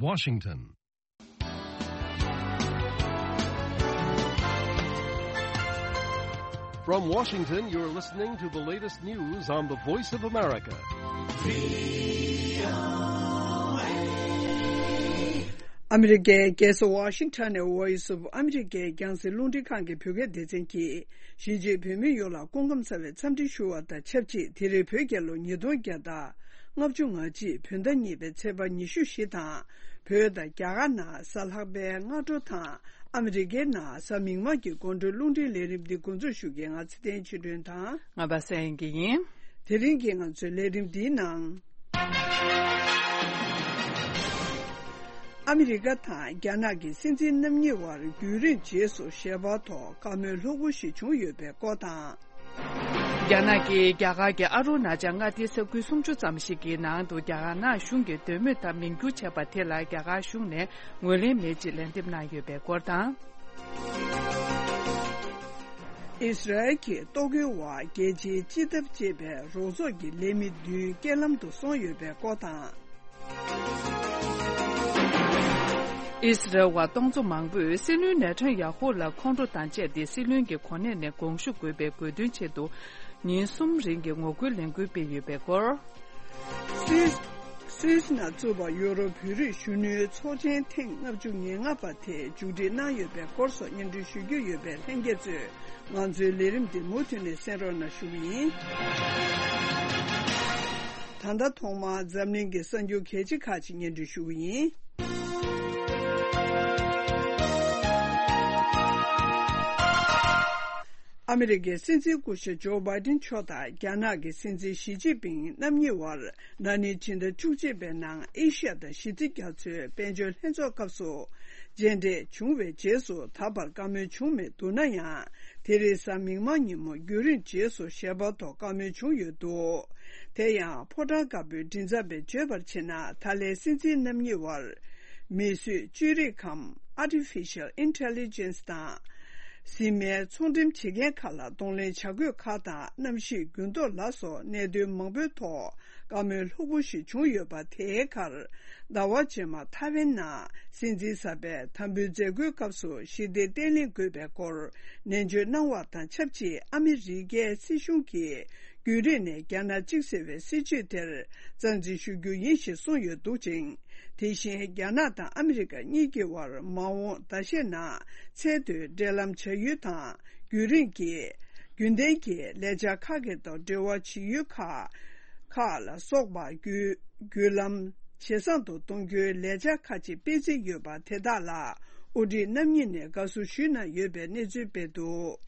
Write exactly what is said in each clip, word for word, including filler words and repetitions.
Washington. From Washington, you're listening to the latest news on the Voice of America. ཨ་མི་རི་ཀའི་རྒྱལ་ས་ཝ་ཤིང་ཊོན་ནས་Voice of America རྒྱང་སྲིང་རླུང་འཕྲིན་ཁང་གི་བོད་སྐད་སྡེ་ཚན་གྱིས་གཞིས་བྱེས་བོད་མི་ཡོངས་ལ་སྐུ་ཁམས་བཟང་བའི་འཚམས་འདྲི་ཞུ་བ་དང་ཆབས་ཅིག་དེ་རིང་བོད་རྒྱལ་ལོ་ཉིས་སྟོང་བརྒྱ་དང་ལྔ་བཅུ་ང་གཅིག་བོད་ཟླ་གཉིས་པའི་ཚེས་པ་ཉི་ཤུ་བཞི་དང་། བོད་དང་རྒྱ་གར་ནང་གཟའ་ལྷག་པའི་སྔ་དྲོ་དང་། ཨ་མི་རི་ཀའི་ནང་གཟའ་མིག་དམར་གྱི་དགོང་དྲོའི་རླུང་འཕྲིན་ལས་རིམ་འདི་འགོ་འཛུགས་ཞུ་མཁན་ང་ཚེ་བརྟན་ཆོས་སྒྲོན་དང་། ང་པ་སངས་སྐྱིད་ཡིན། དེ་རིང་གི་ང་ཚོའི་ལས་རིམ་འདིའི་ནང་། ཨ་མི་རི་ཀ་དང་རྒྱ་ནག་གི་སྲིད་འཛིན་རྣམ་གཉིས་བར་རྒྱུན་རིང་རྗེས་སུ་ཞལ་པར་ཐོག་བཀའ་མོལ་ལྷུག་པོ་ཞིག་བྱུང་ཡོད་པའི་སྐོར་དང་། རྒྱ་ནག་གིས་རྒྱ་གར་གྱི་ཨ་རུ་ན་ཅལ་མངའ་སྡེའི་ས་ཁུལ་སུམ་ཅུ་ཙམ་ཞིག་གི་ནང་དུ་རྒྱ་གར་ནག་གཞུང་གི་འདོད་མོས་ལྟར་མིང་བསྒྱུར་བྱས་པ་དེ་ལ་རྒྱ་གར་གཞུང་ནས་ངོས་ལེན་མེད་ཅེས་ལན་འདེབས་གནང་ཡོད་པའི་སྐོར་དང་། ཨིས་རལ་གྱིས་གཏོར་རྒོལ་འོག་རྒྱལ་སྤྱིའི་སྤྱི་ཐབ་ཅེས་པའི་རོགས་ཚོགས་ཀྱི་ལས་མི་བདུན་རྐྱེན་ལམ་དུ་སོང་ཡོད་པའི་སྐོར་དང་། ཨིས་རལ་བ་སྟོང་ཚོ་མང་པོས་སྲིད་བློན་ནེ་ཐན་ཡ་ཧུ་ལ་ཁོང་ཁྲོ་དང་བཅས་ཏེ་སྲིད་བློན་གྱི་གོ་གནས་ནས་དགོངས་ཞུ་དགོས་པའི་དགོས་འདུན་ཆེད་དུ་ཉིན་གསུམ་རིང་གི་ངོ་རྒོལ་ལས་འགུལ་སྤེལ་ཡོད་པའི་སྐོར། སུད་སུད་སི་ནང་བཙུགས་པ་ཡོ་རོབ་བོད་རིགས་གཞོན་ནུའི་ཚོགས་ཆེན་ཐེངས་ལྔ་བཅུ་ང་ལྔ་པ་དེ་མཇུག་སྒྲིལ་གནང་ཡོད་པའི་སྐོར་སོགས་སྙན་སྒྲོན་ཞུ་རྒྱུ་ཡོད་པས་ལྷན་རྒྱས་ཚོས་ང་ཚོའི་ལས་རིམ་འདི་མུ་མཐུད་ནས་གསན་རོགས་གནང་ཞུ་གི་ཡིན། ད་ལྟ་ཐོག་མར་འཛམ་གླིང་གི་གསར་འགྱུར་གལ་ཆེ་ཁག་ཅིག་སྙན་སྒྲོན་ཞུ་གི་ཡིན། ཨ་མི་རི་ཀའི་སྲིད་འཛིན་སྐུ་ཞབས་ཇོ་བྷའི་ཏིན་མཆོག་དང་རྒྱ་ནག་གི་སྲིད་འཛིན་ཞི་ཅིན་ཕིང་རྣམ་གཉིས་བར་ན་ནིང་ཕྱི་ཟླ་བཅུ་གཅིག་པའི་ནང་ཨེ་ཤ་ཡ་དང་ཞི་བདེ་རྒྱ་མཚོའི་དཔལ་འབྱོར་ལྷན་ཚོགས་སྐབས་སུ་མཇལ་འཕྲད་བྱུང་བའི་རྗེས་སུ་ད་བར་བཀའ་མོལ་བྱུང་མེད་འདུག་ན་ཡང་། དེ་རིང་གཟའ་མིག་དམར་ཉིན་མོ་རྒྱུན་རིང་རྗེས་སུ་ཞལ་པར་ཐོག་བཀའ་མོལ་བྱུང་ཡོད་འདུག་དེ་ཡང་ཕོ་བྲང་དཀར་པོའི་མགྲིན་ཚབ་པས་བརྗོད་པར་བྱས་ན། ད་ལན་སྲིད་འཛིན་རྣམ་གཉིས་བར་མིས་བཟོས་བཅོས་རིག་གམ་Artificial Intelligence དང་གཟིགས་མོའི་ཚོང་འགྲེམས་བྱེད་མཁན་ཁག་ལ་གདོང་ལེན་བྱ་དགོས་ཁག་དང་། གནམ་གཤིས་འགྱུར་ལྡོག་ལ་སོགས་གནད་དོན་མང་པོའི་ཐོག་བཀའ་མོལ་ལྷུག་པོ་ཞིག་བྱུང་ཡོད་པ། དེའི་ཁར་ཟླ་བ་རྗེས་མ་ཐའེ་ཝན་ནང་སྲིད་འཛིན་གསར་པས་དམ་འབུལ་མཛད་སྒོའི་སྐབས་སུ་ཞི་བདེ་བརྟན་ལྷིང་དགོས་པའི་སྐོར་ནན་བརྗོད་གནང་བ་དང་ཆབས་ཅིག་ཨ་མི་རི་ཀའི་སྲིད་གཞུང་གིས་རྒྱུན་རིང་ནས་རྒྱ་ནག་གཅིག་ཟེར་བའི་སྲིད་བྱུས་དེར་རྩ་འཛིན་ཞུ་རྒྱུ་ཡིན་ཞེས་གསུངས་ཡོད་འདུག་ཅིང་། དེ་བཞིན་རྒྱ་ནག་དང་ཨ་མི་རི་ཀ་གཉིས་ཀྱི་དབར་མ་འོངས་ཟླ་ཤས་ནང་ཚད་མཐོའི་འབྲེལ་ལམ་བྱ་ཡུལ་དང་། རྒྱུན་རིང་གི་རྒྱུན་ལྡན་གྱི་ལས་འཆར་ཁག་གི་ཐོག་འབྲེལ་བ་བྱེད་ཡུལ་ཁག་ཁག་ལ་སོགས་པ་བརྒྱུད་བརྒྱུད་ལམ་ཇེ་བཟང་དུ་གཏོང་རྒྱུའི་ལས་འཆར་ཁག་ཅིག་སྤེལ་རྩིས་ཡོད་པ། དེ་དག་ལ་དབུ་ཁྲིད་རྣམ་གཉིས་ནས་དགའ་བསུ་ཞུས་གནང་ཡོད་པའི་གནས་ཚུལ་སྤེལ་འདུག་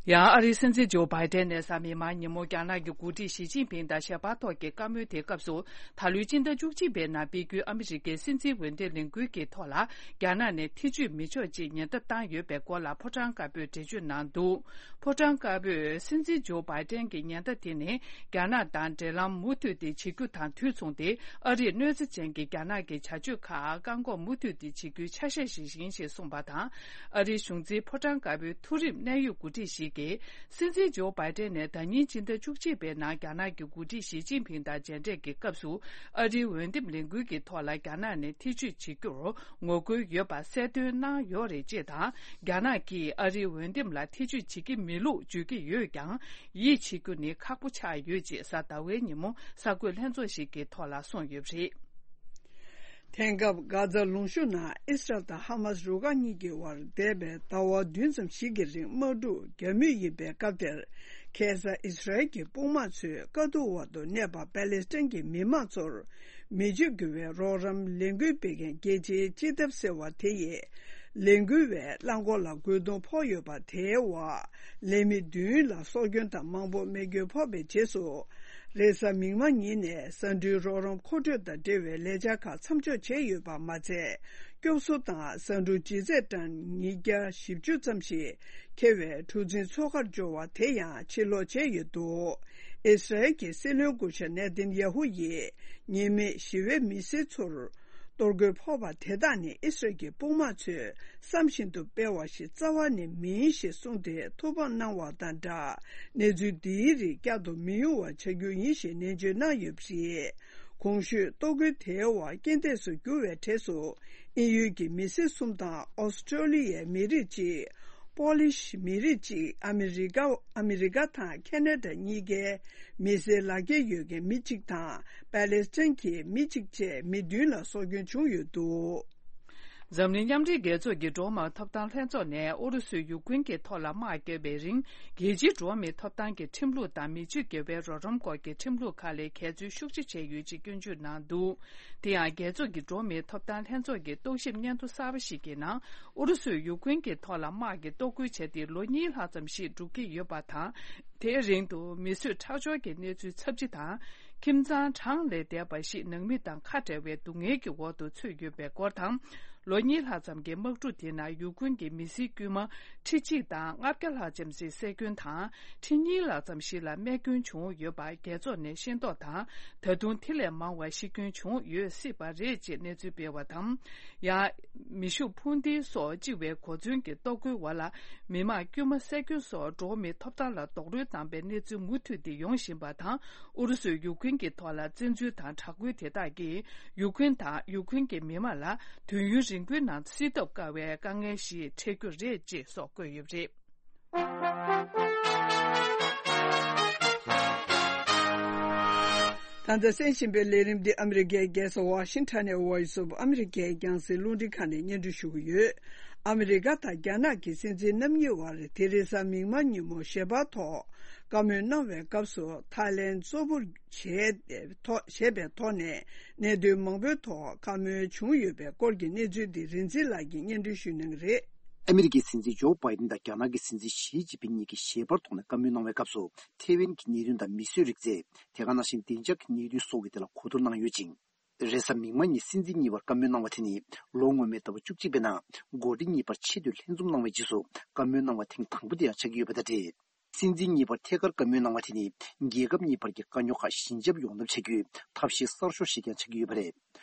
ཡང་ཨ་རིའི་སྲིད་འཛིན་ཇོ་བྷའི་ཏན་ནས་གཟའ་མིག་དམར་ཉིན་མོ་རྒྱ་ནག་གི་འགོ་ཁྲིད་ཞི་ཅིན་ཕིང་དང་ཞལ་པར་ཐོག་གི་བཀའ་མོལ་དེའི་སྐབས་སུ། ད་ལོའི་སྤྱི་ཟླ་བཅུ་གཅིག་པའི་ནང་སྤེལ་རྒྱུའི་ཨ་མི་རི་ཀའི་སྲིད་འཛིན་འོས་འདེམས་ལས་འགུལ་གྱི་ཐོག་ལ་རྒྱ་ནག་ནས་ཐེ་བྱུས་མི་ཆོག་ཅེས་ཉེན་བརྡ་བཏང་ཡོད་པའི་སྐོར་ལ་ཕོ་བྲང་དཀར་པོས་འགྲེལ་བརྗོད་གནང་འདུག་ཕོ་བྲང་དཀར་པོས་སྲིད་འཛིན་ཇོ་བྷའི་ཏན་གྱི་ཉེན་བརྡ་དེ་ནི་རྒྱ་ནག་དང་འབྲེལ་ལམ་མུ་མཐུད་དེ་བྱེད་རྒྱུ་དང་དུས་མཚུངས་ཏེ། ཨ་རིས་གནོད་འཚེ་ཅན་གྱི་རྒྱ་ནག་གི་བྱ་སྤྱོད་ཁག་བཀག་འགོག་མུ་མཐུད་དེ་བྱེད་རྒྱུའི་ཆ་ཤས་ཤིག་ཡིན་ཞེས་གསུངས་པ་དང་། ཨ་རིའི་གཞུང་འཛིན་ཕོ་བྲང་དཀར་པོའི་མཐོ་རིམ་གནད་ཡོད་འགོ་ཁྲིད་ཞིག་གིས། སྲིད་འཛིན་ཇོ་བྷའི་ཏན་ནས་ཟླ་ཉིན་སྤྱི་ཟླ་བཅུ་གཅིག་པའི་ནང་རྒྱ་ནག་གི་འགོ་ཁྲིད་ཞི་ཅིན་ཕིང་དང་མཇལ་འཕྲད་ཀྱི་སྐབས་སུ། ཨ་རིའི་འོས་འདེམས་ལས་འགུལ་གྱི་ཐོག་ལ་རྒྱ་ནག་ནས་ཐེ་བྱུས་བྱེད་རྒྱུར་ངོ་རྒོལ་ཡོད་པ་གསལ་སྟོན་གནང་ཡོད་རེད་ཅེས་དང་། རྒྱ་ནག་གིས་ཨ་རིའི་འོས་འདེམས་ལ་ཐེ་བྱུས་བྱེད་ཀྱི་མེད་ལུགས་བརྗོད་ཀྱི་ཡོད་ཀྱང་། ཡིད་ཆེས་རྒྱུ་ནི་ཁག་པོ་ཆགས་ཡོད་ཅེས་གཟའ་ཟླ་བའི་ཉིན་མོ་གསར་འགོད་ལྷན་ཚོགས་ཤིག་གི་ཐོག་ལ་གསུངས་ཡོད་པ་རེད། དེང་སྐབས་གྷ་ཛ་ལུང་གཤོང་ནང་ཨིས་རལ་དང་ཧ་མཱས་རུ་ཁག་གཉིས་ཀྱི་དབར་འདས་པའི་ཟླ་བ་བདུན་ཙམ་ཞིག་གི་རིང་དམག་འཁྲུག་རྒྱག་མུས་ཡིན་པའི་སྐབས་དེར། ཁ་སང་ཨིས་རལ་གྱི་དཔུང་དམག་ཚོས་དཀའ་སྡུག་འོག་ཏུ་གནས་པ་པ་ལེ་སི་ཐན་གྱི་མི་མང་ཚོར་མི་ཆོས་དགེ་བའི་རོགས་རམ་ལས་འགུལ་སྤེལ་མཁན་རྒྱལ་སྤྱིའི་སྤྱི་ཐབ་ཟེར་བ་དེ་ཡིས། ལས་འགུལ་བའི་རླངས་འཁོར་ལ་རྒོལ་རྡུང་ཕོག་ཡོད་པ་དེའི་འོག་ལས་མི་བདུན་ལ་སྲོག་སྐྱོན་དང་མང་པོ་རྨས་སྐྱོན་ཕོག་པའི་རྗེས་སུ། རེས་གཟའ་མིག་དམར་ཉིན་ནས་ཟ་འབྲུའི་རོགས་རམ་མཁོ་སྤྲོད་དང་འབྲེལ་བའི་ལས་འཆར་ཁག་མཚམས་འཇོག་བྱས་ཡོད་པ་མ་ཚད། སྐྱོབ་གསོ་དང་ཟ་འབྲུ་ལྗིད་ཚད་ཊོན་ཉིས་བརྒྱ་བཞི་བཅུ་ཙམ་ཞིག་འཁྱེར་བའི་གྲུ་གཟིངས་མཚོ་ཁར་འབྱོར་བ་དེ་ཡང་ཕྱིར་སློག་བྱས་ཡོད་འདུག་ཨིས་རལ་གྱི་སྲིད་བློན་སྐུ་ཞབས་ནེ་ཐན་ཡ་ཧུ་ཡིས་ཉེས་མེད་ཞི་བའི་མི་སེར་ཚོར། གཏོར་རྒོལ་ཕོག་པ་དེ་དག་ནི་ཨི་སི་རལ་གྱི་དཔུང་དམག་ཚོས་བསམ་བཞིན་དུ་སྤེལ་བ་ཞིག་རྩ་བ་ནས་མིན་ཞེས་གསུངས་ཏེ་ཐུགས་ཕམ་གནང་བ་དང་སྦྲགས། གནས་ཚུལ་འདིའི་རིགས་བསྐྱར་དུ་མི་ཡོང་བ་བྱ་རྒྱུ་ཡིན་ཞེས་ནན་བརྗོད་གནང་ཡོད་པ་རེད། གོང་ཞུས་ལྟོ་གོས་དེའི་འོག་རྐྱེན་འདས་སུ་གྱུར་བའི་གྲས་སུ། དབྱིན་ཡུལ་གྱི་མི་སེར་གསུམ་དང་ཨོ་སི་ཀྲོ་ལི་ཡའི་མི་རིགས་གཅིག་པོ་ལི་ཤི་མི་རིགས་གཅིག་ཨ་མི་རི་ཀ་ཨ་མི་རི་ཀ་དང་ཁེ་ན་ཌ་གཉིས་ཀའི་མི་སེར་ལག་འཁྱེར་ཡོད་མཁན་མི་གཅིག་དང་པ་ལེ་སི་ཐན་གྱི་མི་གཅིག་བཅས་མི་བདུན་ལ་སྲོག་སྐྱོན་བྱུང་ཡོད་འདུག་འཛམ་གླིང་མཉམ་འབྲེལ་རྒྱལ་ཚོགས་ཀྱི་འགྲོ་བ་མིའི་ཐོབ་ཐང་ལྷན་ཚོགས་ནས་ཨུ་རུ་སུས་ཡུཀ་རེན་གྱི་ཐོག་ལ་དམག་བརྒྱབ་པའི་རིང་། རྒྱལ་སྤྱིའི་འགྲོ་བ་མིའི་ཐོབ་ཐང་གི་ཁྲིམས་ལུགས་དང་མི་སྤྱོད་དགེ་བའི་རོགས་རམ་སྐོར་གྱི་ཁྲིམས་ལུགས་ཁག་ལ་འགལ་འཛོལ་ཤུགས་ཆེ་བྱས་ཡོད་ཅེས་སྐྱོན་བརྗོད་གནང་འདུག་དེ་ཡང་རྒྱལ་ཚོགས་ཀྱི་འགྲོ་བ་མིའི་ཐོབ་ཐང་ལྷན་ཚོགས་ཀྱི་རྟོག་ཞིབ་སྙན་ཐོ་གསར་པ་ཞིག་གི་ནང་། ཨུ་རུ་སུས་ཡུཀ་རེན་གྱི་ཐོག་ལ་དམག་གི་གཏོར་རྒོལ་བྱས་ཏེ་ལོ་གཉིས་ལྷག་ཙམ་ཞིག་འགྲོ་གི་ཡོད་པ་དང་། དེའི་རིང་དུ་མི་གསོད་ཁྲག་སྦྱོར་གྱི་གནས་ཚུལ་ཚབས་ཆེ་དང་། ཁྱིམ་ཚང་གྲངས་ལས་འདས་པ་ཞིག་ནང་མི་དང་ཁ་བྲལ་བའི་སྡུག་བསྔལ་གྱི་འོག་ཏུ་ཚུད་ཡོད་པའི་སྐོར་དང་། ལོ་གཉིས་ལྷག་ཙམ་གྱི་དམག་འཁྲུག་དེ་ནང་ཡུཀ་རེན་གྱི་མི་སེར་དཀྱུས་མ་ཁྲི་གཅིག་དང་ལྔ་བརྒྱ་ལྷག་ཙམ་ཞིག་བསད་སྐྱོན་དང་། ཁྲི་གཉིས་ལྷག་ཙམ་ཞིག་ལ་རྨས་སྐྱོན་བྱུང་ཡོད་པ་རྒྱལ་ཚོགས་ནས་ཤེས་རྟོགས་དང་། ད་དུང་དེ་ལས་མང་བ་ཤི་སྐྱོན་བྱུང་ཡོད་སྲིད་པ་རེད་ཅེས་གནས་ཚུལ་སྤེལ་བ་དང་། ཡང་། མེ་ཤུགས་འཕུར་མདེལ་སོགས་ལྕི་བའི་གོ་མཚོན་གྱི་གཏོར་རྒོལ་འོག་ལ། མི་མང་དཀྱུས་མ་བསད་སྐྱོན་སོགས་འགྲོ་བ་མིའི་ཐོབ་ཐང་ལ་རྡོག་རོལ་བཏང་པའི་གནས་ཚུལ་མུ་མཐུད་དེ་ཡོང་བཞིན་པ་དང་། ཨུ་རུ་སུས་ཡུཀ་རེན་གྱི་ཐོག་ལ་བཙན་འཛུལ་དང་དྲག་རྒོལ་དེ་དག་གིས། ཡུཀ་རེན་དང་ཡུཀ་རེན་གྱི་མི་མང་ལ་དུས་ཡུན་རིང་པོའི་ནང་སེལ་ཐབས་དཀའ་བའི་དཀའ་ངལ་ཞིག་འཕྲད་རྒྱུ་རེད་ཅེས་སོགས་བཀོད་ཡོད་པ་རེད། ད་ལྟ་གསན་བཞིན་པའི་ལས་རིམ་འདི་ཨ་མི་རི་ཀའི་རྒྱལ་ས་ཝ་ཤིང་ཊོན་ནས་Voice of America རྒྱང་སྲིང་རླུང་འཕྲིན་ཁང་ནས་སྙན་སྒྲོན་ཞུ་གི་ཡོད། ཨ་མི་རི་ཀ་དང་རྒྱ་ནག་གི་སྲིད་འཛིན་རྣམ་གཉིས་དབར་དེ་རིང་གཟའ་མིག་དམར་ཉིན་མོ་ཞལ་པར་ཐོག་བཀའ་མོལ་གནང་བའི་སྐབས་སུ་ཐའི་ལེན་གཙོ་བོར་བྱས་ཐོག་བྱས་པའི་ཐོག་ནས་གནད་དོན་མང་པོའི་ཐོག་བཀའ་མོལ་བྱུང་ཡོད་པའི་སྐོར་གྱི་གནས་ཚུལ་འདི་རིག་འཛིན་ལགས་ཀྱིས་སྙན་སྒྲོན་ཞུ་གནང་གི་རེད། ཨ་མི་རི་ཀའི་སྲིད་འཛིན་ཇོ་བྷའི་ཏིན་དང་རྒྱ་ནག་གི་སྲིད་འཛིན་ཞི་ཅིན་ཕིན་གཉིས་ཀྱིས་ཞལ་པར་ཐོག་ནས་བཀའ་མོལ་གནང་བའི་སྐབས་སུ། ཐེ་ཝན་གྱི་གནད་དོན་དང་མིས་བཟོས་རིག་རྩལ། དེ་ག་ནང་བཞིན་བདེ་འཇགས་ཀྱི་གནད་དོན་སོགས་ཀྱི་ཐད་ལ་གོ་བསྡུར་གནང་ཡོད་ཅིང་། རེས་གཟའ་མིག་དམར་ཉིན་སྲིད་འཛིན་གཉིས་བར་བཀའ་མོལ་གནང་བ་དེ་ནི། ལོ་སྔོན་མའི་ཟླ་བ་བཅུ་གཅིག་པའི་ནང་། འགོ་ཁྲིད་གཉིས་བར་ཆེད་དུ་ལྷན་འཛོམས་གནང་བའི་རྗེས་སུ། བཀའ་མོལ་གནང་བ་ཐེངས་དང་པོ་དེ་ཡང་ཆགས་ཀྱི་ཡོད་པ་དང་འབྲེལ། སྲིད་འཛིན་གཉིས་བར་ཐད་ཀར་བཀའ་མོལ་གནང་བ་དེ་ནི། རྒྱལ་ཁབ་གཉིས་བར་གྱི་དཀའ་རྙོག་ཁག་ཞི་འཇགས་ཡོང་ཐབས་བྱ་རྒྱུའི་ཐབས་ཤེས་གསར་ཤོས་ཤིག་ཀྱང་ཆགས་ཀྱི་ཡོད་པ་རེད།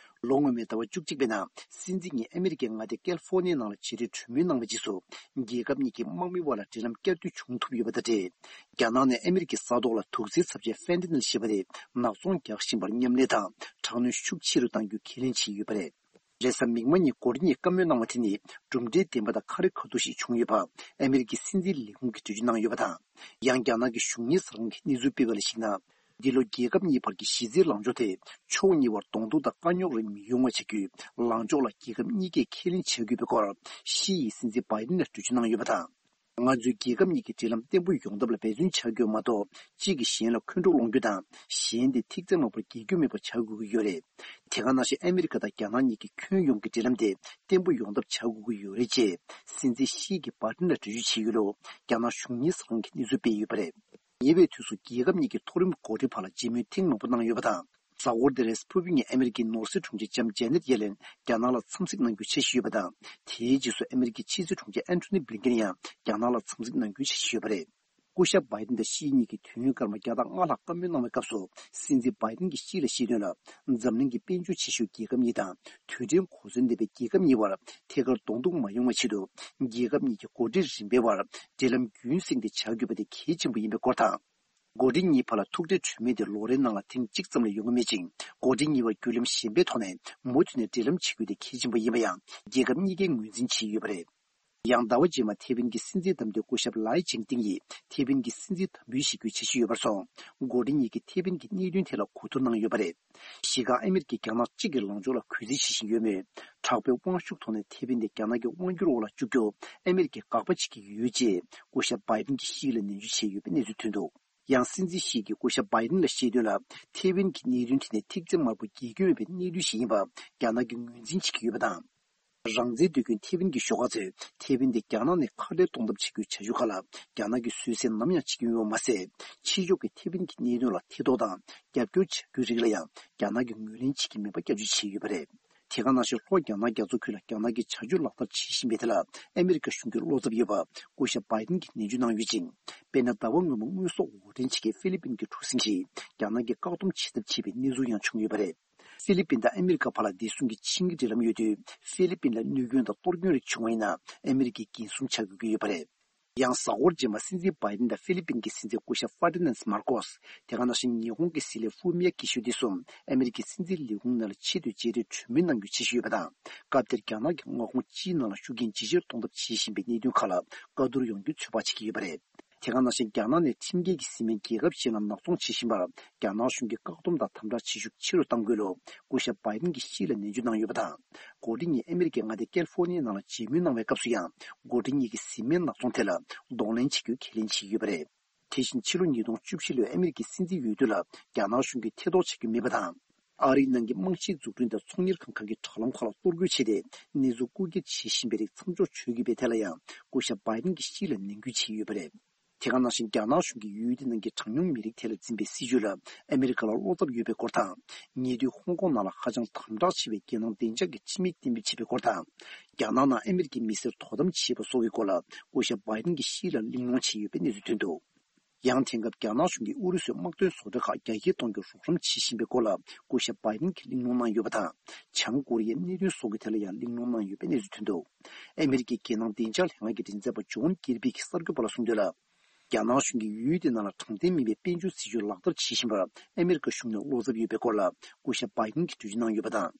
ལོ་སྔོན་མའི་ཟླ་བ་བཅུ་གཅིག་པའི་ནང་། སྲིད་འཛིན་གཉིས་ཨ་མི་རི་ཀའི་མངའ་སྡེ་ཀལ་ཧྥོ་ནི་ཡའི་ནང་ལ་བྱེད་རེས་གྲོས་མོལ་གནང་བའི་རྗེས་སུ། རྒྱལ་ཁབ་གཉིས་ཀྱི་དམག་མི་དབར་ལ་འབྲེལ་ལམ་བསྐྱར་མཐུད་བྱུང་ཐུབ་ཡོད་པ་དང་འབྲེལ། རྒྱ་ནག་ནས་ཨ་མི་རི་ཀའི་ས་ཐོག་ལ་དུག་རྫས་ཚབས་ཆེ་ཧྥེན་ཏ་ནིལ་ཞེས་པ་དེ་ནག་ཚོང་རྒྱག་བཞིན་པར་མཉམ་ལས་དང་། དྲག་གནོན་ཤུགས་ཆེ་རུ་གཏང་རྒྱུ་ཁས་ལེན་བྱས་ཡོད་པ་རེད། རེས་གཟའ་མིག་དམར་ཉིན་འགོ་ཁྲིད་གཉིས་བཀའ་མོལ་གནང་བ་དེ་ནི། གྲུབ་འབྲས་ལྡན་པ་དང་ཁ་རེ་ཁ་ཐུག་ཞིག་བྱུང་ཡོད་པ། ཨ་མི་རི་ཀའི་སྲིད་འཛིན་ལས་ཁུངས་ཀྱིས་འགྲེལ་བརྗོད་གནང་ཡོད་པ་དང་། ཡང་རྒྱ་ནག་གི་གཞུང་གཉེར་གསར་ཁང་གིས་གནས་ཚུལ་སྤེལ་བ་ལ་གཞིགས་ན། འདི་ལོ་རྒྱལ་ཁབ་གཉིས་བར་གྱི་གཞི་རྩའི་ལངས་ཕྱོགས་དེ། ཕྱོགས་གཉིས་བར་གདོང་ཐུག་དང་དཀའ་རྙོག་རེ་མི་ཡོང་བ་བྱ་རྒྱུའི་ལངས་ཕྱོགས་ལ་རྒྱལ་ཁབ་གཉིས་ཀས་ཁས་ལེན་བྱ་དགོས་པའི་སྐོར། ཞི་ཡིས་སྲིད་འཛིན་བྷའི་ཏིན་ལ་འགྲེལ་བརྗོད་གནང་ཡོད་པ་དང་། ང་ཚོའི་རྒྱལ་ཁབ་གཉིས་ཀྱི་འབྲེལ་ལམ་བརྟན་པོ་ཡོང་ཐབས་ལ་འབད་བརྩོན་བྱ་དགོས་མ་གཏོགས། གཅིག་གིས་གཞན་ལ་འཁོན་འཁྲུག་སློང་རྒྱུ་དང་། གཞན་དེ་ཐེག་ཆེན་མ་བོར་རྒྱལ་རྒྱུ་མེད་པ་བྱ་དགོས་ཀྱི་ཡོད་རེད། དེ་ག་ནང་བཞིན་ཨ་མི་རི་ཀ་དང་རྒྱ་ནག་གཉིས་ཀྱི་ཁྱོན་ཡོངས་ཀྱི་འབྲེལ་ལམ་དེ་བརྟན་པོ་ཡོང་ཐབས་བྱ་དགོས་ཀྱི་ཡོད་རེད་ཅེས། སྲིད་འཛིན་ཞི་ཡིས་བྷའི་ཏིན་ལ་འགྲེལ་བརྗོད་བྱས་ཡོད་ལུགས། རྒྱ་ནག་གཞུང་གཉེར་གསར་ཁང་གིས་གནས་ཚུལ་སྤེལ་ཡོད་པ་རེད། ཉེ་བའི་དུས་སུ་རྒྱལ་ཁབ་གཉིས་ཀྱི་མཐོ་རིམ་འགོ་ཁྲིད་བར་ལ་མཇལ་མོལ་ཐེངས་མང་པོ་གནང་ཡོད་པ་དང་། གཟའ་འཁོར་འདིར་ཕུར་བུ་ཉིན་ཨ་མི་རི་ཀའི་ནོར་སྲིད་དྲུང་ཆེ་ལྕམ་ཇེ་ནེད་ཡེ་ལེན་རྒྱ་ནག་ལ་འཚམས་གཟིགས་གནང་རྒྱུའི་འཆར་གཞི་ཡོད་པ་དང་། དེའི་རྗེས་སུ་ཨ་མི་རི་ཀའི་ཕྱི་སྲིད་དྲུང་ཆེ་ཨན་ཐོ་ནི་བྷི་ལིན་ཀེན་ཡང་རྒྱ་ནག་ལ་འཚམས་གཟིགས་གནང་རྒྱུའི་འཆར་གཞི་ཡོད་པ་རེད། སྐུ་ཞབས་བྷའི་ཏིན་དང་ཞི་གཉིས་ཀྱིས་དུས་ཡུན་སྐར་མ་བརྒྱ་དང་ལྔ་ལྷག་བཀའ་མོལ་གནང་བའི་སྐབས་སུ། སྲིད་འཛིན་བྷའི་ཏིན་གྱིས་ཞི་ལ་བཤད་དོན་ལ། འཛམ་གླིང་གི་དཔལ་འབྱོར་ཆེ་ཤོས་རྒྱལ་ཁབ་གཉིས་དང་། རྡུལ་ཕྲན་གོ་མཚོན་ལྡན་པའི་རྒྱལ་ཁབ་གཉིས་བར་ཐད་ཀར་གདོང་ཐུག་མ་ཡོང་བའི་ཆེད་དུ། རྒྱལ་ཁབ་གཉིས་ཀྱི་འགོ་ཁྲིད་རིམ་པའི་བར་འབྲེལ་ལམ་རྒྱུན་བསྲིངས་ཏེ་བྱ་དགོས་པ་དེ་གལ་ཆེན་པོ་ཡིན་པའི་སྐོར་དང་། འགོ་ཁྲིད་གཉིས་བར་ལ་ཐུག་འཕྲད་གྲོས་མོལ་དེ་ལོ་རེའི་ནང་ལ་ཐེངས་གཅིག་ཙམ་ལས་ཡོང་གི་མེད་ཅིང་། འགོ་ཁྲིད་གཉིས་བར་བརྒྱུད་ལམ་གཞན་པའི་ཐོག་ནས་མུ་མཐུད་ནས་འབྲེལ་ལམ་བྱེད་རྒྱུ་དེ་གལ་ཆེན་པོ་ཡིན་པ་ཡང་རྒྱལ་ཁབ་གཉིས་ཀས་ངོས་འཛིན་བྱས་ཡོད་པ་རེད། ཡང་ཟླ་བ་རྗེས་མར་ཐེ་ཝན་གྱི་སྲིད་འཛིན་བདམས་ཐོན་སྐུ་ཞབས་ལའེ་ཅིང་ཏིང་ཡིས་ཐེ་ཝན་གྱི་སྲིད་འཛིན་དམ་འབུལ་ཞུ་རྒྱུའི་འཆར་གཞི་ཡོད་པར་སོང་། འགོ་ཁྲིད་གཉིས་ཀྱིས་ཐེ་ཝན་གྱི་གནད་དོན་ཐད་ལ་གོ་བསྡུར་གནང་ཡོད་པ་རེད། གཞི་རྐང་ཨ་མི་རི་ཀས་རྒྱ་ནག་གཅིག་གི་ལངས་ཕྱོགས་ལ་གུས་བརྩི་བྱེད་བཞིན་ཡོད་མོད། དྲག་པོའི་དབང་ཤུགས་ཐོག་ནས་ཐེ་ཝན་དེ་རྒྱ་ནག་གི་དབང་སྒྱུར་འོག་ལ་བཅུག་རྒྱུ་ཨ་མི་རི་ཀས་དགག་པ་བྱེད་ཀྱི་ཡོད་ཅེས་སྐུ་ཞབས་བྷའི་ཏིན་གྱིས་ཞི་ལ་ནན་བརྗོད་བྱས་ཡོད་པའི་གནས་ཚུལ་ཐོན་འདུག་ཡང་སྲིད་འཛིན་ཞི་ཡིས་སྐུ་ཞབས་བྷའི་ཏིན་ལ་བཤད་དོན་ལ། ཐེ་ཝན་གྱི་གནད་དོན་དེ་ནི་ཐེག་ཆེན་དམར་པོ་རྒྱལ་སྐྱོང་མེད་པའི་གནས་ཚུལ་ཞིག་ཡིན་པ་རྒྱ་ནག་གིས་ངོས་འཛིན་བྱེད་ཀྱི་ཡོད་པ་དང་། རང་བཙན་འདོད་མཁན་ཐེ་ཝན་གྱི་ཤོག་ཁག་ཚོས་ཐེ་ཝན་དེ་རྒྱ་ནག་ནས་ཁ་བྲལ་གཏོང་ཐབས་བྱེད་རྒྱུའི་བྱ་སྤྱོད་ཁག་ལ་རྒྱ་ནག་གིས་བཟོད་བསྲན་ནམ་ཡང་བྱེད་ཀྱི་ཡོད་པ་མ་ཟད། ཕྱི་ཕྱོགས་ཀྱིས་ཐེ་ཝན་གྱི་གནད་དོན་ལ་ཐེ་གཏོགས་དང་རྒྱབ་སྐྱོར་བྱ་རྒྱུའི་རིགས་ལ་ཡང་རྒྱ་ནག་གིས་ངོས་ལེན་བྱེད་ཀྱི་མེད་པ་སྐྱབས་བཅོལ་བྱས་ཡོད་པ་རེད། དེ་ག་ནང་བཞིན་ལྷོ་རྒྱ་ནག་རྒྱ་མཚོ་ཁུལ་ལ་རྒྱ་ནག་གིས་བྱ་སྤྱོད་ལག་བསྟར་བྱེད་བཞིན་པའི་ཐད་ལ་ཨ་མི་རི་ཀ་གཞུང་གིས་བློ་འཚབ་ཡོད་པ་སྐུ་ཞབས་བྷའི་ཏིན་གྱིས་ནན་བརྗོད་གནང་ཡོད་ཅིང་། དཔེར་ན། ཟླ་བ་སྔོན་མ་དངོས་ཟོག་འོར་འདྲེན་བྱེད་མཁན་ཧྥི་ལི་པིན་གྱི་གྲུ་གཟིངས་ཤིག་རྒྱ་ནག་གིས་བཀག་སྡོམ་བྱེད་ཐབས་བྱས་པའི་གནས་ཚུལ་ཡང་བྱུང་ཡོད་པ་རེད། ཧྥི་ལི་པིན་དང་ཨ་མི་རི་ཀ་བར་ལ་བདེ་སྲུང་གི་ཆིངས་ཡིག་འབྲེལ་ལམ་ཡོད་དུས། ཧྥི་ལི་པིན་ལ་གནོད་སྐྱོན་དང་གཏོར་སྐྱོན་རིགས་བྱུང་བ་ཡིན་ན། ཨ་མི་རི་ཀས་འགན་སྲུང་བྱ་དགོས་ཀྱི་ཡོད་པ་རེད། ཡང་གཟའ་འཁོར་རྗེས་མར་སྲིད་འཛིན་བྷའི་ཏིན་དང་ཧྥི་ལི་པིན་གྱི་སྲིད་འཛིན་སྐུ་ཞབས་ཧྥར་ཏི་ནན་མར་ཀོས། དེ་ག་ནང་བཞིན་ཉི་ཧོང་གི་སྲིད་བློན་ཧྥུ་མི་ཡ་ཀི་ཤོ་འདི་ཚོ་ཨ་མེ་རི་ཀའི་སྲིད་འཛིན་ལས་ཁུངས་ནང་ལ་ཆེད་དུ་མཇལ་འཕྲད་གྲོས་མོལ་གནང་རྒྱུ་བྱེད་བཞིན་ཡོད་པ་དང་། སྐབས་དེར་རྒྱ་ནག་གི་མངའ་ཁོངས་སྤྱིའི་ནང་ལ་ཤུགས་རྐྱེན་ཇེ་ཆེར་གཏོང་ཐབས་བྱེད་བཞིན་པའི་གནད་དོན་ཁག་ལ་བཀའ་བསྡུར་ཡོང་རྒྱུ་ཚོད་དཔག་བྱེད་ཀྱི་ཡོད་པ་རེད། དེ་ག་ནང་བཞིན་རྒྱ་ནག་ནས་ཁྲིམས་འགལ་གྱི་བཟི་སྨན་རྒྱལ་ཁབ་གཞན་ལ་ནག་ཚོང་བྱེད་བཞིན་པར་རྒྱ་ནག་གཞུང་གིས་བཀག་སྡོམ་དང་དམ་དྲག་བྱེད་ཤུགས་ཆེ་རུ་གཏང་དགོས་ལུགས་སྐུ་ཞབས་བྷའི་ཏིན་གྱིས་ཕྱི་ལ་ནན་བརྗོད་གནང་ཡོད་པ་དང་། འགོ་ཁྲིད་གཉིས་ཨ་མེ་རི་ཀའི་མངའ་སྡེ་ཀལ་ཧྥོ་ནི་ཡའི་ནང་ལ་མཇལ་མོལ་གནང་བའི་སྐབས་སུ་ཡང་། འགོ་ཁྲིད་གཉིས་ཀྱིས་བཟི་སྨན་ནག་ཚོང་ཐད་ལ་གདོང་ལེན་བྱེད་རྒྱུའི་ཁས་ལེན་བྱས་ཡོད་པ་རེད། དེ་བཞིན་ཕྱི་ལོ་ཉིས་སྟོང་བཅུ་བཞི་ལོའི་ཨ་མེ་རི་ཀའི་སྲིད་འཛིན་འོས་བསྡུ་ལ་རྒྱ་ནག་གཞུང་གིས་ཐེ་གཏོགས་བྱེད་རྒྱུ་མེད་པ་དང་། ཨ་རིའི་ནང་གི་རྨང་གཞིའི་འཛུགས་སྐྲུན་དང་ཚོང་གཉེར་ཁང་ཁག་གི་དྲ་ལམ་ཁག་ལ་གཏོར་རྒོལ་བྱས་ཏེ། གནས་ཚུལ་རྐུ་འཁྱེར་བྱེད་བཞིན་པའི་རིགས་མཚམས་འཇོག་བྱེད་དགོས་པའི་ཐད་ལ་ཡང་སྐུ་ཞབས་བྷའི་ཏིན་གྱིས་ཕྱི་ལ་ནན་སྐུལ་བྱས་ཡོད་པ་རེད། དེ་ག་ནང་བཞིན་རྒྱ་ནག་གཞུང་གིས་ཡུལ་དེ་ནང་གི་གྲངས་ཉུང་མི་རིགས་ཐད་ལ་འཛིན་པའི་སྲིད་བྱུས་ལ་ཨ་མེ་རི་ཀ་ལ་བློ་འཚབ་ཡོད་པའི་སྐོར་དང་། ཉེ་དུས་ཧོང་ཀོང་ནང་ལ་ཧ་ཅང་དམ་དྲག་ཆེ་བའི་རྒྱལ་ནང་བདེ་འཇགས་ཀྱི་ཁྲིམས་ཡིག་གཏན་འབེབས་བྱས་པའི་སྐོར་དང་། རྒྱ་ནག་ནང་ཨ་མེ་རི་ཀའི་མི་སེར་དོ་དམ་བྱེད་པ་སོགས་ཀྱི་སྐོར་ལ་སྐུ་ཞབས་བྷའི་ཏིན་གྱིས་ཕྱི་ལ་གླེང་སློང་བྱས་ཡོད་པའི་གནས་ཚུལ་ཐོན་འདུག་ཡང་དེང་སྐབས་རྒྱ་ནག་གཞུང་གིས་ཨུ་རུ་སུའི་དམག་དོན་བཟོ་གྲྭ་ཁག་རྒྱ་སྐྱེད་གཏོང་རྒྱུར་རོགས་རམ་བྱེད་བཞིན་པའི་སྐོར་ལ་སྐུ་ཞབས་བྷའི་ཏིན་གྱིས་གླེང་སློང་གནང་ཡོད་པ་དང་། བྱང་ཀོ་རི་ཡའི་གནད་དོན་སོགས་ཀྱི་ཐད་ལ་ཡང་གླེང་སློང་གནང་ཡོད་པའི་གནས་ཚུལ་ཐོན་འདུག་ཨ་མེ་རི་ཀའི་རྒྱལ་ནང་བདེ་འཇགས་ལྷན་ཁང་གི་མགྲིན་ཚབ་པ་ཇོན་ཀིར་པི་གིས་གསར་འགོད་པ་ལ་གསུངས་དོན་ལ། རྒྱ་ནག་གཞུང་གིས་ཡུལ་དེ་ནང་ལ་དྲང་བདེན་མིན་པའི་དཔལ་འབྱོར་སྲིད་ཇུས་ལག་བསྟར་བྱེད་བཞིན་པར་ཨ་མེ་རི་ཀ་གཞུང་ནས་བློ་འཚབ་ཡོད་པའི་སྐོར་ལ་སྐུ་ཞབས་བྷའི་ཏིན་གྱིས་འགྲེལ་བརྗོད་གནང་ཡོད་པ་དང་།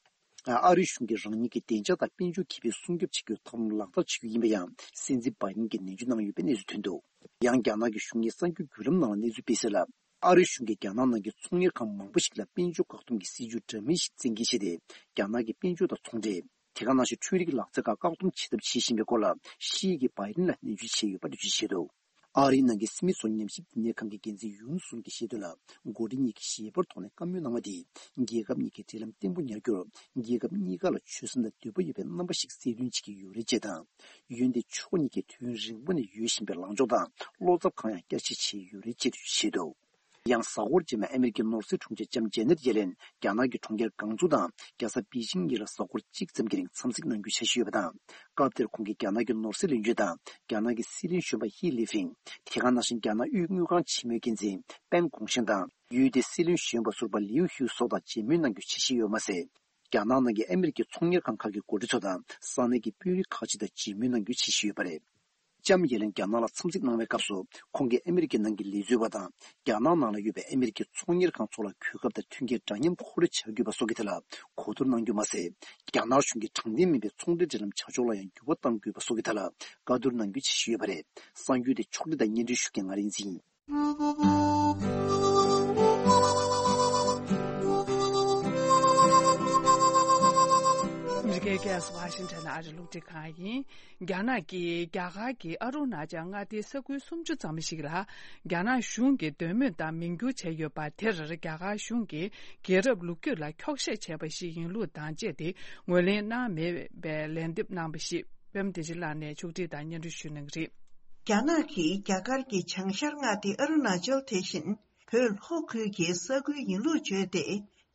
ཨ་རིའི་གཞུང་གིས་རང་ཉིད་ཀྱི་བདེ་འཇགས་དང་དཔལ་འབྱོར་ཁེ་ཕན་སྲུང་སྐྱོབ་བྱེད་རྒྱུའི་ཐབས་ལམ་ལག་བསྟར་བྱེད་རྒྱུ་ཡིན་པ་ཡང་སྲིད་འཛིན་བྷའི་ཏིན་གྱིས་ནན་བརྗོད་གནང་ཡོད་པའི་གནས་ཚུལ་ཐོན་འདུག་ཡང་རྒྱ་ནག་གི་གཞུང་གཉེར་གསར་འགྱུར་བརྒྱུད་ལམ་ནང་ལ་གནས་ཚུལ་སྤེལ་གསལ་ལ། ཨ་རིའི་གཞུང་གིས་རྒྱ་ནག་ནང་གི་ཚོང་གཉེར་ཁང་མང་པོ་ཞིག་ལ་དཔལ་འབྱོར་བཀག་སྡོམ་གྱི་སྲིད་ཇུས་འདྲ་མིན་ཞིག་བཙན་འགེལ་བྱས་ཏེ། རྒྱ་ནག་གི་དཔལ་འབྱོར་དང་ཚོང་འབྲེལ། དེ་ག་ནང་བཞིན་འཕྲུལ་རིག་ལག་རྩལ་ཁག་བཀག་སྡོམ་བྱེད་ཐབས་བྱེད་བཞིན་པའི་སྐོར་ལ་ཤི་ཡི་གིས་བྷའི་ཏིན་ལ་ནན་བརྗོད་བྱས་ཡོད་པ་འགྲེལ་བརྗོད་བྱས་འདུག་ཨ་རིའི་ནང་གི་སི་མི་སོ་ཉམས་ཞིབ་བསྟི་གནས་ཁང་གི་འགན་འཛིན་ཡུན་སུན་གྱིས་བཤད་དོན་ལ། འགོ་ཁྲིད་གཉིས་ཀྱིས་ཞལ་པར་ཐོག་ནས་བཀའ་མོལ་གནང་བ་དེས་རྒྱལ་ཁབ་གཉིས་ཀྱི་འབྲེལ་ལམ་བརྟན་པོ་ཉར་རྒྱུར་རྒྱལ་ཁབ་གཉིས་ཀ་ལ་ཆོད་སེམས་དང་འདོད་པ་ཡོད་པའི་རྣམ་པ་ཞིག་གསལ་སྟོན་བྱེད་ཀྱི་ཡོད་རེད་ཅེས་དང་། ཡུལ་འདི་ཕྱོགས་གཉིས་ཀས་དུས་ཡུན་རིང་པོ་ནས་ཡོད་བཞིན་པའི་ལངས་ཕྱོགས་དང་བློ་འཚབ་གང་ཡང་བསྐྱར་བཤད་བྱས་ཡོད་རེད་ཅེས་བརྗོད་དོ། ཡང་གཟའ་འཁོར་རྗེས་མ་ཨ་མེ་རི་ཀའི་ནོར་སྲིད་དྲུང་ཆེ་ལྕམ་ཇེ་ནེད་ཡེ་ལེན་རྒྱ་ནག་གི་གྲོང་ཁྱེར་ཀང་ཙུའུ་དང་རྒྱལ་ས་པེ་ཅིང་གཉིས་ལ་གཟའ་འཁོར་གཅིག་ཙམ་གྱི་རིང་འཚམས་གཟིགས་གནང་རྒྱུའི་འཆར་གཞི་ཡོད་པ་དང་། སྐབས་དེར་ཁོང་གིས་རྒྱ་ནག་གི་ནོར་སྲིད་བློན་ཆེན་དང་རྒྱ་ནག་གི་སྲིད་བློན་གཞོན་པ་ཧི་ལི་ཕིང་། དེ་ག་ནང་བཞིན་རྒྱ་ནག་དབུས་དངུལ་ཁང་ཆེན་མོའི་འགན་འཛིན་པེན་གོང་ཤན་དང་ཡུལ་དེའི་སྲིད་བློན་གཞོན་པ་ཟུར་པ་ལིའུ་ཧུའུ་སོགས་དང་མཇལ་མོལ་གནང་རྒྱུའི་འཆར་གཞི་ཡོད་མ་ཟད། རྒྱ་ནག་ནང་གི་ཨ་མེ་རི་ཀའི་ཚོང་གཉེར་ཁང་ཁག་གི་འགོ་ཁྲིད་ཚོ་དང་ས་གནས་ཀྱི་དཔོན་རིགས་ཁག་ཅིག་དང་མཇལ་མོལ་གནང་རྒྱུའི་འཆར་གཞི་ཡོད་པ་རེད། ལྕམ་ཡེ་ལེན་རྒྱ་ནག་ལ་འཚམས་གཟིགས་གནང་བའི་སྐབས་སུ། ཁོང་གིས་ཨ་མེ་རི་ཀའི་ནང་གི་ལས་བཟོ་བ་དང་རྒྱ་ནག་ནང་ལ་ཡོད་པའི་ཨ་མེ་རི་ཀའི་ཚོང་གཉེར་ཁང་ཚོ་ལ་གོ་སྐབས་དང་མཐུན་རྐྱེན་འདྲ་མཉམ་མཁོ་སྤྲོད་བྱ་དགོས་པ་སོགས་ཀྱི་ཐད་ལ་གོ་བསྡུར་གནང་རྒྱུ་མ་ཟད། རྒྱ་ནག་གཞུང་གིས་དྲང་བདེན་མིན་པའི་ཚོང་འབྲེལ་འབྲེལ་ལམ་བྱ་ཕྱོགས་ལ་ཡང་འགྱུར་བ་གཏང་དགོས་པ་སོགས་ཀྱི་ཐད་ལ་བཀའ་བསྡུར་གནང་རྒྱུའི་འཆར་གཞི་ཡོད་པ་རེད། གསར་འགྱུར་དེ་ཕྱོགས་སྒྲིག་དང་སྙན་སྒྲོན་ཞུ་མཁན་ང་རིག་འཛིན་ཡིན། ཨ་མི་རི་ཀའི་རྒྱལ་ས་ཝ་ཤིང་ཊོན་ཨ་རི་རླུང་འཕྲིན་ཁང་ཡིན། རྒྱ་ནག་གིས་རྒྱ་གར་གྱི་ཨ་རུ་ན་ཅལ་མངའ་སྡེའི་ས་ཁུལ་སུམ་ཅུ་ཙམ་ཞིག་ལ་རྒྱ་ནག་གཞུང་གིས་འདོད་མོས་དང་མིང་བསྒྱུར་བྱས་ཡོད་པ་དེར་རྒྱ་གར་གཞུང་གིས་རྒྱལ་རབས་ལོ་རྒྱུས་ལ་འཁྱོག་བཤད་བྱས་པ་ཞིག་ཡིན་ལུགས་དང་བཅས་ཏེ་ངོས་ལེན་གནང་མེད་པའི་ལན་འདེབས་གནང་བ་ཞིག་པད་མ་བདེ་ཆེན་ལགས་ནས་ཕྱོགས་སྒྲིག་དང་སྙན་སྒྲོན་ཞུ་གནང་གི་རེད། རྒྱ་ནག་གིས་རྒྱ་གར་གྱི་བྱང་ཤར་མངའ་སྡེ་ཨ་རུ་ན་ཅལ་དེ་བཞིན་བོད་ལྷོ་ཁུལ་གྱི་ས་ཁུལ་ཡིན་ལུགས་བརྗོད་དེ།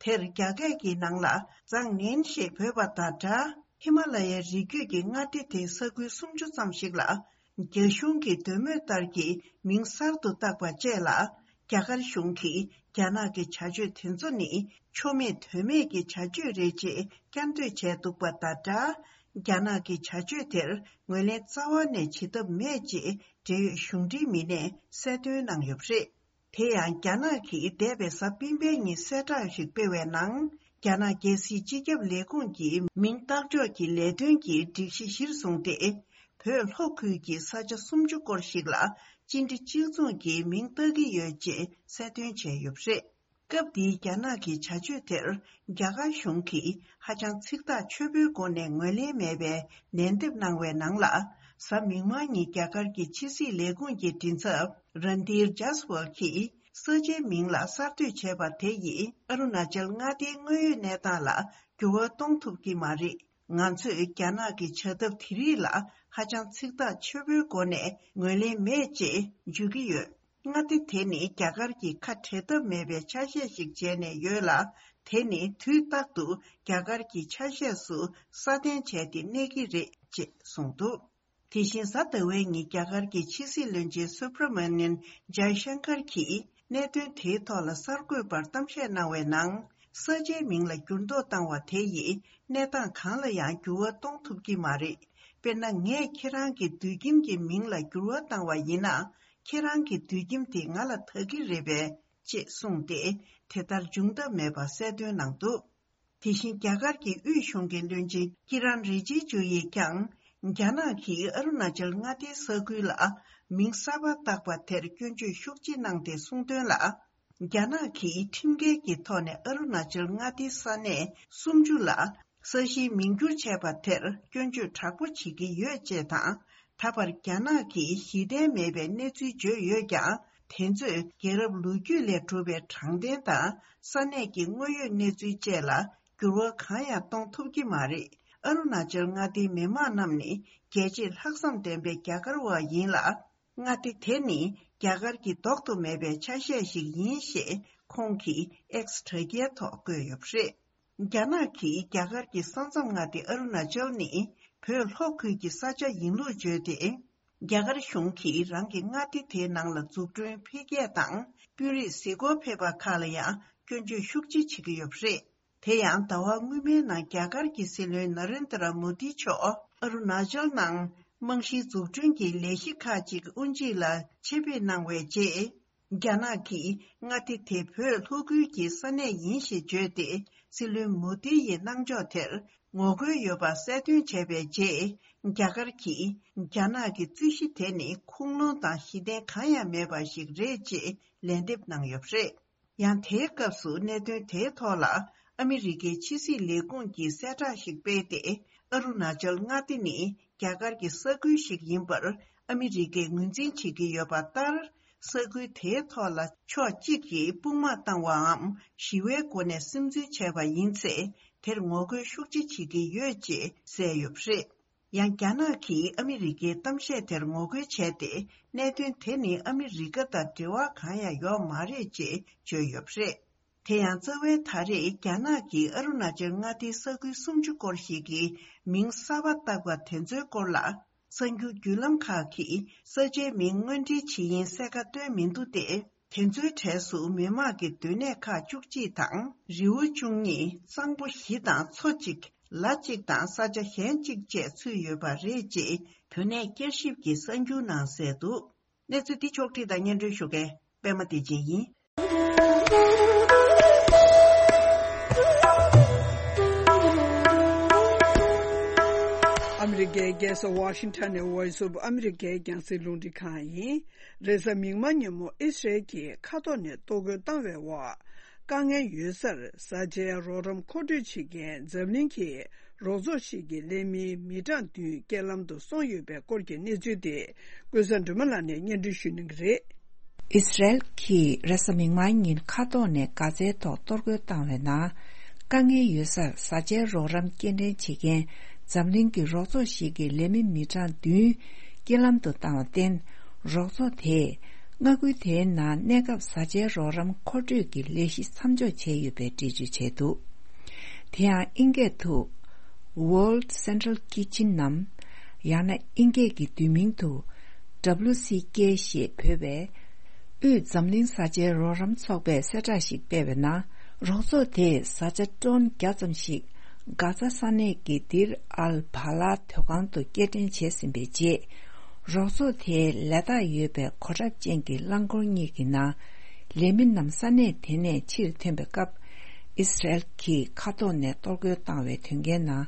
དེར་རྒྱ་སྐད་ཀྱི་ནང་ལ་ཛང་ནན་ཞེས་འབོད་པ་དང་འདྲ། ཧི་མ་ལ་ཡའི་རི་རྒྱུད་ཀྱི་མངའ་སྡེ་དེའི་ས་ཁུལ་སུམ་ཅུ་ཙམ་ཞིག་ལ་རྒྱ་གཞུང་གི་འདོད་མོས་ལྟར་གྱི་མིང་གསར་དུ་བཏགས་པ་བཅས་ལ། རྒྱ་གར་གཞུང་གིས་རྒྱ་ནག་གི་བྱ་སྤྱོད་དེ་ཚོ་ནི་ཆོ་མེད་དོན་མེད་ཀྱི་བྱ་སྤྱོད་རེད་ཅེས་བསྐྱར་ཟློས་བྱས་འདུག་པ་དང་འདྲ། རྒྱ་ནག་གི་བྱ་སྤྱོད་དེར་ངོས་ལེན་རྩ་བ་ནས་བྱེད་ཐབས་མེད་ཅེས་འབྲེལ་ཡོད་གཞུང་འབྲེལ་མི་སྣས་གསལ་སྟོན་གནང་ཡོད་པ་རེད། དེ་ཡང་རྒྱ་ནག་གིས་འདས་པའི་གཟའ་སྤེན་པའི་ཉིན་གསལ་བསྒྲགས་ཤིག་སྤེལ་བའི་ནང་། རྒྱ་ནག་རྒྱལ་སྲིད་སྤྱི་ཁྱབ་ལས་ཁུངས་ཀྱི་མིང་བཏགས་འཇོག་གི་ལས་དོན་གྱི་སྒྲིག་གཞི་གཞིར་བཟུང་སྟེ། བོད་ལྷོ་ཁུལ་གྱི་ས་ཆ་སུམ་ཅུ་སྐོར་ཞིག་ལ་གཅིག་འདྲ་གཅིག་མཚུངས་ཀྱི་མིང་བཏགས་ཀྱི་ཡོད་ཅེས་གསལ་སྟོན་བྱས་ཡོད་པ་རེད། སྐབས་འདིའི་རྒྱ་ནག་གི་བྱ་སྤྱོད་དེར་རྒྱ་གར་གཞུང་གིས་ཧ་ཅང་ཚིག་ཐག་ཆོད་པོའི་སྒོ་ནས་ངོས་ལེན་མེད་པའི་ལན་འདེབས་གནང་བའི་ནང་ལ། གཟའ་མིག་དམར་ཉིན་རྒྱ་གར་གྱི་ཕྱི་སྲིད་ལས་ཁུངས་ཀྱི་མགྲིན་ཚབ་རན་དྷིར་ཇཱས་ཝལ་གྱིས་ས་ཆའི་མིང་ལ་གསར་གཏོད་བྱས་པ་དེ་ཡིས་ཨ་རུ་ན་ཅལ་མངའ་སྡེའི་དངོས་ཡོད་གནས་སྟངས་ལ་འགྱུར་བ་གཏོང་ཐུབ་ཀྱི་མ་རེད། ང་ཚོས་རྒྱ་ནག་གི་བྱ་ཐབས་དེ་རིགས་ལ་ཧ་ཅང་ཚིག་ཐག་ཆོད་པོའི་སྒོ་ནས་ངོས་ལེན་མེད་ཅེས་བརྗོད་ཀྱི་ཡོད། མངའ་སྡེ་དེ་ནི་རྒྱ་གར་གྱི་ཁ་བྲལ་ཐབས་མེད་པའི་ཆ་ཤས་ཤིག་བྱས་ནས་ཡོད་ལ། དེ་ནི་དུས་རྟག་ཏུ་རྒྱ་གར་གྱི་ཆ་ཤས་སུ་སྲ་བརྟན་བྱས་ཏེ་གནས་ཀྱི་རེད་ཅེས་གསུངས་འདུག་དེ་བཞིན་གཟའ་ཟླ་བའི་ཉིན་རྒྱ་གར་གྱི་ཕྱི་སྲིད་བློན་ཆེན་སུབ་ར་མ་ནན་ཇའི་ཤང་ཀར་གྱིས་གནད་དོན་དེའི་ཐོག་ལ་གསར་འགོད་པར་གཏམ་བཤད་གནང་བའི་ནང་། ས་ཆའི་མིང་ལ་འགྱུར་ལྡོག་བཏང་བ་དེ་ཡིས་གནས་སྟངས་གང་ལ་ཡང་འགྱུར་བ་གཏོང་ཐུབ་ཀྱི་མ་རེད། དཔེར་ན། ངས་ཁྱེད་རང་གི་དུད་ཁྱིམ་གྱི་མིང་ལ་འགྱུར་བ་བཏང་བ་ཡིན་ན། ཁྱེད་རང་གི་དུད་ཁྱིམ་དེ་ང་ལ་བདག་གི་རེད་པས། ཅེས་གསུངས་ཏེ། དེ་ལྟར་འབྱུང་ཐབས་མེད་པ་གསལ་སྟོན་གནང་འདུག། དེ་བཞིན་རྒྱ་གར་གྱི་དབུས་གཞུང་གི་བློན་ཆེན་ཀི་རན་རི་ཇི་ཇུ་ཡིས་ཀྱང་། རྒྱ་ནག་གིས་ཨ་རུ་ན་ཅལ་མངའ་སྡེའི་ས་ཁུལ་ལ་མིང་གསར་པ་བཏགས་པ་དེར་སྐྱོན་བརྗོད་ཤུགས་ཆེ་གནང་སྟེ་གསུངས་དོན་ལ། རྒྱ་ནག་གིས་ཁྲིམས་འགལ་གྱི་ཐོག་ནས་ཨ་རུ་ན་ཅལ་མངའ་སྡེའི་ས་གནས་སུམ་ཅུ་ལ་ས་གཞིའི་མིང་བསྒྱུར་བྱས་པ་དེར་སྐྱོན་བརྗོད་དྲག་པོ་བྱེད་ཀྱི་ཡོད་ཅེས་དང་། ད་བར་རྒྱ་ནག་གིས་གཞི་རྟེན་མེད་པའི་གནས་ཚུལ་བརྗོད་ཡོད་ཀྱང་། དེ་ཚོས་རྒྱལ་རབས་ལོ་རྒྱུས་ལས་གྲུབ་པའི་དྲང་བདེན་དང་ས་གནས་ཀྱི་དངོས་ཡོད་གནས་ཚུལ་བཅས་ལ་འགྱུར་བ་གང་ཡང་གཏོང་ཐུབ་ཀྱི་མ་རེད། ཨ་རུ་ན་ཅལ་མངའ་སྡེའི་མི་མང་རྣམས་ནི་རྒྱལ་གཅེས་ལྷག་བསམ་ལྡན་པའི་རྒྱ་གར་བ་ཡིན་ལ། མངའ་སྡེ་དེ་ནི་རྒྱ་གར་གྱི་ལྡོག་ཏུ་མེད་པའི་ཆ་ཤས་ཤིག་ཡིན་ཞེས་ཁོང་གིས་ཨེགས་དྲ་རྒྱའི་ཐོག་བཀོད་ཡོད་པ་རེད། རྒྱ་ནག་གིས་རྒྱ་གར་གྱི་ས་མཚམས་མངའ་སྡེ་ཨ་རུ་ན་ཅལ་ནི་བོད་ལྷོ་ཁུལ་གྱི་ས་ཆ་ཡིན་ལུགས་བརྗོད་དེ། རྒྱ་གར་གཞུང་གིས་རང་གི་མངའ་སྡེ་དེའི་ནང་ལ་འཛུགས་སྐྲུན་འཕེལ་རྒྱས་དང་དཔོན་རིགས་གཟིགས་སྐོར་ཕེབས་པ་ཁག་ལ་ཡང་སྐྱོན་བརྗོད་ཤུགས་ཆེ་བྱེད་ཀྱི་ཡོད་པ་རེད། དེ་ཡང་ཟླ་བ་སྔོན་མའི་ནང་རྒྱ་གར་གྱི་སྲིད་བློན་ན་རེན་དྲ་མོ་དི་མཆོག་ཨ་རུ་ན་ཅལ་ནང་རྨང་གཞིའི་འཛུགས་སྐྲུན་གྱི་ལས་གཞི་ཁག་ཅིག་དབུ་འབྱེད་ལ་ཆེད་ཕེབས་གནང་བའི་རྗེས། རྒྱ་ནག་གིས་མངའ་སྡེ་དེ་བོད་ལྷོ་ཁུལ་གྱི་ས་གནས་ཡིན་ཞེས་བརྗོད་དེ། སྲིད་བློན་མོ་དི་ཡི་གནང་ཕྱོགས་དེར་ངོ་རྒོལ་ཡོད་པ་གསལ་སྟོན་བྱས་པའི་རྗེས། རྒྱ་གར་གྱིས་རྒྱ་ནག་གི་རྩོད་གཞི་དེ་ནི་ཁུངས་ལུང་དང་གཞི་རྟེན་གང་ཡང་མེད་པ་ཞིག་རེད་ཅེས་ལན་འདེབས་གནང་ཡོད་པ་རེད། ཡང་དེའི་སྐབས་སུ་གནད་དོན་དེའི་ཐོག་ལ་ཨ་མི་རི་ཀའི་ཕྱི་སྲིད་ལས་ཁུངས་ཀྱིས་གསལ་བསྒྲགས་ཤིག་སྤེལ་ཏེ། ཨ་རུ་ན་ཅལ་མངའ་སྡེ་ནི་རྒྱ་གར་གྱི་ས་ཁུལ་ཞིག་ཡིན་པར་ཨ་མི་རི་ཀས་ངོས་འཛིན་བྱེད་ཀྱི་ཡོད་པ་ལྟར། ས་ཁུལ་དེའི་ཐོག་ལ་ཕྱོགས་གཅིག་གིས་དཔུང་དམག་བཏང་བའམ་ཞི་བའི་སྒོ་ནས་སིམ་འཛུལ་བྱས་པ་ཡིན་ཚེ། དེར་ངོ་རྒོལ་ཤུགས་ཆེ་བྱེད་ཀྱི་ཡོད་ཅེས་གསལ་ཡོད་པ་རེད། ཡང་རྒྱ་ནག་གིས་ཨ་མི་རི་ཀའི་གཏམ་བཤད་དེར་ངོ་རྒོལ་བྱས་ཏེ། གནད་དོན་དེ་ནི་ཨ་མི་རི་ཀ་དང་འབྲེལ་བ་གང་ཡང་ཡོད་མ་རེད་ཅེས་བརྗོད་ཡོད་པ་རེད། དེ་ཡང་རྩ་བའི་ད་རེས་རྒྱ་ནག་གིས་ཨ་རུ་ན་ཅལ་མངའ་སྡེའི་ས་ཁུལ་སུམ་ཅུ་སྐོར་ཞིག་གི་མིང་གསར་པ་བཏགས་པ་དེ་ཚོའི་སྐོར་ལ། གསར་འགྱུར་བརྒྱུད་ལམ་ཁག་གིས་ས་ཆའི་མིང་དངོས་འབྲེལ་བྱེད་ཡིན་གསལ་ཁ་བཏོན་མི་འདུག་སྟེ། དེ་ཚོའི་གྲས་སུ་མི་དམངས་ཀྱི་སྡོད་གནས་ཁག་བཅུ་གཅིག་དང་རི་བོ་བཅུ་གཉིས། གཙང་པོ་བཞི་དང་མཚོ་གཅིག་ལ་གཅིག་དང་ས་ཆ་གཞན་གཅིག་བཅས་ཚུད་ཡོད་པ་རེད་ཅེས་བོད་གནས་བསྐྱར་ཞིབ་ཀྱི་གསར་འགྱུར་ནང་གསལ་འདུག། གནས་ཚུལ་འདི་ཕྱོགས་བསྒྲིགས་དང་སྙན་སྒྲོན་ཞུ་མཁན་པད་མ་བདེ་ཆེན་ཡིན། ཨ་མི་རི་ཀའི་རྒྱལ་ས་ཝ་ཤིང་ཊོན་ནས་Voice of America རྒྱང་སྲིང་རླུང་འཕྲིན་ཁང་ཡིན། རེས་གཟའ་མིག་དམར་ཉིན་མོ་ཨི་སི་རལ་གྱིས་མཁའ་ཐོག་ནས་གཏོར་རྒོལ་བཏང་བའི་འོག་དཀའ་ངལ་ཡོད་སར་བཟའ་བཅའི་རོགས་རམ་མཁོ་སྤྲོད་བྱེད་མཁན་འཛམ་གླིང་གི་རོགས་ཚོགས་ཤིག་གི་ལས་མི་མི་གྲངས་བདུན་རྐྱེན་ལམ་དུ་སོང་ཡོད་པའི་སྐོར་གྱི་གནས་ཚུལ་དེ་ཀུན་བཟང་སྒྲོལ་མ་ལགས་ནས་སྙན་སྒྲོན་ཞུ་གནང་གི་རེད། ཨི་སི་རལ་གྱིས་རེས་གཟའ་མིག་དམར་ཉིན་མཁའ་ཐོག་ནས་གྷ་ཛའི་ཐོག་གཏོར་རྒོལ་བཏང་བའི་ནང་། དཀའ་ངལ་ཡོད་སར་བཟའ་བཅའི་རོགས་རམ་སྐྱེལ་འདྲེན་བྱེད་མཁན་འཛམ་གླིང་གི་རོགས་ཚོགས་ཤིག་གི་ལས་མི་མི་གྲངས་བདུན་རྐྱེན་ལམ་དུ་བཏང་བར་བརྟེན། རོགས་ཚོགས་དེས་མངའ་ཁུལ་དེའི་ནང་གནས་སྐབས་བཟའ་བཅའི་རོགས་རམ་མཁོ་སྤྲོད་ཀྱི་ལས་གཞི་མཚམས་འཇོག་བྱས་ཡོད་པའི་འགྲེལ་བརྗོད་བྱས་འདུག། དེ་ཡང་དབྱིན་སྐད་དུ། World Central Kitchen ནམ། ཡང་ན་དབྱིན་སྐད་ཀྱི་བསྡུས་མིང་དུ། W C K ཞེས་འབོད་པའི། དབུས་འཛམ་གླིང་བཟའ་བཅའི་རོགས་རམ་ཚོགས་པས་གསལ་བསྒྲགས་ཤིག་སྤེལ་བའི་ནང་། རོགས་ཚོགས་དེས་བཟའ་བཅའ་ཊོན་བརྒྱ་ཙམ་ཞིག་གྷ་ཛ་ས་གནས་ཀྱི་དིར་ཨལ་བྷ་ལ་ཐོག་ཁང་དུ་སྐྱེལ་འདྲེན་བྱས་ཟིན་པའི་རྗེས། རོགས་ཚོགས་དེའི་ལས་རྟགས་ཡོད་པའི་གོ་ཁྲབ་ཅན་གྱི་རླངས་འཁོར་གཉིས་ཀྱི་ནང་། ལས་མི་རྣམས་ས་གནས་དེ་ནས་ཕྱིར་ཐོན་པའི་སྐབས། ཨི་སི་རལ་གྱིས་མཁའ་ཐོག་ནས་གཏོར་རྒོལ་བཏང་བའི་དོན་རྐྱེན་ནང་།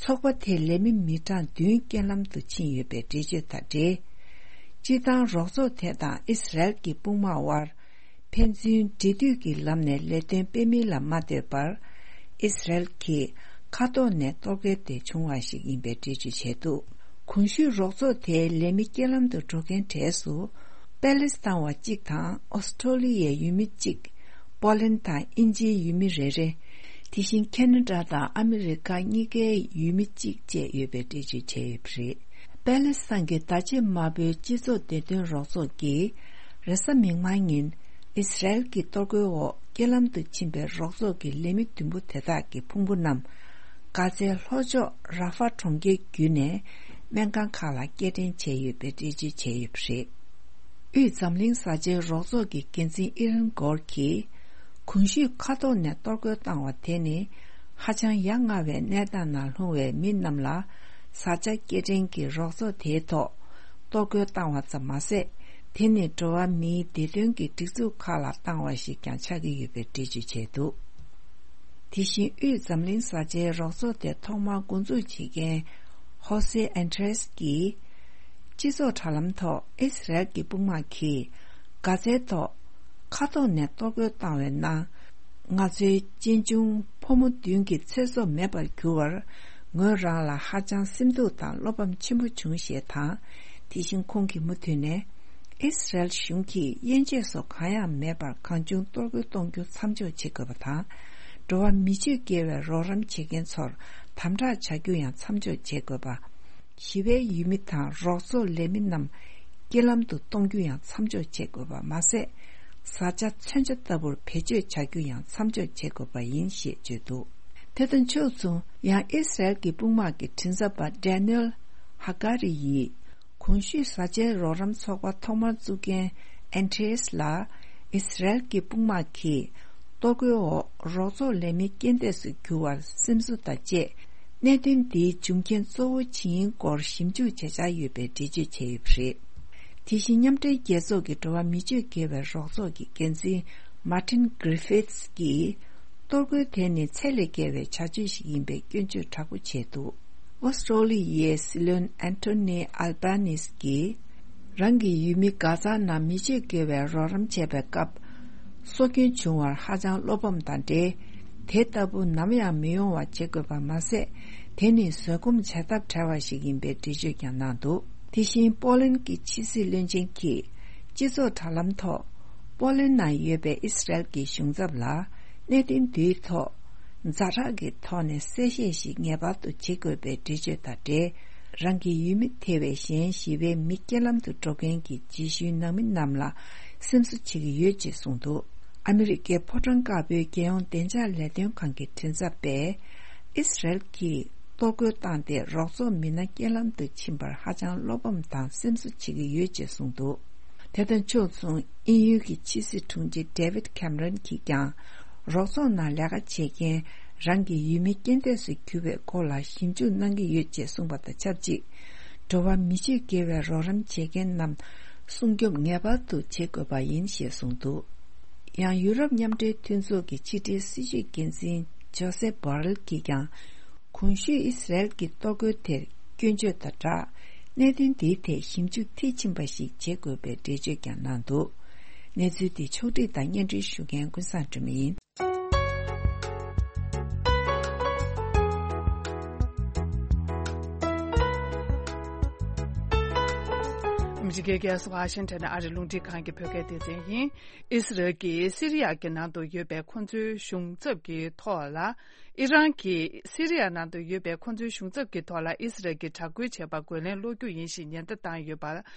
ཚོགས་པ་དེའི་ལས་མི་མི་གྲངས་བདུན་རྐྱེན་ལམ་དུ་ཕྱིན་ཡོད་པའི་འགྲེལ་བརྗོད་དང་འབྲེལ། སྤྱིར་བཏང་རོགས་ཚོགས་དེ་དང་ཨི་སི་རལ་གྱི་དཔུང་དམག་དབར། ཕན་ཚུན་འབྲེལ་མཐུད་ཀྱི་ལམ་ནས་ལས་དོན་སྤེལ་མིན་ལ་མ་ལྟོས་པར། ཨི་སི་རལ་གྱིས་མཁའ་ཐོག་ནས་གཏོར་རྒོལ་དེ་བྱུང་བ་ཞིག་ཡིན་པའི་འགྲེལ་བརྗོད་བྱས་འདུག། གོང་ཞུས་རོགས་ཚོགས་དེའི་ལས་མི་རྐྱེན་ལམ་དུ་འགྲོ་མཁན་གྲས་སུ། པེ་ལེ་སི་ཐན་བ་གཅིག་དང་ཨོ་སི་ཀྲོ་ལི་ཡའི་ཡུལ་མི་གཅིག། པོ་ལན་དང་དབྱིན་ཇིའི་ཡུལ་མི་རེ་རེ། དེ་བཞིན་ཁེ་ན་ཌ་དང་ཨ་མི་རི་ཀ་གཉིས་ཀའི་ཡུལ་མི་གཅིག་བཅས་ཡོད་པའི་འགྲེལ་བརྗོད་བྱས་ཡོད་པ་རེད། པེ་ལེ་སི་ཐན་གྱི་བརྡ་ཆད་དམར་པོའི་སྤྱི་ཚོགས་བདེ་དོན་རོགས་ཚོགས་ཀྱིས། རེས་གཟའ་མིག་དམར་ཉིན། ཨི་སི་རལ་གྱི་གཏོར་རྒོལ་འོག་རྐྱེན་ལམ་དུ་ཕྱིན་པའི་རོགས་ཚོགས་ཀྱི་ལས་མི་བདུན་པོ་དེ་དག་གི་ཕུང་པོ་རྣམས། གྷ་ཛའི་ལྷོ་ཕྱོགས་ར་ཧྥ་གྲོང་ཁྱེར་བརྒྱུད་ནས། སྨན་ཁང་ཁག་ལ་སྐྱེལ་འདྲེན་བྱས་ཡོད་པའི་འགྲེལ་བརྗོད་བྱས་ཡོད་པ་རེད། དབུས་འཛམ་གླིང་བཟའ་བཅའི་རོགས་ཚོགས་ཀྱི་འགན་འཛིན་ཨི་རན་གོར་གྱིས། གོང་ཞུས་མཁའ་ཐོག་ནས་གཏོར་རྒོལ་བཏང་བ་དེ་ནི། ཧ་ཅང་ཡ་ང་བའི་གནས་སྟངས་ནང་ལྷུང་བའི་མི་རྣམས་ལ། བཟའ་བཅའ་སྐྱེལ་འདྲེན་གྱི་རོགས་ཚོགས་དེའི་ཐོག་གཏོར་རྒོལ་བཏང་བ་ཙམ་མ་ཟད། དེ་ནི་འགྲོ་བ་མིའི་བདེ་དོན་གྱི་སྒྲིག་འཛུགས་ཁག་ལ་བཏང་བ་ཞིག་ཀྱང་ཆགས་ཀྱི་ཡོད་པའི་འགྲེལ་བརྗོད་བྱས་འདུག་དེ་བཞིན་དབུས་འཛམ་གླིང་བཟའ་བཅའི་རོགས་ཚོགས་དེ་ཐོག་མར་འགོ་འཛུགས་བྱེད་མཁན་ཧོ་སེ་ཨན་ཏྲེས་ཀྱིས། སྤྱི་ཚོགས་དྲ་ལམ་ཐོག་ཨི་སི་རལ་གྱི་དཔུང་དམག་གིས་གྷ་ཛའི་ཐོག་མཁའ་ཐོག་ནས་གཏོར་རྒོལ་བཏང་བའི་ནང་། ང་ཚོའི་གཅེན་གཅུང་ཕོ་མོ་བདུན་གྱི་ཚེ་སྲོག་མེད་པར་གྱུར་བར། ངོས་རང་ལ་ཧ་ཅང་སེམས་སྡུག་དང་བློ་ཕམ་ཆེན་པོ་བྱུང་ཞེས་དང་། དེ་བཞིན་ཁོང་གིས་མུ་མཐུད་ནས། ཨི་སི་རལ་གཞུང་གིས་དབྱེ་འབྱེད་སོགས་གང་ཡང་མེད་པར་གང་བྱུང་གཏོར་རྒོལ་གཏོང་རྒྱུ་མཚམས་འཇོག་བྱེད་དགོས་པ་དང་། འགྲོ་བ་མི་སྤྱོད་དགེ་བའི་རོགས་རམ་བྱེད་མཁན་ཚོར་དམ་དྲག་བྱ་རྒྱུ་ཡང་མཚམས་འཇོག་བྱེད་དགོས་པ། ཞི་བའི་ཡུལ་མི་དང་རོགས་ཚོགས་ལས་མི་རྣམས་རྐྱེན་ལམ་དུ་གཏོང་རྒྱུ་ཡང་མཚམས་འཇོག་བྱེད་དགོས་པ་མ་ཟད། བཟའ་བཅའ་མཚོན་ཆ་ལྟ་བུར་བེད་སྤྱོད་བྱ་རྒྱུ་ཡང་མཚམས་འཇོག་བྱེད་དགོས་པ་ཡིན་ཞེས་བརྗོད་འདུག་དེ་དང་ཕྱོགས་མཚུངས། ཡང་ཨི་སི་རལ་གྱི་དཔུང་དམག་གི་མགྲིན་ཚབ་པ་ཌེ་ནིལ་ཧ་ཀ་རི་ཡིས། གོང་ཞུས་བཟའ་བཅའི་རོགས་རམ་ཚོགས་པ་ཐོག་མར་བཙུགས་མཁན་ཨན་ཏྲེས་ལ། ཨི་སི་རལ་གྱི་དཔུང་དམག་གིས་གཏོར་རྒོལ་འོག་རོགས་ཚོགས་ལས་མི་རྐྱེན་འདས་སུ་གྱུར་བར་སེམས་གསོ་དང་བཅས། གནད་དོན་འདིའི་འབྱུང་རྐྱེན་གཙོ་བོ་ཇི་ཡིན་སྐོར་ཞིབ་འཇུག་བྱེད་འཆར་ཡོད་པའི་འགྲེལ་བརྗོད་བྱས་ཡོད་པ་རེད། དེ་བཞིན་མཉམ་འབྲེལ་རྒྱལ་ཚོགས་ཀྱི་འགྲོ་བ་མི་སྤྱོད་དགེ་བའི་རོགས་ཚོགས་ཀྱི་འགན་འཛིན་མཱ་ཏིན་གྷི་རི་ཕིད་ཀྱིས། གཏོར་རྒོལ་དེ་ནི་ཚད་ལས་བརྒལ་བའི་བྱ་སྤྱོད་ཞིག་ཡིན་པའི་སྐྱོན་བརྗོད་དྲག་པོ་བྱས་འདུག་ཨོ་སི་ཀྲོ་ལི་ཡའི་སྲིད་བློན་ཨན་ཐོ་ནི་ཨལ་བྷ་ནིས་ཀྱིས། རང་གི་ཡུལ་མི་གྷ་ཛ་ནང་མི་སྤྱོད་དགེ་བའི་རོགས་རམ་བྱས་པའི་སྐབས། སྲོག་སྐྱོན་བྱུང་བར་ཧ་ཅང་བློ་ཕམ་དང་འབྲེལ། དེ་ལྟ་བུ་ནམ་ཡང་མི་ཡོང་བ་བྱེད་དགོས་པ་མ་ཟད། དེ་ནི་བཟོད་སྒོམ་བྱ་ཐབས་བྲལ་བ་ཞིག་ཡིན་པའི་འགྲེལ་བརྗོད་ཀྱང་གནང་འདུག་དེ་བཞིན་པོ་ལན་གྱི་ཕྱི་སྲིད་བློན་ཆེན་གྱིས། སྤྱི་ཚོགས་དྲ་ལམ་ཐོག་པོ་ལན་ནང་ཡོད་པའི་ཨི་སི་རལ་གྱི་གཞུང་ཚབ་ལ། གནད་དོན་འདིའི་ཐོག་ཛ་དྲག་གི་ཐོག་ནས་གསལ་བཤད་ཞིག་ངེས་པར་དུ་བྱེད་དགོས་པའི་འགྲེལ་བརྗོད་དང་འབྲེལ། རང་གི་ཡུལ་མི་ཐེ་བའི་གཞན་ཞི་བའི་མི་རྐྱེན་ལམ་དུ་འགྲོ་མཁན་གྱི་རྗེས་ཤུལ་ནང་མི་རྣམས་ལ་སེམས་གསོ་བྱེད་ཀྱི་ཡོད་ཅེས་གསུངས་འདུག་ཨ་མི་རི་ཀའི་ཕོ་བྲང་དཀར་པོའི་རྒྱལ་ཡོངས་བདེ་འཇགས་ལས་དོན་ཁང་གི་མགྲིན་ཚབ་པས། ཨི་སི་རལ་གྱིས་གཏོར་རྒོལ་བཏང་སྟེ་རོགས་ཚོགས་མི་སྣ་རྐྱེན་ལམ་དུ་ཕྱིན་པར་ཧ་ཅང་བློ་ཕམ་དང་སེམས་གསོ་བྱེད་ཀྱི་ཡོད་ཅེས་གསུངས་འདུག་དེ་དང་ཕྱོགས་མཚུངས། དབྱིན་ཡུལ་གྱི་ཕྱི་སྲིད་དྲུང་ཆེ་ཌེ་ཝིད་ཁེམ་རོན་གྱིས་ཀྱང་། རོགས་ཚོགས་ནང་ལས་ཀ་བྱེད་མཁན་རང་གི་ཡུལ་མི་རྐྱེན་འདས་སུ་གྱུར་བའི་སྐོར་ལ་ཞིབ་འཇུག་གནང་གི་ཡོད་ཅེས་གསུངས་པ་དང་ཆབས་ཅིག་འགྲོ་བ་མི་སྤྱོད་དགེ་བའི་རོགས་རམ་བྱེད་མཁན་རྣམས་སྲུང་སྐྱོབ་ངེས་པར་དུ་བྱེད་དགོས་པ་ཡིན་ཞེས་གསུངས་འདུག་ཡང་ཡུ་རོབ་མཉམ་འབྲེལ་མཐུན་ཚོགས་ཀྱི་ཕྱི་འབྲེལ་སྲིད་བྱུས་འགན་འཛིན་ཇོ་སེ་བྷོ་རེལ་གྱིས་ཀྱང་། གོང་ཞུས་ཨི་སི་རལ་གྱི་གཏོར་རྒོལ་དེར་སྐྱོན་བརྗོད་དང་སྦྲགས། གནད་དོན་འདིའི་ཐད་ཞིབ་འཇུག་མཐིལ་ཕྱིན་པ་ཞིག་བྱེད་དགོས་པའི་འགྲེལ་བརྗོད་ཀྱང་གནང་འདུག་གནས་ཚུལ་འདི་ཕྱོགས་བསྒྲིགས་དང་སྙན་སྒྲོན་ཞུ་མཁན་ཀུན་བཟང་སྒྲོལ་མ་ཡིན། ཨ་མི་རི་ཀའི་རྒྱལ་ས་ཝ་ཤིང་ཊོན་ཨ་རིའི་རླུང་འཕྲིན་ཁང་གི་བོད་སྐད་སྡེ་ཚན་ཡིན། ཨི་སི་རལ་གྱིས་སི་རི་ཡ་གི་ནང་དུ་ཡོད་པའི་ཁོ་ཚོའི་གཞུང་ཚབ་ཀྱི་ཐོག་ལ། ཨི་རན་གྱིས་སི་རི་ཡ་ནང་དུ་ཡོད་པའི་ཁོ་ཚོའི་གཞུང་ཚབ་ཀྱི་ཐོག་ལ་ཨི་སི་རལ་གྱིས་དྲག་རྒོལ་བྱས་པར་རྒོལ་ལན་སློག་རྒྱུ་ཡིན་ཞེས་ཉེན་བརྡ་བཏང་ཡོད་པ་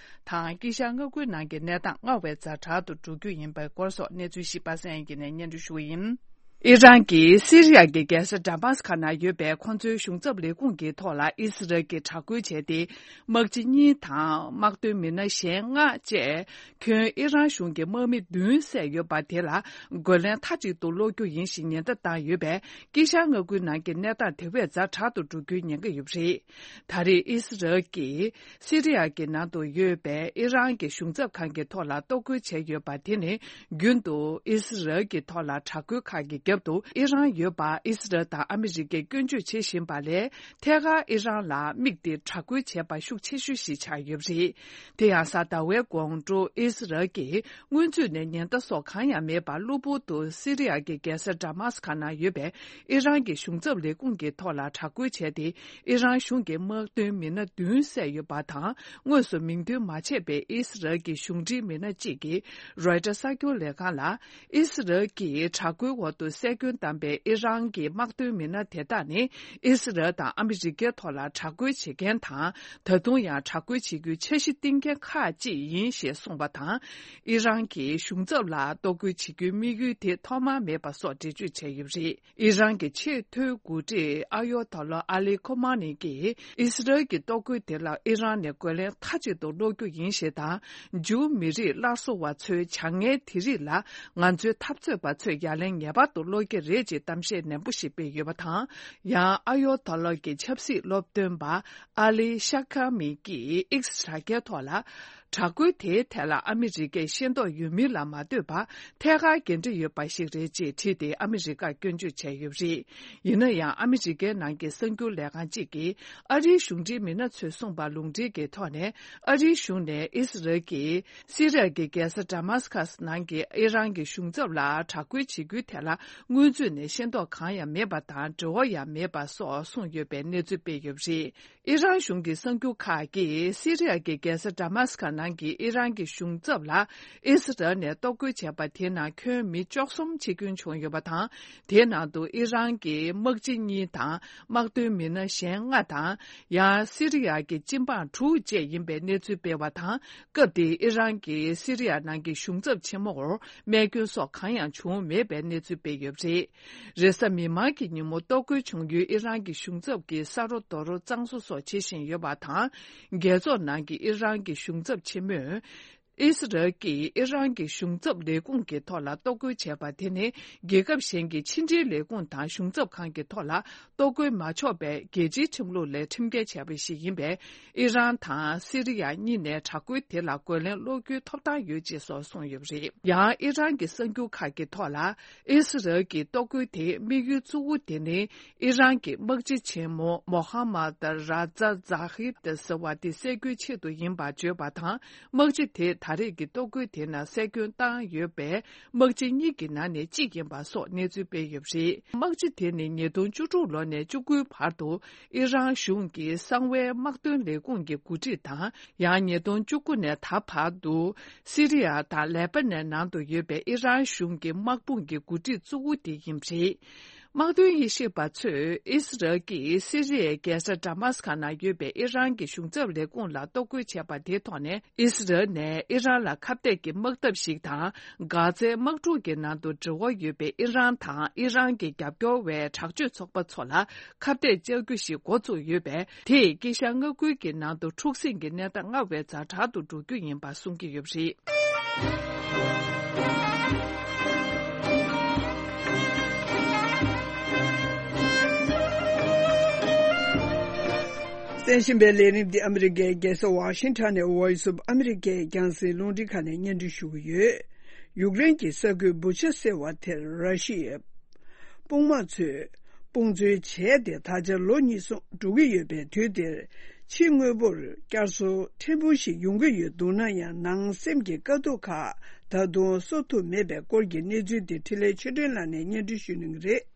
དང་། དཀྱིལ་ཤར་མངའ་ཁུལ་ནང་གི་གནས་སྟངས་སྔར་བས་ཛ་དྲག་ཏུ་འགྲོ་རྒྱུ་ཡིན་པའི་སྐོར་སོགས་གནས་ཚུལ་ཞིག་པ་སངས་དབྱངས་སྐྱིད་ནས་སྙན་སྒྲོན་ཞུ་བ་ཡིན། ཨི་རན་གྱིས་སི་རི་ཡ་གི་རྒྱལ་ས་ཌ་མཱ་སི་ཁ་ནང་ཡོད་པའི་ཁོ་ཚོའི་གཞུང་ཚབ་ལས་ཁུངས་ཀྱི་ཐོག་ལ་ཨི་སི་རལ་གྱིས་དྲག་རྒོལ་བྱས་ཏེ། དམག་སྤྱི་གཉིས་དང་དམག་དོན་མི་སྣ་གཞན་ལྔ་བཅས། ཁྱོན་ཨི་རན་གཞུང་གི་དམག་མི་བདུན་བསད་ཡོད་པ་དེ་ལ་རྒོལ་ལན་མཐའ་གཅིག་ཏུ་སློག་རྒྱུ་ཡིན་ཞེས་ཉེན་བརྡ་བཏང་ཡོད་པས། དཀྱིལ་ཤར་མངའ་ཁུལ་ནང་གི་གནས་སྟངས་དེ་བས་ཛ་དྲག་ཏུ་འགྲོ་རྒྱུའི་ཉེན་ཁ་ཡོད་པ་རེད། ད་རེས་ཨི་སི་རལ་གྱིས་སི་རི་ཡ་གི་ནང་དུ་ཡོད་པའི་ཨི་རན་གྱི་གཞུང་ཚབ་ཁང་གི་ཐོག་ལ་གཏོར་རྒོལ་བྱས་ཡོད་པ་དེ་ནི། རྒྱུན་དུ་ཨི་སི་རལ་གྱི་ཐོག་ལ་དྲག་རྒོལ་ཁག་གི་རྒྱབ་ཏུ་ཨི་རན་ཡོད་པ་ཨི་སི་རལ་དང་ཨ་མི་རི་ཀས་སྐྱོན་བརྗོད་བྱེད་བཞིན་པ་ལས། ཐད་ཀར་ཨི་རན་ལ་དམིགས་ཏེ་དྲག་རྒོལ་བྱས་པ་ཤུགས་ཆེ་ཤོས་ཤིག་ཆགས་ཡོད་པ་རེད། དེ་ཡང་གཟའ་ཟླ་བའི་དགོང་དྲོ་ཨི་སི་རལ་གྱིས་སྔོན་ཚུད་ནས་ཉེན་བརྡ་སོགས་གང་ཡང་མེད་པར་གློ་བུར་དུ་སི་རི་ཡ་གི་རྒྱལ་ས་ཌ་མཱ་སི་ཁ་ནང་ཡོད་པའི་ཨི་རན་གྱི་གཞུང་ཚབ་ལས་ཁུངས་ཀྱི་ཐོག་ལ་དྲག་རྒོལ་བྱས་ཏེ། ཨི་རན་གཞུང་གི་དམག་དོན་མི་སྣ་བདུན་བསད་ཡོད་པ་དང་། དངོས་སུ་མིང་འདོན་མ་བྱས་པའི་ཨི་སི་རལ་གྱི་གཞུང་འབྲེལ་མི་སྣ་གཅིག་གིས་རོའི་ཊར་གསར་འགྱུར་ལས་ཁང་ལ། ཨི་སི་རལ་གྱིས་དྲག་རྒོལ་འོག་ཏུ་བསད་སྐྱོན་བཏང་པའི་ཨི་རན་གྱི་དམག་དོན་མི་སྣ་དེ་དག་ནི། ཨི་སི་རལ་དང་ཨ་མི་རི་ཀའི་ཐོག་ལ་དྲག་རྒོལ་བྱེད་མཁན་དང་། ད་དུང་ཡང་དྲག་རྒོལ་བྱེད་རྒྱུའི་འཆར་གཞི་བཏིང་མཁན་ཁག་ཅིག་ཡིན་ཞེས་གསུངས་པ་དང་། ཨི་རན་གྱིས་གཞུང་ཚབ་ལ་གཏོར་རྒོལ་བྱེད་རྒྱུའི་དམིགས་ཡུལ་དེ་ཐོག་མར་མེད་པ་སོགས་འགྲེལ་བརྗོད་བྱས་ཡོད་པ་རེད། ཨི་རན་གྱི་ཆེས་མཐོའི་འགོ་ཁྲིད་ཨ་ཡོ་ཐོ་ལོ་ཨ་ལི་ཁོ་མ་ནི་གིས། ཨི་སི་རལ་གྱི་གཏོར་རྒོལ་དེ་ལ་ཨི་རན་ནས་རྒོལ་ལན་མཐའ་གཅིག་ཏུ་སློག་རྒྱུ་ཡིན་ཞེས་དང་། ཇུའུ་མི་རིགས་སླར་གསོ་བ་ཚོའི་བྱ་ངན་དེ་རིགས་ལ་ང་ཚོའི་འཐབ་རྩོད་པ་ཚོས་ཡ་ལན་ངེས་པར་དུ་ སློག་གི་རེད་ཅེས་གཏམ་བཤད་ནན་པོ་ཞིག་སྤེལ་ཡོད་པ་དང་། ཡང་ཨ་ཡོ་ཐ་ལོ་གི་ཆབ་སྲིད་སློབ་སྟོན་པ་ཨ་ལི་ཤ་ཁ་མི་གིས་ཨིགས་དྲ་རྒྱའི་ཐོག་ལ། དྲག་རྒོལ་དེའི་ཐད་ལ་ཨ་མི་རི་ཀས་ཤེས་རྟོགས་ཡོད་མིན་ལ་མ་ལྟོས་པར་ཐད་ཀར་འགན་འཁྲི་ཡོད་པ་ཞིག་རེད་ཅེས་བྲིས་ཏེ་ཨ་མི་རི་ཀར་སྐྱོན་བརྗོད་བྱས་ཡོད་པ་རེད། ཡིན་ན་ཡང་ཨ་མི་རི་ཀའི་ནང་གི་གསར་འགྱུར་ལས་ཁང་གཅིག་གིས་ཨ་རིའི་གཞུང་འབྲེལ་མི་སྣ་ཚོས་གསུངས་པ་ལུང་འདྲེན་གྱི་ཐོག་ནས། ཨ་རིའི་གཞུང་ནས་ཨི་སི་རལ་གྱིས་སི་རི་ཡ་གི་རྒྱལ་ས་ཌ་མཱ་སི་ཀ་སི་ནང་གི་ཨི་རན་གྱི་གཞུང་ཚབ་ལ་དྲག་རྒོལ་བྱེད་རྒྱུའི་ཐད་ལ་སྔོན་ཚུད་ནས་ཤེས་རྟོགས་གང་ཡང་མེད་པ་དང་འབྲེལ་བ་ཡང་མེད་པ་སོགས་གསུངས་ཡོད་པའི་གནས་ཚུལ་སྤེལ་ཡོད་པ་རེད། ཨི་རན་གཞུང་གི་གསར་འགྱུར་ཁག་གིས་སི་རི་ཡ་གི་རྒྱལ་ས་ཌ་མཱ་སི་ཀ་ནང་གི་ཨི་རན་གྱི་གཞུང་ཚབ་ལ་ཨི་སི་རལ་ནས་གཏོར་རྒོལ་བྱས་པ་དེའི་ནང་ཁྱོན་མི་བཅུ་གསུམ་འཆི་སྐྱོན་བྱུང་ཡོད་པ་དང་། དེའི་ནང་དུ་ཨི་རན་གྱི་དམག་སྤྱི་གཉིས་དང་དམག་དོན་མི་སྣ་གཞན་ལྔ་དང་། ཡང་སི་རི་ཡ་གི་སྤྱི་འབངས་དྲུག་བཅས་ཡིན་པའི་གནས་ཚུལ་སྤེལ་བ་དང་། སྐབས་དེའི་ཨི་རན་གྱི་སི་རི་ཡ་ནང་གི་གཞུང་ཚབ་ཆེན་མོར་རྨས་སྐྱོན་སོགས་གང་ཡང་བྱུང་མེད་པའི་གནས་ཚུལ་སྤེལ་ཡོད་པ་རེད། རེས་གཟའ་མིག་དམར་གྱི་ཉིན་མོ་གཏོར་རྒོལ་བྱུང་ཡུལ་ཨི་རན་གྱི་གཞུང་ཚབ་ཀྱི་ས་རོ་རྡོ་རོ་གཙང་བཟོ་སོགས་བྱེད་བཞིན་ཡོད་པ་དང་། རྒྱལ་ཚོགས་ནང་གི་ཨི་རན་གྱི་གཞུང་ཚབ་ཆེན་མོས། ཨི་སི་རལ་གྱིས་ཨི་རན་གྱི་གཞུང་ཚབ་ལས་ཁུངས་ཀྱི་ཐོག་ལ་གཏོར་རྒོལ་བྱས་པ་དེ་ནི་རྒྱལ་ཁབ་གཞན་གྱི་ཕྱི་འབྲེལ་ལས་ཁུངས་དང་གཞུང་ཚབ་ཁང་གི་ཐོག་ལ་གཏོར་རྒོལ་མ་ཆོག་པའི་རྒྱལ་སྤྱིའི་ཁྲིམས་ལུགས་ལས་ཁྲིམས་འགལ་བྱས་པ་ཞིག་ཡིན་པས། ཨི་རན་དང་སི་རི་ཡ་གཉིས་ནས་དྲག་རྒོལ་དེ་ལ་རྒོལ་ལན་སློག་རྒྱུའི་ཐོབ་ཐང་ཡོད་ཅེས་སོགས་གསུངས་ཡོད་པ་རེད། ཡང་ཨི་རན་གྱི་གསར་འགྱུར་ཁག་གི་ཐོག་ལ། ཨི་སི་རལ་གྱི་གཏོར་རྒོལ་དེའི་དམིགས་ཡུལ་གཙོ་བོ་དེ་ནི་ཨི་རན་གྱི་དམག་སྤྱི་ཆེན་མོ་མོ་ཧ་མད་ར་ཛ་ཛ་ཧིབ་ཏེ་ཟེར་བ་དེ་བསད་རྒྱུའི་ཆེད་དུ་ཡིན་པར་བརྗོད་པ་དང་། དམག་སྤྱི་དེ་ད་རེས་ཀྱི་གཏོར་རྒོལ་དེ་ནང་བསད་སྐྱོན་བཏང་ཡོད་པའི་དམག་སྤྱི་གཉིས་ཀྱི་ནང་ནས་གཅིག་ཡིན་པ་སོགས་གནས་ཚུལ་སྤེལ་ཡོད་པ་རེད། དམག་སྤྱི་དེ་ནི་ཉིས་སྟོང་བཅུ་དྲུག་ལོ་ནས་བཅུ་དགུའི་བར་དུ་ཨི་རན་གཞུང་གི་གསང་བའི་དམག་དོན་ལས་ཁུངས་ཀྱི་འགོ་ཁྲིད་དང་། ཡང་ཉིས་སྟོང་བཅུ་དགུ་ནས་ད་བར་དུ་སི་རི་ཡ་དང་ལེ་པ་ནན་ནང་དུ་ཡོད་པའི་ཨི་རན་གཞུང་གི་དམག་དཔུང་གི་འགོ་ཁྲིད་གཙོ་བོ་དེ་ཡིན་པ་རེད། དམག་དོན་དབྱེ་ཞིབ་པ་ཚོས་ཨི་སི་རལ་གྱིས་སི་རི་ཡའི་རྒྱལ་ས་ཌ་མཱ་སི་ཀ་ནང་ཡོད་པའི་ཨི་རན་གྱི་གཞུང་ཚབ་ལས་ཁུངས་ལ་གཏོར་རྒོལ་བྱས་པ་དེའི་ཐོག་ནས། ཨི་སི་རལ་ནས་ཨི་རན་ལ་ཁ་གཏད་ཀྱི་དམག་འཐབ་ཞིག་དང་། གྷ་ཛའི་དམག་འཁྲུག་གི་ནང་དུ་འབྲེལ་བ་ཡོད་པའི་ཨི་རན་དང་ཨི་རན་གྱི་རྒྱབ་སྐྱོར་བའི་དྲག་སྤྱོད་ཚོགས་པ་ཚོ་ལ་ཁ་གཏད་བཅག་རྒྱུ་ཞིག་འགོ་བཙུགས་ཡོད་པས། དེས་དཀྱིལ་ཤར་མངའ་ཁུལ་གྱི་ནང་དུ་འཁྲུག་ཟིང་གི་གནས་སྟངས་སྔར་བས་ཛ་དྲག་ཏུ་འགྲོ་རྒྱུ་ཡིན་པ་གསུང་གི་ཡོད་པ་རེད། གསན་བཞིན་པའི་ལས་རིམ་འདི་ཨ་མི་རི་ཀའི་རྒྱལ་ས་ཝ་ཤིང་ཊོན་ནས་Voice of America ཡི་རྒྱང་སྲིང་རླུང་འཕྲིན་ཁང་ནས་སྙན་སྒྲོན་ཞུ་གི་ཡོད། ཡུཀ་རེན་གྱི་ས་ཁུལ་བུ་ཆ་ཟེར་བ་དེར་ར་ཤི་ཡའི་དཔུང་དམག་ཚོས་དཔུང་འཛུལ་བྱས་ཏེ་ད་ཆ་ལོ་གཉིས་སོང་འགྲོ་གི་ཡོད་པའི་དུས་འདིར། ཕྱི་དངོས་པོར་བསྐྱར་གསོ་ཕྲན་བུ་ཞིག་ཡོང་གི་ཡོད་འདུག་ན་ཡང་། ནང་སེམས་ཀྱི་དཀའ་སྡུག་ཁག་ད་དུང་གསོ་ཐུབ་མེད་པའི་སྐོར་གྱི་གནས་ཚུལ་དེ་འཕྲིན་ལས་ཆོས་སྒྲོན་ལགས་ནས་སྙན་སྒྲོན་ཞུ་གནང་གི་རེད།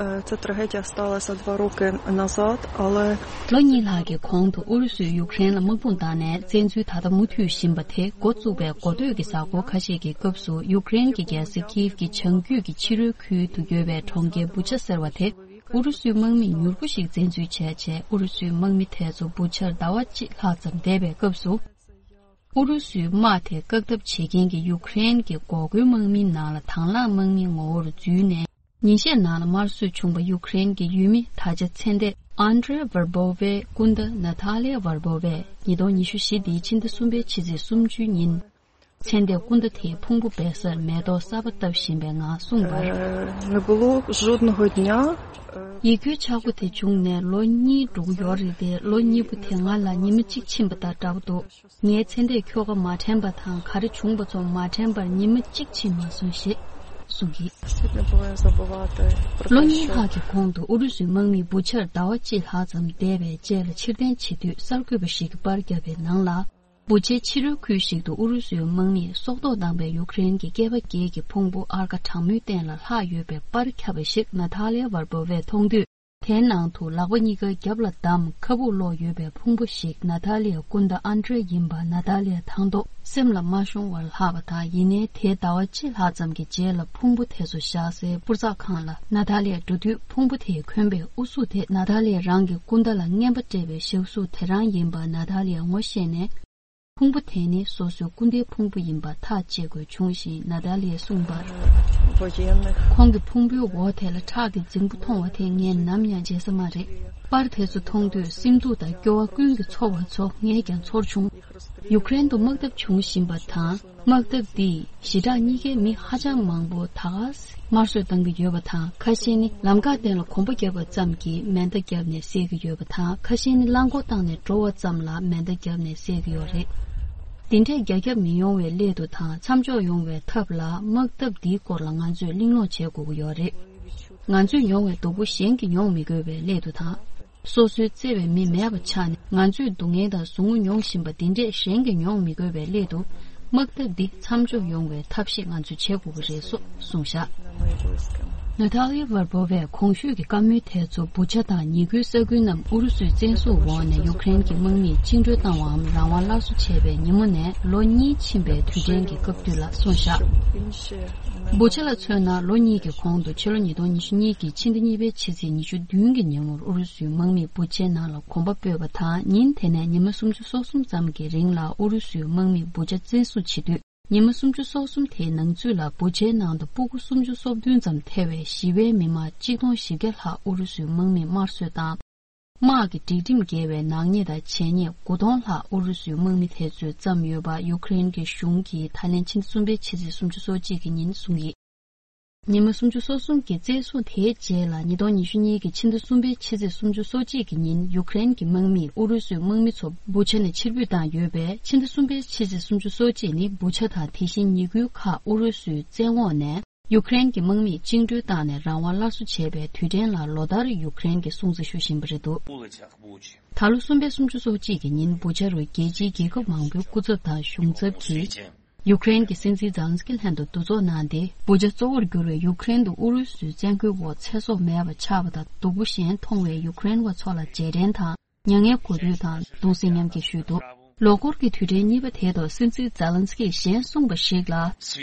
Е, Ця трагедія сталася два роки назад, але ལོ་གཉིས་ལྷག་གི་གོང་དུ་ཨུ་རུ་སུས་ཡུཀ་རེན་ལ་དམག་དཔུང་བཏང་ནས་བཙན་འཛུལ་ད་ལྟ་མུ་མཐུད་བཞིན་པ་དེ་འགོ་བཙུགས་པའི་འགོ་སྟོད་ཀྱི་གཟའ་འཁོར་ཁ་ཤས་ཀྱི་སྐབས་སུ། ཡུཀ་རེན་གྱི་རྒྱལ་ས་ཀིའེབ་ཀྱི་བྱང་རྒྱུད་ཀྱི་ཕྱི་རོལ་ཁུལ་དུ་ཡོད་པའི་གྲོང་ཁྱེར་བུ་ཆ་ཟེར་བ་དེ་ཨུ་རུ་སུའི་དམག་མིས་མྱུར་པོ་ཞིག་བཙན་འཛུལ་བྱས་རྗེས། ཨུ་རུ་སུའི་དམག་མི་དེ་ཚོ་བུ་ཆར་ཟླ་བ་གཅིག་ལྷག་ཙམ་བསྡད་པའི་སྐབས་སུ། ཨུ་རུ་སུའི་དམག་དེ་བཀག་ཐབས་བྱེད་མཁན་གྱི་ཡུཀ་རེན་གྱི་འགོག་རྒོལ་དམག་མིའི་ནང་ལ་དང་བླངས་དམག་མིའི་ངོ་བོར་འཛུལ་ནས། ཉིན་ཤས་ནང་ལ་དམར་གསོད་བྱུང་བ་ཡུཀ་རེན་གྱི་ཡུལ་མི་ད་ཆ་ཚེ་འདས་ཨན་ཌྲེ་ཝར་བོ་ཝའི་སྐུ་ཟླ་ན་ཐ་ལེ་ཝར་བོ་ཝས་ཉིས་སྟོང་ཉི་ཤུ་བཞི་འདིའི་ཕྱི་ཟླ་གསུམ་པའི་ཕྱི་ཚེས་སུམ་ཅུ་ཉིན། ཚེ་འདས་སྐུ་ཟླ་དེའི་ཕུང་པོ་སྦས་སར་མེ་ཏོག་གསར་པ་བཏབ་བཞིན་པའི་ངང་གསུངས་པར། Е, не було жодного дня, е, ཡིད་སྐྱོའི་ཆག་སྒོ་དེ་བྱུང་ནས་ལོ་གཉིས་འགྲོ་གི་ཡོད་རེད་དེ། ལོ་གཉིས་པོ་དེ་ང་ལ་ཉི་མ་གཅིག་ཕྱིན་པ་དང་འདྲ་པོ་འདུག་ངའི་ཚེ་འདས་ཁྱོ་ག་མ་དྲན་པ་དང་། ག་རེ་བྱུང་པ་ཚོ་མ་དྲན་པར་ཉི་མ་གཅིག་ཕྱིན་མ་སོང་ཞེས་གསུངས་ཀྱིས། Действительно, было забывать про ལོ་то, གཉིས་что ལྷག་གི་གོང་དུ་ཨུ་རུ་སུའི་དམག་མིས་བུ་ཆར་ཟླ་བ་གཅིག་ལྷག་ཙམ་བསྡད་པའི་རྗེས་ལ་ཕྱིར་འཐེན་བྱེད་དུས། གསར་འགོད་པ་ཞིག་གིས་པར་བརྒྱབ་པའི་ནང་ལ། བུ་ཆའི་ཕྱི་རོལ་ཁུལ་ཞིག་ཏུ་ཨུ་རུ་སུའི་དམག་མིས་སྲོག་ཐོག་བཏང་པའི་ཡུཀ་རེན་གྱི་སྐྱེས་པ་བརྒྱད་ཀྱི་ཕུང་པོ་ཨར་ཀ་གྲང་མོའི་སྟེང་ལ་ལྷག་ཡོད་པའི་པར་ཁྱབ་པ་ཞིག་ན་ཐ་ལེ་ཝར་བོ་ཝས་མཐོང་དུས། དེའི་ནང་དུ་ལག་པ་གཉིས་ཀ་རྒྱབ་ལ་བསྡམས། ཁ་སྦུག་སློག་ཡོད་པའི་ཕུང་པོ་ཞིག་ན་ཐ་ལི་ཡའི་སྐུ་ཟླ་ཨན་ཏྲེ་ཡིན་པ་ན་ཐ་ལི་ཡ་མཐོང་ཐོག་སེམས་ལ་མ་ཤོང་བར་ལྷག་པ་དང་། ཡིན་ནའི་དེའི་ཟླ་བ་གཅིག་ལྷག་ཙམ་གྱི་རྗེས་ལ་ཕུང་པོ་དེ་ཚོ་བཞག་སའི་པུར་ཚགས་ཁང་ལ་ན་ཐ་ལི་ཡ་འགྲོ་དུས། ཕུང་པོ་དེས་གོན་པའི་ཨུ་ཚུགས་དེ་ན་ཐ་ལི་ཡ་རང་གི་སྐུ་ཟླ་ལ་རྔན་པ་སྤྲད་པའི་ཞབས་ཚུགས་དེ་རང་ཡིན་པ་ན་ཐ་ལི་ཡ་ངོ་ཤེས་ནས། ཕུང་པོ་དེ་ནི་སོ་སོའི་སྐུ་ཟླའི་ཕུང་པོ་ཡིན་པ་ཐག་བཅད་དགོས་བྱུང་ཞིང་། ན་ཐ་ལི་ཡས་གསུངས་པར། Военных. ཁོང་གི་ཕུང་པོའི་འོག་དེ་ལ་ཁྲག་གི་རྫིང་བུ་མཐོང་བ་དེ་ངས་ནམ་ཡང་བརྗེད་ས་མ་རེད། པར་དེ་ཚོ་མཐོང་དུས་སེམས་སྡུག་དང་སྐྱོ་བ་ཀུན་གྱིས་ཚོར་བ་ཚོ་ངས་ཀྱང་ཚོར་བྱུང་། ཡུཀ་རེན་དུ་དམག་འཐབ་བྱུང་བཞིན་པ་དང་། དམག་འཐབ་འདིས་ཞི་དྲག་གཉིས་ཀའི་མི་ཧ་ཅང་མང་པོ་ད་ག་ས་དམར་གསོད་བཏང་གི་ཡོད་པ་དང་། ཁ་ཤས་ནི་ལམ་ཁ་སྟེང་ལ་གོམ་པ་བརྒྱབ་པ་ཙམ་གྱིས་མེ་མདའ་བརྒྱབ་ནས་བསད་ཀྱི་ཡོད་པ་དང་། ཁ་ཤས་ནི་རླངས་འཁོར་བཏང་ནས་འགྲོ་བ་ཙམ་ལ་མེ་མདའ་བརྒྱབ་ནས་བསད་ཀྱི་ཡོད་རེད། འདི་འདྲའི་རྒྱ་ཁྱབ་མི་ཡོང་བའི་སླད་དུ་དང་། མཚམས་འཇོག་ཡོང་བའི་ཐབས་ལ་དམག་འཐབ་འདིའི་སྐོར་ལ་ང་ཚོས་གླེང་སློང་བྱེད་དགོས་ཀྱི་ཡོད་རེད། ང་ཚོས་མྱོང་བའི་སྡུག་པོ་གཞན་གྱིས་མྱོང་མི་དགོས་པའི་སླད་དུ་དང་། སོ་སོའི་བརྩེ་བའི་མི་མེད་པ་ཆགས་ནས། ང་ཚོས་སྡུག་བསྔལ་དང་ཟུག་རྔུ་མྱོང་བཞིན་པ་འདི་འདྲས་གཞན་གྱིས་མྱོང་མི་དགོས་པའི་སླད་དུ། དམག་འཐབ་འདི་མཚམས་འཇོག་ཡོང་བའི་ཐབས་ཤེས་ང་ཚོས་བྱེད་དགོས་ཀྱི་རེད་སོགས་གསུངས་བཞག་ནཱ་ཐཱ་ལི་ཡ་ཝར་པོ་བས་གོང་ཞུས་ཀྱི་བཀའ་མོལ་དེ་ཚོ་བུ་ཆ་དང་ཉེ་ཁུལ་ས་ཁུལ་རྣམས་ཨུ་རུ་སུའི་བཙན་བཟུང་འོག་ནས་ཡུཀ་རེན་གྱི་དམག་མིས་བཅིངས་འགྲོལ་བཏང་བའམ་རང་དབང་སླར་གསོ་བྱས་པའི་ཉིན་མོ་ནས་ལོ་གཉིས་ཕྱིན་པའི་དུས་དྲན་གྱི་སྐབས་དུས་ལ་གསུངས་བཞག་བུ་ཆ་ལ་མཚོན་ན། ལོ་གཉིས་ཀྱི་གོང་དུ་ཕྱི་ལོ་ཉིས་སྟོང་ཉི་ཤུ་གཉིས་ཀྱི་ཕྱི་ཟླ་གཉིས་པའི་ཕྱི་ཚེས་ཉི་ཤུ་བདུན་གྱི་ཉིན་མོར་ཨུ་རུ་སུའི་དམག་མིས་བུ་ཆའི་ནང་ལ་གོམ་པ་སྤོས་པ་དང་། ཉིན་དེ་ནས་ཉི་མ་སུམ་ཅུ་སོ་གསུམ་ཙམ་གྱི་རིང་ལ་ཨུ་རུ་སུའི་དམག་མིས་བུ་ཆ་བཙན་བཟུང་བྱེད་དུས། ཉི་མ་སུམ་ཅུ་སོ་གསུམ་དེའི་ནང་ཚུད་ལ་བུ་ཆའི་ནང་དུ་སྤུ་གུ་སུམ་ཅུ་སོ་བདུན་ཙམ་ཐེ་བའི་ཞི་བའི་མི་མང་གཅིག་སྟོང་བཞི་བརྒྱ་ལྷག་ཨུ་རུ་སུའི་དམག་མིས་དམར་གསོད་དང་། དམག་གི་སྒྲིག་ཁྲིམས་འགལ་བའི་ནག་ཉེས་དང་བྱས་ཉེས་དགུ་སྟོང་ལྷག་ཨུ་རུ་སུའི་དམག་མི་དེ་ཚོས་བརྩམས་ཡོད་པ་ཡུཀ་རེན་གྱི་གཞུང་གིས་ད་ལན་ཕྱི་ཟླ་གསུམ་པའི་ཕྱི་ཚེས་སུམ་ཅུ་སོ་གཅིག་གི་ཉིན་གསུངས་ཡོད། ཉི་མ་སུམ་ཅུ་སོ་གསུམ་གྱི་བཙན་བཟུང་དེའི་རྗེས་ལ་ཉིས་སྟོང་ཉི་ཤུ་གཉིས་ཀྱི་ཕྱི་ཟླ་གསུམ་པའི་ཕྱི་ཚེས་སུམ་ཅུ་སོ་གཅིག་གི་ཉིན་ཡུཀ་རེན་གྱི་དམག་མིས་ཨུ་རུ་སུའི་དམག་མི་ཚོ་བུ་ཆ་ནས་ཕྱིར་འབུད་བཏང་ཡོད་པས། ཕྱི་ཟླ་གསུམ་པའི་ཕྱི་ཚེས་སུམ་ཅུ་སོ་གཅིག་ནི་བུ་ཆ་དང་དེ་བཞིན་ཉེ་ཁུལ་ཁག་ཨུ་རུ་སུའི་བཙན་འོག་ནས། ཡུཀ་རེན་གྱི་དམག་མིས་བཅིངས་འགྲོལ་བཏང་ནས་རང་དབང་སླར་གསོ་བྱས་པའི་དུས་དྲན་ལ་ལོ་ལྟར་ཡུཀ་རེན་གྱིས་སྲུང་བརྩི་ཞུ་བཞིན་པ་རེད་འདུག་ད་ལོ་གསུམ་པའི་སུམ་ཅུ་སོ་གཅིག་གི་ཉིན་བུ་ཆ་རུ་རྒྱལ་སྤྱིའི་རྒྱལ་ཁབ་མང་པོའི་སྐུ་ཚབ་དང་གཞུང་ཚབ་ཀྱིས་ཡུཀ་རེན་གྱི་སྲིད་འཛིན་ཛེ་ལན་སི་ཀི་ལྷན་དུ་འདུ་ཚོགས་གནང་སྟེ། བུ་ཆ་གཙོ་བོར་གྱུར་བའི་ཡུཀ་རེན་དུ་ཨུ་རུ་སུའི་བཙན་རྒོལ་འོག་ཚེ་སྲོག་མེད་པ་ཆགས་པ་དང་སྡུག་པོ་ཞན་མཐོང་བའི་ཡུཀ་རེན་བ་ཚོ་ལ་རྗེས་དྲན་དང་། མྱ་ངན་གུས་འདུད་དང་གདུང་སེམས་མཉམ་སྐྱེད་ཞུས་འདུག་ལོ་འཁོར་གྱི་དུས་དྲན་གཉིས་པ་དེ་ཐོག་སྲིད་འཛིན་ཛེ་ལན་སི་ཀིས་གཞན་གསུངས་པ་ཞིག་ལ།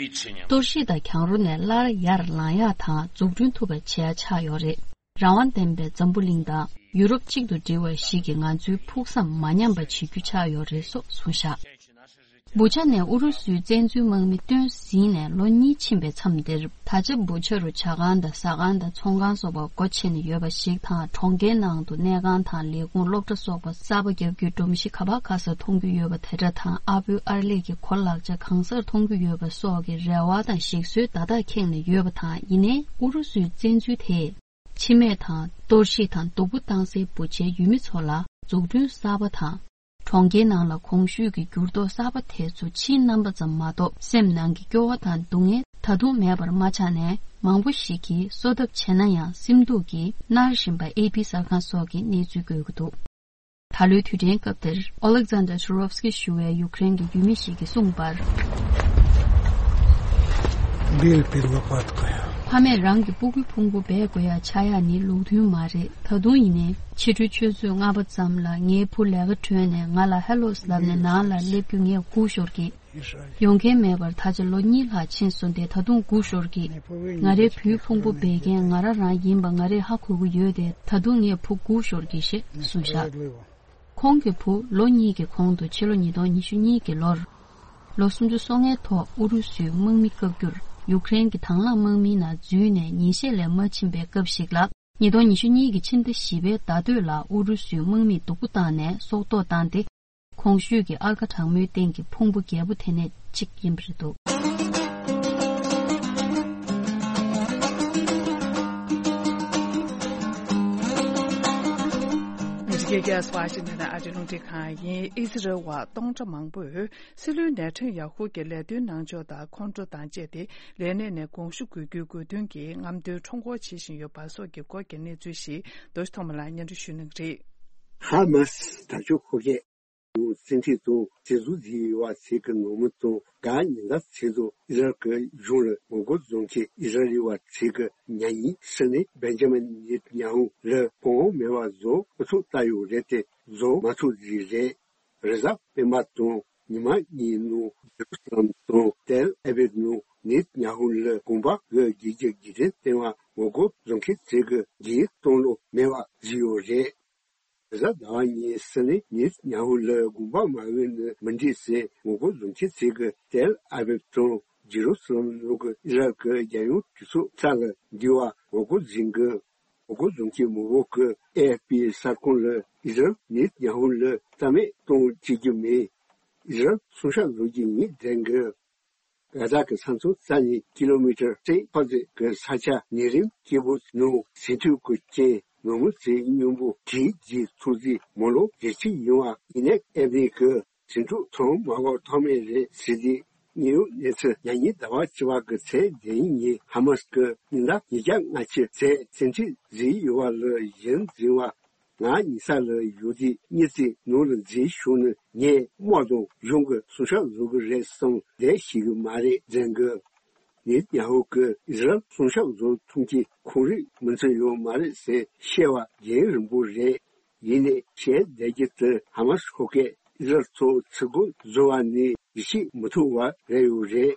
གཏོར་བཤིག་དང་གྱང་རོ་ནས་སླར་ཡར་ལངས་ཡག་དང་འཛུགས་སྐྲུན་ཐུབ་པ་བྱེད་ཡག་ཆགས་ཡོད་རེད། རང་དབང་ལྡན་པའི་འཛམ་བུ་གླིང་དང་ཡུ་རོབ་གཅིག་ཏུ་སྒྲིལ་བ་ཞིག་གིས་ང་ཚོའི་ཕུགས་བསམ་མ་ཉམས་པ་བྱེད་རྒྱུ་ཆགས་ཡོད་རེད་སོགས་གསུངས་བཞག་བུ་ཆ་ནས་ཨུ་རུ་སུའི་བཙན་འཛུལ་དམག་མི་བཏོན་ཟིན་ནས་ལོ་གཉིས་ཕྱིན་པའི་མཚམས་འདིར། ད་ཆ་བུ་ཆ་རུ་ཇ་ཁང་དང་ཟ་ཁང་དང་ཚོང་ཁང་སོགས་པ་སྒོ་ཕྱེ་ནས་ཡོད་པ་ཞིག་དང་། གྲོང་ཁྱེར་ནང་དུ་གནས་ཁང་དང་ལས་ཁུངས་སློབ་གྲྭ་སོགས་པ་གསར་པ་བརྒྱབ་རྒྱུའི་སྒྲོམ་གཞི་ག་པར་ག་སར་མཐོང་རྒྱུ་ཡོད་པ་དེ་འདྲ་དང་། ཨ་བུ་ཨར་ལས་ཀྱི་གོ་ལག་ཆ་གང་སར་མཐོང་རྒྱུ་ཡོད་པ་སོགས་ཀྱི་རེ་བ་དང་ཞིག་གསོའི་བརྡ་རྟགས་ཁེངས་ནས་ཡོད་པ་དང་། ཡིན་ནའི་ཨུ་རུ་སུའི་བཙན་འཛུལ་དེས་འཆི་རྨས་དང་གཏོར་བཤིག་དང་སྡུག་པོ་བཏང་སའི་བུ་ཆའི་ཡུལ་མི་ཚོ་ལ་འཛུགས་སྐྲུན་གསར་པ་དང་། གྲོང་ཁྱེར་ནང་ལ་གོང་ཞུས་ཀྱི་འགྱུར་ལྡོག་གསར་པ་དེ་ཚོ་ཕྱིའི་རྣམ་པ་ཙམ་མ་གཏོགས། སེམས་ནང་གི་སྐྱོ་བ་དང་སྡུག་བསྔལ་ད་དུང་མེད་པར་མ་ཆགས་ནས། མང་པོ་ཞིག་གིས་གསོ་ཐབས་བྱས་ན་ཡང་སེམས་སྡུག་གིས་མནར་བཞིན་པ་ཨེ་པི་གསར་ཁང་སོགས་ཀྱིས་གནས་ཚུལ་འགོད་ཀྱི་འདུག་ད་ལོའི་དུས་དྲན་སྐབས་དེར། ཨོ་ལེག་ཛན་ཌར་ཤུ་རོབ་སི་ཀི་ཞུ་བའི་ཡུཀ་རེན་གྱི་ཡུལ་མི་ཞིག་གིས་གསུངས་པར། Биль перелопатка. ཕ་མས་རང་གི་སྤུ་གུའི་ཕུང་པོ་སྦས་དགོས་ཡ་ཆགས་ཡ་ནི་ལུགས་མཐུན་མ་རེད། ད་དུང་ཡིན་ནའི། ཕྱི་དྲོའི་ཆུ་ཚོད་ལྔ་པ་ཙམ་ལ་ངའི་བུ་ལས་ཀ་གྲོལ་ནས་ང་ལ་ཧེ་ལོ་ལབ་ནས་ནང་ལ་སླེབས་རྒྱུ་ངས་སྒུག་ཞོར་གྱི། ཡོང་མཁན་མེད་པར་ད་ཆ་ལོ་གཉིས་ལྷག་ཕྱིན་སོང་སྟེ། ད་དུང་སྒུག་ཞོར་གྱི། ང་རའི་བུའི་ཕུང་པོ་སྦས་མཁན་ང་རང་རང་ཡིན་པ་ང་རས་ཧ་གོ་གི་ཡོད་དེ། ད་དུང་ངས་བུ་སྒུག་ཞོར་གྱི་ཞེས་གསུངས་བཞག་ཁོང་གི་བུ་ལོ་གཉིས་ཀྱི་གོང་དུ་ཕྱི་ལོ་ཉིས་སྟོང་ཉི་ཤུ་གཉིས་ཀྱི་ལོར། ལོ་སུམ་ཅུ་སོ་ལྔའི་ཐོག་ཨུ་རུ་སུའི་དམག་མི་བཀག་རྒྱུར་ཡུཀ་རེན་གྱི་དང་བླངས་དམག་མིའི་ནང་འཛུལ་ནས་ཉིན་ཤས་ལས་མ་ཕྱིན་པའི་སྐབས་ཤིག་ལ། ཉིས་སྟོང་ཉི་ཤུ་གཉིས་ཀྱི་ཕྱི་ཟླ་བཞི་པའི་ཟླ་སྟོད་ལ་ཨུ་རུ་སུའི་དམག་མིས་སྡུག་པོ་བཏང་ནས་སྲོག་ཐོག་བཏང་སྟེ། གོང་ཞུས་ཀྱི་ཨར་ཀ་གྲངས་མོའི་སྟེང་གི་ཕུང་པོ་བརྒྱད་པོ་དེ་ནས་གཅིག་ཡིན་པ་རེད་འདུག་ཨ་མི་རི་ཀའི་རྒྱལ་ས་ཝ་ཤིང་ཊོན་ནས་ཨ་རིའི་རླུང་འཕྲིན་ཁང་ཡིན། ཨི་ཟི་རལ་བ་སྟོང་ཕྲག་མང་པོས་སྲིད་བློན་ནེ་ཐན་ཡ་ཧུ་གྱི་ལས་དོན་གནང་ཕྱོགས་དང་ཁོང་ཁྲོ་དང་བཅས་ཏེ་ལས་གནས་ནས་དགོངས་ཞུ་དགོས་རྒྱུའི་དགོས་འདུན་གྱིས་རྔམ་སྟོན་ཁྲོམ་སྐོར་བྱེད་བཞིན་ཡོད་པ་སོགས་ཀྱི་སྐོར་གྱི་གནས་ཚུལ་ཞིག་རྡོ་རྗེ་ཐོགས་མེད་ལགས་སྙན་སྒྲོན་ཞུ་གནང་གི་རེད། ཧ་མ་སི་དྲག་སྤྱོད་འཁོར་སྐྱོད་ཀྱི་སྲིད་འཛིན་དང་སྲིད་ཟུར་ཟིན་ཡོད་པ་ཚོས་ཀྱི་ནང་མི་དང་ག་ཉིན་ལ་ཚེ་སྲོག་ཨི་རག་གི་གཞུང་ལ་ངོ་རྒོལ་བཟོ་མཁན་ཨི་རག་ལི་བ་ཚོས་ཀྱི་མྱ་ངན་ཞུས་ནས་བན་ཇ་མིན་ནེ་ཐན་ཡ་ཧུ་ལ་གོང་འོག་མེད་པ་བཟོ་ཨུ་ཚུགས་བཏང་ཡོད་རེད་དེ་བཟོ་མ་ཐུབ་ཟིག་རེད། རེས་གཟའ་སྤེན་པ་དང་ཉི་མ་གཉིས་ནང་ཇེ་རུ་སཱ་ལམ་དང་ཏེལ་ཨ་བིབ་ནང་ནེ་ཐན་ཡ་ཧུ་ལ་དགོངས་པ་གི་རྒྱལ་གྱི་རྒྱལ་ཕྲན་བསྟན་པ་ངོ་རྒོལ་བཟོ་མཁན་ཚོས་ཀྱི་རྒྱལ་གཏོང་ལོ་མེད་པ་བཟོས་ཡོད་རེད། རེས་གཟའ་ཟླ་བ་ཉིན་ཞུས་ནས་ནེ་ཐན་ཡ་ཧུ་ལ་དགོངས་པ་མ་འོས་ནི་མི་འགྲིག་ཟེར་ངོ་རྒོལ་བཟོ་མཁན་ཚོས་ཀྱི་ཏེལ་ཨ་བིབ་དང་ཇེ་རུ་སཱ་ལམ་ནང་གི་ཨི་རག་གི་རྒྱལ་ཡོངས་གྲོས་ཚོགས་ས་ལ་འདུས་པ་ངོ་རྒོལ་བཟོས་ཀྱི། ངོ་རྒོལ་བཟོ་མཁན་མང་པོ་གིས་ཨེ་ཨེཕ་པི་གསར་ཁང་ལ་ཨི་རག་ནེ་ཐན་ཡ་ཧུ་ལ་རྩ་མེད་གཏོང་བྱེད་རྒྱུ་མིན། ཨི་ཟི་རལ་སྲུང་སྐྱོབ་བཟོ་རྒྱུ་ཡིན་ཟེར་གི། གྷ་ཛ་གི་ས་མཚམས་རྩ་ནས་ཀི་ལོ་མི་ཊར་ཁྲི་ཕོ་ཙེ་གི་ས་ཆ་ཉེ་རིམ་སྐྱིད་པོ་ནང་ཟིན་ཐོའི་གོས་ཅན་མི་མོ་ཚོའི་སྙིང་པོ་གིས་བརྗེད་ཐུག་རྗེས་མོ་ལོ་བརྒྱད་ཅུ་ཡིན་པ་ཡིན་ནའི་ཨེ་མི་གི་ཟིན་ཐོ་ཐོན་མ་གོ་ཐོག་མེད་རེད་ཟེར་ཏེ། དངོས་ཡོད་གནས་ཚུལ་ཉ་ཉིན་ཟླ་བ་བཅུ་པ་གི་ཚེས་བདུན་ཉིན་ཧ་མ་སི་གི་ཉིན་ཟླ་ཉིས་བརྒྱ་ལྔ་བཅུ་ཚེས་ཟིན་ཐོ་བརྗེད་ཡོད་པ་ལ་གཞི་འཛིན་པ། ང་ཉེ་ས་ལ་ཡོད་དུས་གཉིད་རྩིས་ནང་ལ་འཛུལ་བྱུང་ནས་ངས་དམག་དང་གཞུང་གི་སྲུང་སྐྱོབ་བཟོ་གི་རེད་བསམ་བསྡད་ཤེས་གི་མ་རེད་ཟེར་གི། ནེ་ཐན་ཡ་ཧུ་གིས་ཨི་ཟི་རལ་སྲུང་སྐྱོབ་བཟོ་ཐུབ་མཁན་ཁོང་རང་མིན་ཚོད་ཡོད་མ་རེད་ཟེར་བཤད་པ་རྒྱུན་རིང་པོ་རེད། ཡིན་ནའི་བཤད་བསྡད་རྒྱུ་དེ་ཧ་མ་སི་ཁོ་གས་ཨི་ཟི་རལ་ཚོ་ཚུར་རྒོལ་བཟོ་བ་ནས་ཡིད་ཆེས་མི་ཐུབ་པ་རེད་ཡོད་རེད།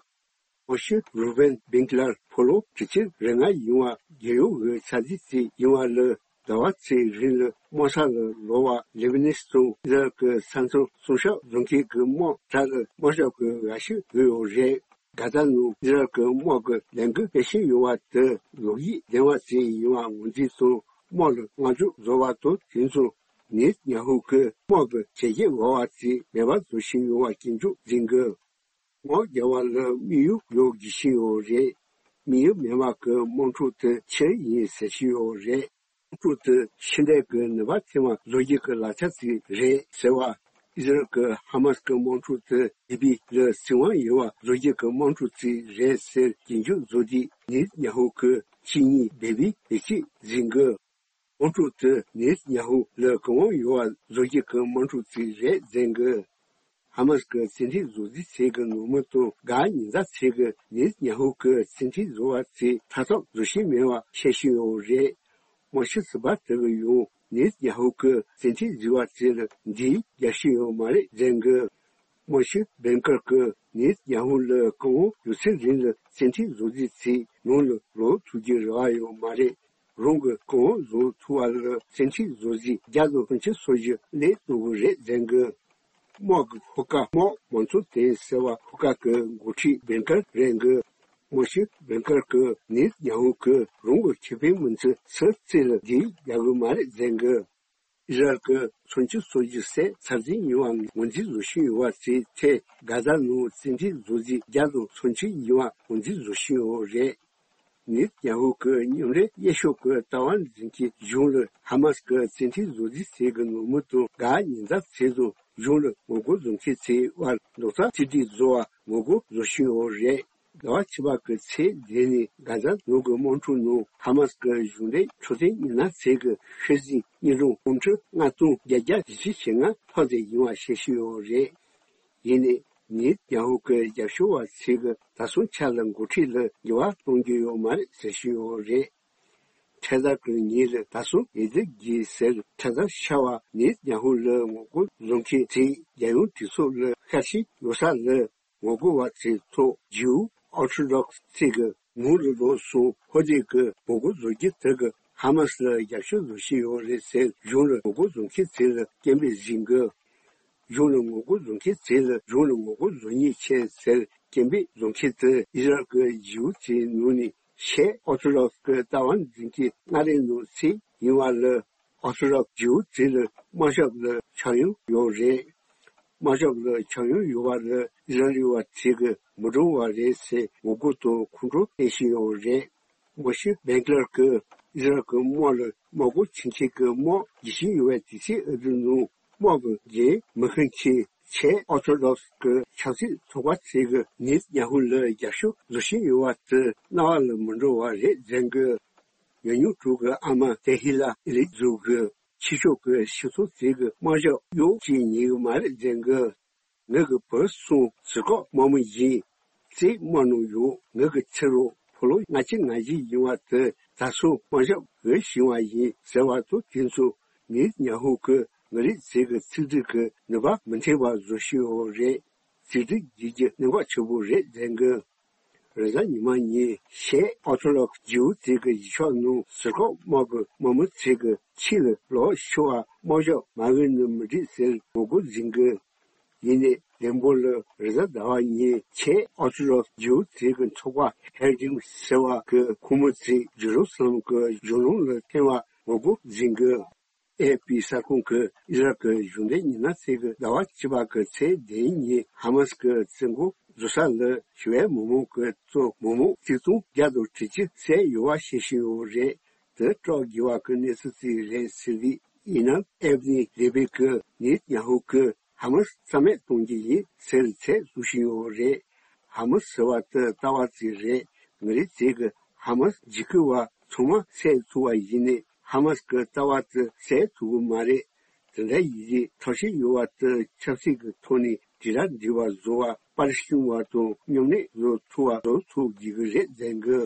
དབང་ཕྱུག་རུ་བན་བིན་ཀི་ལར་ཕོ་ལོ་དྲུག་ཅུ་རེ་ལྔ་ཡིན་པ་རྒྱལ་ཡོངས་ཀྱི་ཆ་རྒྱུས་ཅིག་ཡིན་པ་ལ། ཟླ་བ་ཚོའི་རིང་ལ་དམག་ས་ལ་ལོག་པ་ལེ་བྷ་ནེ་སི་དང་ཨི་ཟི་རལ་གྱི་ས་མཚམས་སྲུང་སྐྱོབ་བཟོ་མཁན་གྱི་དམག་གྲས་ལ་དམག་ཞབས་ཀྱི་འགའ་ཤས་ཡོད་ཡོད་རེད། གྷ་ཛ་ནང་ཨི་ཟི་རལ་གྱི་དམག་གི་ལས་འགུལ་སྤེལ་བཞིན་ཡོད་པ་དེ་ལོག་གཡུག་ལྡན་པ་ཞིག་ཡིན་པ་ངོས་འཛིན་དང་དམག་ལ་བསྔགས་བརྗོད་བཟོ་བ་དང་དེ་མཚུངས་ནེ་ཐན་ཡ་ཧུ་གིས་དམག་གི་བྱས་རྗེས་འོག་པ་ཞིག་མེད་པ་བཟོ་བཞིན་ཡོད་པ་སྐྱོན་བརྗོད་འཛིན་དགོས། དམག་རྒྱག་པ་ལ་དམིགས་ཡུལ་ཡོད་དགོས་བཞིན་ཡོད་རེད། དམིགས་ཡུལ་མེད་པ་གི་དམག་འཁྲུག་དེ་ཕྱིར་ཡིན་ཟེར་བཞིན་ཡོད་རེད། དམག་འཁྲུག་དེ་ཕྱི་འབྲེལ་གྱི་ནུས་པ་ཐེབས་པ་བཟོ་རྒྱུ་གི་ལག་ཆ་ཞིག་རེད་ཟེར་བ། ཨི་ཟི་རལ་གྱི་ཧ་མ་སི་གི་དམག་འཁྲུག་དེ་ལི་བི་ལ་སྲིད་དབང་ཡོད་པ་བཟོ་རྒྱུ་གི་དམག་འཁྲུག་ཅིག་རེད་ཟེར་སྐྱོན་བརྗོད་བཟོ་དུས་ནེ་ཐན་ཡ་ཧུ་གིས་ཕྱི་ཉིན་བེ་བི་བེད་སྤྱོད་འཛིན་དགོས། དམག་འཁྲུག་དེ་ནེ་ཐན་ཡ་ཧུ་ལ་གོ་དབང་ཡོད་པ་བཟོ་རྒྱུ་གི་དམག་འཁྲུག་ཅིག་རེད་ཟེར་གི། ཧ་མ་སི་གི་རྩིས་ཁྲ་བཟོ་རྩིས་བྱེད་ཀྱི་ནོར་མི་དང་གྷ་ཉེ་ས་ཚོ་གིས་ནེ་ཐན་ཡ་ཧུ་གི་རྩིས་ཁྲ་བཟོ་བ་ཚོས་ཐག་གཅོད་བཟོ་ཤེས་མེད་པ་བཤད་ཤེས་ཡོད་རེད། དམག་སྤྱི་ཟུར་པ་དེ་གིས་ཡང་ནེ་ཐན་ཡ་ཧུ་གི་རྩིས་ཁྲ་བཟོ་བ་ཚོ་ལ་འདི་རྒྱབ་ཤེས་ཡོད་མ་རེད་ཟེར་གི། དམག་སྤྱི་བིན་ཀར་གྱིས་ནེ་ཐན་ཡ་ཧུ་ལ་གོ་དབང་ཡོད་ཚད་རིང་ལ་རྩིས་ཁྲ་བཟོ་རྩིས་བྱས་ནང་ལ་ལོག་ཐུབ་རྒྱུའི་རེ་བ་ཡོད་མ་རེད། རང་གི་གོ་དབང་བཟུང་ཐུབ་པ་ལ་རྩིས་ཁྲ་བཟོ་རྩིས་བརྒྱ་དང་སུམ་ཅུ་སོ་བཞི་སླེབས་ཐུབ་ཀྱི་རེད་ཟེར་གི། དམག་གི་ཤོག་ཁག་དམག་མང་ཚོགས་དེ་ཟེར་བ་ཤོག་ཁག་གི་འགོ་ཁྲིད་བིན་ཀར་རེད་གི། དམག་སྤྱི་བིན་ཀར་གྱིས་ནེ་ཐན་ཡ་ཧུ་གིས་རང་གི་ཁེ་ཕན་མིན་ཚུལ་ཚིག་གཅིག་ལ་འདི་རྒྱག་གི་མ་རེད་ཟེར་གི། ཨི་ཟི་རལ་གྱིས་སུམ་ཅུ་སོ་བཞི་སའི་ཚར་རྩིས་ཡོང་བ་ངོས་འཛིན་བཟོ་བཞིན་ཡོད་པ་དེའི་ཐད་གྷ་ཛ་ནང་རྩིས་ཁྲ་བཟོ་རྩིས་བརྒྱ་དང་སུམ་ཅུ་ཡོང་བ་ངོས་འཛིན་བཟོ་བཞིན་ཡོད་རེད། ནེ་ཐན་ཡ་ཧུ་གི་མཉམ་འབྲེལ་གཡས་ཕྱོགས་ཀྱི་ལྟ་བ་འཛིན་མཁན་གཞུང་ལ་ཧ་མ་སི་གི་རྩིས་ཁྲ་བཟོ་རྩིས་བྱེད་ཀྱི་ནོར་མི་དང་གྷ་ཉེ་ས་ཚོ་དང་གཞུང་ལ་ངོ་རྒོལ་བཟོ་མཁན་ཚོའི་དབར་རྡོག་རྩ་གཅིག་སྒྲིལ་བཟོ་བར་ངོ་རྒོལ་བཟོ་བཞིན་ཡོད་རེད། ཟླ་བ་ཕྱི་པ་གི་ཚེས་བདུན་ནས་གྷ་ཛ་ནང་གི་དམག་འཁྲུག་ནང་ཧ་མ་སི་གི་གཞུང་འབྲེལ་འཕྲོད་བསྟེན་མི་སྣ་ཚོ་གི་ཤི་གཟུགས་རྙིང་གྲོང་དངུལ་ཁྲི་ལྔ་སྟོང་བརྒྱད་བརྒྱ་བཞི་བཅུ་ཞེ་ལྔ་ཐོབ་བསྡད་ཡོད་པ་ཤེས་ཀྱི་ཡོད་རེད། ཡིན་ནའི་ནེ་ཐན་ཡ་ཧུ་གི་རྒྱབ་སྐྱོར་བ་ཚོས་ཀྱིས་ད་སོང་ཆ་ལ་འགོ་ཁྲིད་ལ་འགྱུར་བ་གཏོང་རྒྱུ་ཡོད་མ་རེད་ཟེར་བཞིན་ཡོད་རེད། འཕྲལ་དག་གི་ཉིན་ལ་ད་སོང་ཡེ་དེ་གི་ཟེར་འཕྲལ་དག་ཤར་བ་ནེ་ཐན་ཡ་ཧུ་ལ་ངོ་རྒོལ་བཟོ་མཁན་ཚོས་རྒྱལ་ཡོངས་གྲོས་ཚོགས་ལ་ཤར་ཕྱིན་ཡོད་ས་ལ། ངོ་རྒོལ་བ་ཚོའི་ཐོག་ཇིའུ་ཨོ་ཐོ་ཌོག་སི་ཚོས་ཀྱིས་ངོ་ལ་ལོག་སོང་ཧོ་དེ་གི་ངོ་རྒོལ་བཟོ་རྒྱུ་དེ་གི་ཧ་མ་སི་ལ་རྒྱབ་སྐྱོར་བཟོ་བཞིན་ཡོད་རེད་ཟེར་གཞུང་ལ་ངོ་རྒོལ་བཟོ་མཁན་ཚོ་ལ་སྐད་འབོད་བྱེད་གི། གཞུང་ལ་ངོ་རྒོལ་བཟོ་མཁན་ཚོ་ལ་གཞུང་ལ་ངོ་རྒོལ་བཟོ་ཉེན་ཆེ་ཟེར་སྐད་འབོད་བཟོ་མཁན་དེ་ཨི་ཟི་རལ་གྱི་ཇིའུ་ཚོའི་ནང་ནས་ཤར་ཨོ་ཐོ་ཌོག་སི་གི་ལྟ་བ་འཛིན་མཁན་སྔ་རོལ་ནང་ཚོ་ཡིན་པ་ལ། ཨོ་ཐོ་ཌོག་སི་ཇིའུ་ཚོ་ལ་དམག་ཞབས་ལ་ཆག་ཡང་ཡོད་རེད། དམག་ཞབས་ལ་ཆག་ཡང་ཡོད་པ་ལ་ཨི་ཟི་རལ་བ་ཚོས་ཀྱིས་མི་འགྲོ་བ་རེད་ཟེར་ངོ་རྒོལ་དང་ཁོང་ཁྲོ་སྐྱེ་བཞིན་ཡོད་རེད། དམག་སྤྱི་བིན་ཀི་ལར་གྱིས་ཨི་ཟི་རལ་གྱི་དམག་ལ་དམག་སྒོ་ཕྱེ་མཁན་གྱི་དམག་བརྗེ་བཞིན་ཡོད་པའི་དུས་ཚོད་འདི་ནང་དམག་གི་འགན་མི་འཁུར་མཁན་ཤར་ཨོ་ཐོ་ཌོག་སི་གི་ཆབ་སྲིད་ཚོགས་པ་ཚོས་ཀྱིས་ནེ་ཐན་ཡ་ཧུ་ལ་རྒྱབ་སྐྱོར་བཟོ་བཞིན་ཡོད་པ་དེ་རྣ་བ་ལ་མི་འགྲོ་བ་རེད་ཟེར་གི། ཉམས་མྱོང་དྲུག་གི་ཨ་མ་ཏེ་ཧི་ལ་ཨི་ལི་ཛུ་གིས་ཕྱི་ཕྱོགས་ཀྱི་སྤྱི་ཚོགས་ཚོས་ཀྱི་དམག་ཞབས་གཡོག་ཅིག་ཉན་གི་མ་རེད་ཟེར་གི། ངེད་ཀྱི་བུ་གསུམ་ཟུར་བཀག་དམག་མི་ཡིན། གཅིག་དམག་ནང་ཡོད། ངེད་ཀྱི་ཕྱི་རོལ་ཕོ་ལོ་ལྔ་བཅུ་ང་བཞི་ཡིན་པ་དེ་ད་སོང་དམག་ཞབས་འོས་ཤིང་བ་ཡིན་ཟེར་བ་ཚོ་དེ་ཚོ་ནེ་ཐན་ཡ་ཧུ་གི་མི་རིགས་ཚོས་ཀྱི་ཚིག་འབྲུ་གི་ནུས་པ་མི་འཐེན་པ་བཟོ་བཞིན་ཡོད་རེད། ཚིག་འབྲུ་བརྗེ་རྒྱུ་གནད་འགག་ཆེན་པོ་རེད་ཟེར་གི། རེས་གཟའ་ཉི་མ་ཉིན་ཤར་ཨོ་ཐོ་ཌོག་སི་ཇིའུ་ཚོ་གི་གཞིས་ཆགས་ནང་ཟུར་བཀག་དམག་གི་དམག་མི་ཚོས་ཀྱི་ཕྱི་ལ་ལོག་ཤོག་པ་དམག་ཞབས་མ་འོས་ནི་མི་འགྲིག་ཟེར་ངོ་རྒོལ་འཛིན་གི། ཡིན་ནའི་ལྡིང་པོ་ལ་རེས་གཟའ་ཟླ་བ་ཉིན་ཤར་ཨོ་ཐོ་ཌོག་སི་ཇིའུ་ཚོ་གི་ཚོགས་པ་ཧེར་ཌིང་ཟེར་བ་གི་ཁོང་མི་ཚོས་ཇེ་རུ་སཱ་ལེམ་གྱི་གཞུང་ལམ་ལ་འཐེན་པ་ངོ་རྒོལ་འཛིན་གི། ཨེ་ཕི་གསར་ཁང་གིས་ཨི་རག་གི་གཞུང་འབྲེལ་ཉི་ན་ཚེས་ཀྱི་ཟླ་བ་བཅུ་པ་གི་ཚེས་བདུན་ཉིན་ཧ་མ་སི་གི་བཙོན་འགོག་བཟོ་ས་ལ་ཞི་བའི་མི་མང་གིས་བཙོན་མི་མང་ཆིག་སྟོང་བརྒྱ་དང་དྲུག་ཅུ་བསད་ཡོད་པ་ཤེས་བཞིན་ཡོད་རེད། དེ་སྐྲག་དགོས་པ་གི་གནས་ཚུལ་ཅིག་རེད་ཟེར་བས། ཡིན་ནའང་ཨེབ་ནི་ལེ་བི་གིས་ནེ་ཐན་ཡ་ཧུ་གིས་ཧ་མ་སི་རྩ་མེད་གཏོང་རྒྱུ་ཡིན་ཟེར་ཚིག་གསོག་བཞིན་ཡོད་རེད། ཧ་མ་སི་ཟེར་བ་དེ་རྩ་བ་ཅིག་རེད། ང་རང་ཚོ་གིས་ཧ་མ་སི་འཇིགས་སྐུལ་བ་ཚང་མ་བསད་ཚུགས་པ་ཡིན་ནའི་ཧ་མ་སི་གི་རྩ་བ་དེ་བསད་ཚུགས་ཀྱི་མ་རེད། དེ་འདྲ་ཡིན་དུས་ཐབས་ཤེས་ཡོད་པ་དེ་ཆབ་སྲིད་ཀྱི་ཐོག་ནས་དྲིལ་བསྒྲགས་འབྲེལ་བ་བཟོ་བ། པར་སྐྲུན་པ་དང་མཉམ་ལས་བཟོ་ཚུགས་པ་བཟོ་ཚུགས་དགོས་ཀྱི་རེད་ཟེར་གི།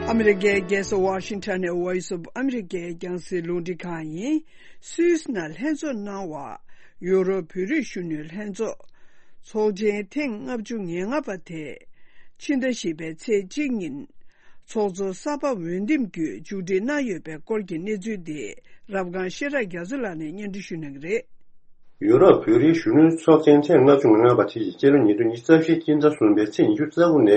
ཨ་མི་རི་ཀའི་རྒྱལ་ས་ཝ་ཤིང་ཊོན་ནས་Voice of America རྒྱང་སྲིང་རླུང་འཕྲིན་ཁང་ཡིན། སུད་སི་ནང་ལྷན་ཚོགས་གནང་བ། ཡུ་རོབ་བོད་རིགས་གཞོན་ནུའི་ལྷན་ཚོགས། ཚོགས་ཆེན་ཐེངས་ལྔ་བཅུ་ང་ལྔ་པ་དེ། ཕྱི་ཟླ་བཞི་པའི་ཚེས་གཅིག་ཉིན། ཚོགས་གཙོ་གསར་པ་འོས་འདེམས་བརྒྱུད་མཇུག་སྒྲིལ་གནང་ཡོད་པའི་སྐོར་གྱི་གནས་ཚུལ་དེ་རབ་སྒང་ཤེས་རབ་རྒྱ་མཚོ་ལགས་ནས་སྙན་སྒྲོན་ཞུ་གནང་གི་རེད། ཡུ་རོབ་བོད་རིགས་གཞོན་ནུའི་ཚོགས་ཆེན་ཐེངས་ལྔ་བཅུ་ང་ལྔ་པ་དེ་ཡིས་སྤྱི་ལོ་ཉིས་སྟོང་ཉི་ཤུ་རྩ་བཞིའི་སྤྱི་ཟླ་གསུམ་པའི་ཚེས་ཉི་ཤུ་རྩ་དགུ་ནས་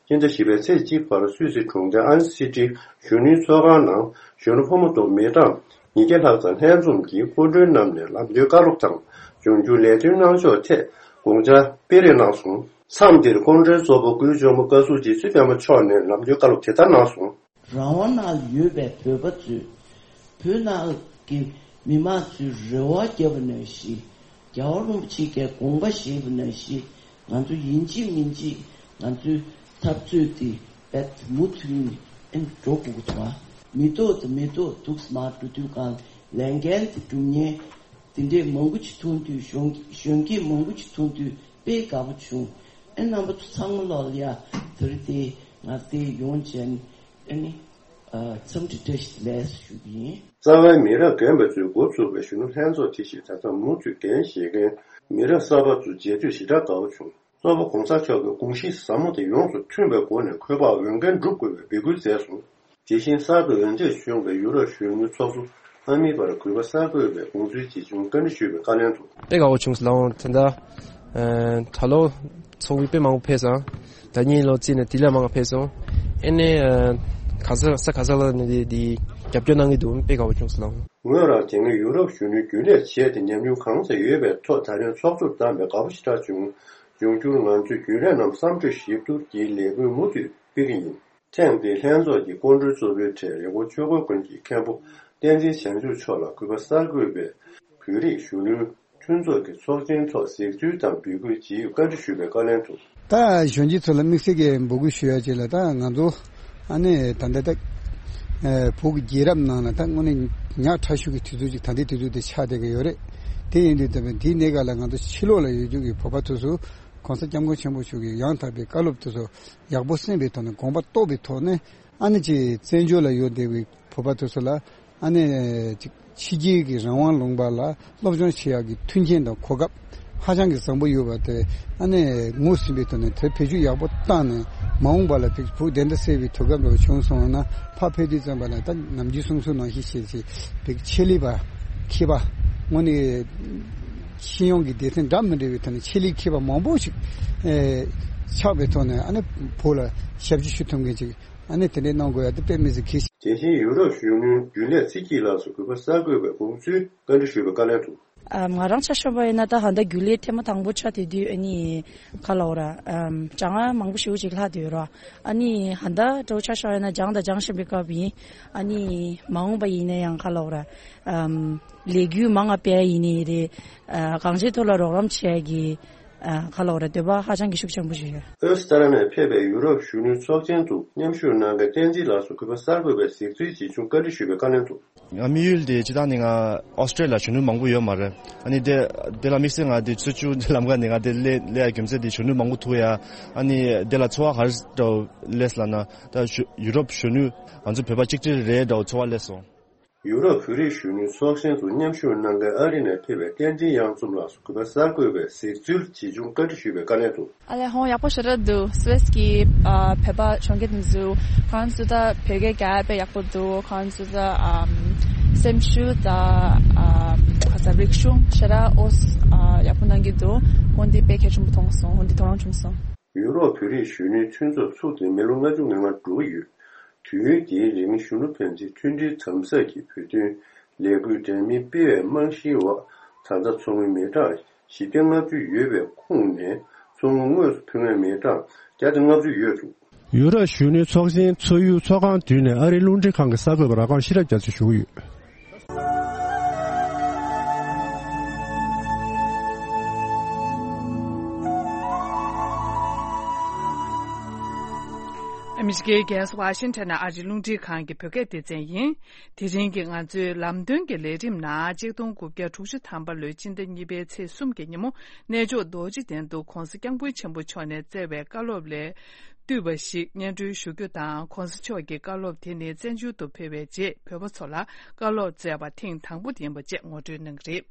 སྤྱི་ཟླ་བཞི་པའི་ཚེས་གཅིག་བར་སུད་སི་གྲོང་ཁྱེར་ཨན་སི་ཊི་གཞོན་ནུའི་ཚོགས་ཁང་ནང་གཞོན་ནུ་ཕོ་མོ་དང་མི་གྲངས་ཉིས་བརྒྱ་ལྷག་ཙམ་ལྷན་འཛོམས་ཀྱིས་སྐུ་མགྲོན་རྣམས་ནས་ལམ་སྟོན་བཀའ་སློབ་དང་འབྱུང་འགྱུར་ལས་དོན་གནང་ཕྱོགས་ཐད་དགོངས་འཆར་སྤེལ་རེས་གནང་སོང་། མཚམས་འདིར་སྐུ་མགྲོན་གཙོ་བོ་སྐུའི་གཅུང་པོ་བཀའ་ཟུར་རྗེ་བཙུན་པད་མ་མཆོག་ནས་ལམ་སྟོན་བཀའ་སློབ་དེ་ལྟར་གནང་སོང་། རང་དབང་ནང་ལ་ཡོད་པའི་བོད་པ་ཚོས་བོད་ནང་གི་མི་མང་ཚོའི་རེ་བ་བརྒྱབ་པ་ནང་བཞིན། རྒྱལ་བ་རིན་པོ་ཆེ་གིས་དགོངས་པ་བཞེས་པ་ནང་བཞིན། ང་ཚོ་ཡིན་གཅིག་མིན་གཅིག་ང་ཚོའི་འཐབ་རྩོད་དེ་རྦད་མུ་མཐུད་ནས་ཨེ་འགྲོ་དགོས་ཀྱི་འདུག་ཨ། མི་ཐོག་དང་མི་ཐོག་འདུག་སེ་མར་འགྲོ་དུས་གང་ལས་འགན་དེ་སྒྲུབ་མཁན་དེ་འདྲས་མང་པོ་ཅིག་མཐོང་དུས། གཞོན་གཞོན་སྐྱེས་མང་པོ་ཅིག་མཐོང་དུས་དཔེ་དགའ་པོ་བྱུང་། ཨེ་རྣམ་པ་ཚོ་ཚང་མ་ལོག་ལ་ཡ་དེ་རིང་དེ་ང་དེ་ཡོང་བྱས་ནས་ཨེ་ནི་ཨ་འཚམས་འདྲི་བཀྲ་ཤིས་བདེ་ལེགས་ཞུ་གི་ཡིན། རྩ་བའི་མི་རབས་རྒན་པ་ཚོས་འགོ་ཚུགས་པའི་གཞོན་ནུ་ལྷན་ཚོགས་དེ་བཞིན་ད་ལྟ་མུ་མཐུད་འགན་བཞེས་མཁན་མི་རབས་གསར་པ་ཚོ་མཇལ་དུས་ཞེ་དྲག་དགའ་པོ་བྱུང་། གཙོ་བོ་གོང་ས་མཆོག་གི་དགོངས་གཞི་ཟབ་མོ་དེ་ཡོངས་སུ་མཐུན་པའི་སྒོ་ནས་འཁོས་དཔག་འོས་འགན་སྒྲུབ་དགོས་པའི་འབོད་སྐུལ་མཛད་སོང་། དེ་བཞིན་གསར་དུ་འོས་འདེམས་བྱུང་བའི་ཡུ་རོབ་གཞོན་ནུའི་ཚོགས་གཙོ་ཨ་མིའི་བར་གུས་པ་གསར་འགོད་པས་དགོངས་ཚུལ་ཇི་བྱུང་བཀའ་འདྲི་ཞུས་པའི་བཀའ་ལན་དུ། དཔེ་དགའ་བོ་བྱུང་སོང་ལགས། འོང་ད་ལྟ་ཨ་ད་ལོ་ཚོགས་མི་དཔེ་མང་པོ་ཕེབས་སོང་། ད་གཉིས་ལོ་རྩིས་ནས་དེ་ལས་མང་བ་ཕེབས་སོང་། ཨེ་ནས་ཨ་ག་ས་ས་ག་ས་ལ་ནས་དེ་དེ་རྒྱབ་སྐྱོར་གནང་གི་འདུག་དཔེ་དགའ་བོ་བྱུང་སོང་ལགས། ངོས་རང་དེ་སྔའི་ཡུ་རོབ་གཞོན་ནུའི་རྒྱུན་ལས་བྱས་ཏེ་ཉམས་མྱོང་གང་ཙམ་ཡོད་པའི་ཐོག་ད་རེས་ཚོགས་གཙོར་བདམས་པས་དགའ་པོ་ཞེ་དྲག་བྱུང་། འབྱུང་འགྱུར་ང་ཚོའི་རྒྱུན་ལས་རྣམས་བསམ་གྲོས་ཞིབ་བསྡུར་གྱིས་ལས་འགུལ་མུ་མཐུད་སྤེལ་གྱི་ཡིན། ཐེངས་འདིའི་ལྷན་ཚོགས་ཀྱི་སྐུ་མགྲོན་གཙོ་བོའི་གྲས་རི་ཀོན་ཆོས་འཁོར་དགོན་གྱི་མཁན་པོ་བསྟན་འཛིན་བྱང་ཆུབ་མཆོག་ལ་གུས་པ་གསར་འགོད་པས་བོད་རིགས་གཞོན་ནུའི་མཐུན་ཚོགས་ཀྱི་ཚོགས་ཆེན་ཐོག་གཟིགས་ཚུལ་དང་འབོད་སྐུལ་ཇི་ཡོད་བཀའ་འདྲི་ཞུས་པའི་བཀའ་ལན་དུ། ད་གཞོན་སྐྱེས་ཚོ་ལ་དམིགས་བསལ་གྱི་འབོད་སྐུལ་ཞུ་ཡ་ཅིག་ལ། ད་ང་ཚོ་ཨ་ནི་ད་ལྟ་ད་བོད་ཀྱི་རྒྱལ་རབས་ནང་ལ་ད་དངོས་གནས་ཉག་ཕྲ་ཤོས་ཀྱི་དུས་ཚོད་ཅིག་ད་ལྟའི་དུས་ཚོད་དེ་ཆགས་བསྡད་ཀྱི་ཡོད་རེད། དེ་ཡིན་དུས་ད་དེའི་གནས་སྐབས་ལ་ང་ཚོ་ཕྱི་ལོགས་ལ་ཡོད་རྒྱུ་གི་བོད་པ་དེ་ཚོ་གོང་ས་སྐྱབས་མགོན་ཆེན་པོ་མཆོག་གི་ཡང་དག་པའི་བཀའ་སློབ་དེ་ཚོ་ཡག་པོ་གསན་པའི་ཐོག་ནས་དགོངས་པ་རྟོགས་པའི་ཐོག་ནས། ཨ་ནི་ཅིག་བཙན་བྱོལ་ལ་ཡོད་བསྡད་པའི་བོད་པ་དེ་ཚོ་ལ་ཨ་ནི་ཅིག་ཕྱི་རྒྱལ་གྱི་རང་དབང་ལུང་པ་ལ་སློབ་སྦྱོང་བྱེད་ཡག་གི་མཐུན་རྐྱེན་དང་གོ་སྐབས་ཧ་ཅང་གི་བཟང་པོ་ཡོད་པ་དེ། ཨ་ནི་ངོས་ཟིན་པའི་ཐོག་ནས་དེར་བེད་སྤྱོད་ཡག་པོ་བཏང་ནས། མ་འོངས་པ་ལ་དེ་བོད་བདེན་མཐའ་གསལ་བའི་གོ་སྐབས་འདྲ་བོ་བྱུང་སོང་ན། ཕར་ཕེབས་དུས་ཙམ་པ་ལ་ད་ནམ་རྒྱུན་གསུང་སྲོལ་ནང་བཞིན་བྱས་ཏེ་བོད་ཆེད་ལས་པ་མཁས་པ་དངོས་གནས་སྤྱི་ཡོངས་ཀྱི་སྡེ་ཚན་འདྲ་མི་འདྲ་བའི་ཐོག་ནས་ཆེད་ལས་མཁས་པ་མང་པོ་ཞིག་ཨེ་ཆགས་པའི་ཐོག་ནས། ཨ་ནི་བོད་ལ་ཞབས་ཕྱི་ཞུ་ཐུབ་མཁན་ཅིག་ཨ་ནི་དེ་འདྲའི་གནང་དགོས་ཡ་དེ་དཔེ་མི་སྲིད་གལ་ཆེ། དེ་བཞིན་ཡུ་རོབ་གཞོན་ནུའི་རྒྱུན་ལས་ཚེ་སྐྱིད་ལགས་སུ་གུས་པ་གསར་འགོད་པས་དགོངས་ཚུལ་བཀའ་འདྲི་ཞུས་པའི་བཀའ་ལན་དུ། ཨ་ང་རང་ཆ་བཞག་པ་ཡིན་ན་ད་ཧ་ད་རྒྱུན་ལས་ཐེངས་མ་དང་པོ་ཆགས་དེ་དུས་ཨ་ནི་ག་ལབ་དགོས་རེད། ཨམ་གྲང་ངར་མང་པོ་ཞེ་པོ་ཅིག་ལྷག་བསྡད་ཡོད་རེད། ཨ་ནི་ཧ་ད་འདྲ་བོ་ཆ་བཞག་ཡིན་ན་སྦྱངས་དང་སྦྱང་བཞིན་པའི་སྐབས་ཡིན། ཨ་ནི་མ་འོངས་པ་ཡིན་ན་ཡང་ག་ལབ་དགོས་རེད། ཨམ་ལས་འགུལ་མང་ང་སྤེལ་ཡ་ཡིན་ནའི་རེད། ཨ་གང་ཅིའི་ཐོག་ལ་རོགས་རམ་བྱེད་ཡ་གི་ཨ་ག་ལབ་དགོས་རེད། འདོད་པ་ཧ་ཅང་གི་ཤུགས་ཆེན་པོ་ཞིག་ཡོད། ཨོ་སི་ཏྲ་ལི་ཡ་ནས་ཕེབས་པའི་ཡུ་རོབ་གཞོན་ནུའི་ཚོགས་ཆེན་དུ་མཉམ་ཞུགས་གནང་མཁན་བསྟན་འཛིན་ལགས་སུ་གུས་པ་གསར་འགོད་པས་གཟིགས་ཚུལ་ཇི་བྱུང་བཀའ་འདྲི་ཞུས་པའི་བཀའ་ལན་དུ། ང་དམིགས་ཡུལ་དེ་སྤྱིར་བཏང་ནི་ང་ཨོ་སི་ཀྲི་ལི་ཡ་གཞོན་ནུ་མང་པོ་ཡོད་མ་རེད། ཨ་ནི་དེ་དེ་ལ་དམིགས་བསལ་ང་དེ་ཚོ་བཅུ་ལམ་ཀ་ནས་ང་དེ་སླེབས་སླེབས་ཡ་རྒྱུ་མཚན་དེ་གཞོན་ནུ་མང་པོ་ཐུག་ཡ། ཨ་ནི་དེ་ལ་ཚོར་བ་ག་རེ་འདྲ་བོ་སླེབས་ལབ་ན། ད་གཞོ་ཡུ་རོབ་གཞོན་ནུ་ང་ཚོ་བོད་པ་གཅིག་སྒྲིལ་རེད་འདྲ་བོ་ཚོར་བ་སླེབས་སོང་། ཡུ་རོབ་བོད་རིགས་གཞོན་ནུའི་ཚོགས་ཆེན་དུ་མཉམ་ཞུགས་གནང་མཁན་ཨ་རི་ནས་ཕེབས་པའི་བསྟན་འཛིན་གཡང་འཛོམས་ལགས་སུ་གུས་པ་གསར་འགོད་པས་གཟིགས་ཚུལ་ཇི་བྱུང་བཀའ་འདྲི་ཞུས་པའི་བཀའ་ལན་དུ། ཨ་ལས་ཧོང་ཡག་པོ་ཞེ་དྲག་འདུག་སུད་སི་གི་ཨ་བོད་པ་གཞོན་སྐྱེས་དེ་ཚོ་ཁོང་ཚོ་ད་བོད་སྐད་རྒྱག་ཡ་དཔེ་ཡག་པོ་འདུག་ཁོང་ཚོ་ད་ཨམ་ སེམས་ཤུགས་དང་། ཨ། ཁ་ཚ་རིག་གཞུང་ཞེ་དྲག་ཨོ་ཨ་ཡག་པོ་གནང་གི་འདུག་ཁོང་འདི་དཔེ་གལ་ཆེན་པོ་མཐོང་སོང་། ཁོང་འདི་ཐོག་རང་བྱུང་སོང་། ཡུ་རོབ་བོད་རིགས་གཞོན་ནུའི་མཐུན་ཚོགས་ཚུགས་ཏེ་མི་ལོ་ལྔ་བཅུ་ང་ལྔ་འགྲོ་གི་ཡོད། དུས་ཡུན་འདིའི་རིང་གཞོན་ནུ་ཕན་ཚུན་མཐུན་སྒྲིལ་དམ་ཟབ་ཀྱི་བོད་དོན་ལས་འགུལ་འདྲ་མིན་སྤེལ་བའི་རྨང་གཞིའི་འོག་ད་ལྟ་མཚོ་སྔོན་མི་གྲངས་བཞི་བརྒྱ་ལྔ་བཅུ་ཡོད་པའི་ཁོངས་ནས་མཚོ་སྔོན་དངོས་སུ་ཕེབས་མཁན་མི་གྲངས་བརྒྱ་དང་ལྔ་བཅུ་ཡོད་འདུག་ཡུ་རོབ་གཞོན་ནུའི་ཚོགས་ཆེན་མཚོ་ཡུལ་ཚོགས་ཁང་མདུན་ནས་ཨ་རིའི་རླུང་འཕྲིན་ཁང་གི་གསར་འགོད་པ་ར་སྒང་ཤེས་རབ་རྒྱ་མཚོས་ཞུ་གི་ཡོད། ཨ་མི་རི་ཀའི་རྒྱལ་ས་ཝ་ཤིང་ཊོན་ནས་ཨ་རིའི་རླུང་འཕྲིན་ཁང་གི་བོད་སྐད་སྡེ་ཚན་ཡིན། དེ་རིང་གི་ང་ཚོའི་ལམ་སྟོན་གྱི་ལས་རིམ་ནང་གཅིག་སྟོང་དགུ་བརྒྱ་དྲུག་ཅུ་ཐམ་པ་ལོའི་སྤྱི་ཟླ་གཉིས་པའི་ཚེས་གསུམ་གྱི་ཉིན་མོ་གནས་མཆོག་རྡོ་རྗེ་གདན་དུ་༧གོང་ས་༧སྐྱབས་མགོན་ཆེན་པོ་མཆོག་ནས་བསྩལ་བའི་བཀའ་སློབ་ལས་བཏུས་པ་ཞིག་སྙན་སྒྲོན་ཞུ་རྒྱུ་དང་། ༧གོང་ས་མཆོག་གི་བཀའ་སློབ་དེ་ནི་བཙན་བྱོལ་དུ་ཕེབས་པའི་རྗེས་བོད་པ་ཚོ་ལ་བཀའ་སློབ་བསྩལ་བ་ཐེངས་དང་པོ་ཡིན་པ་བཅས་ངོ་སྤྲོད་གནང་གི་རེད།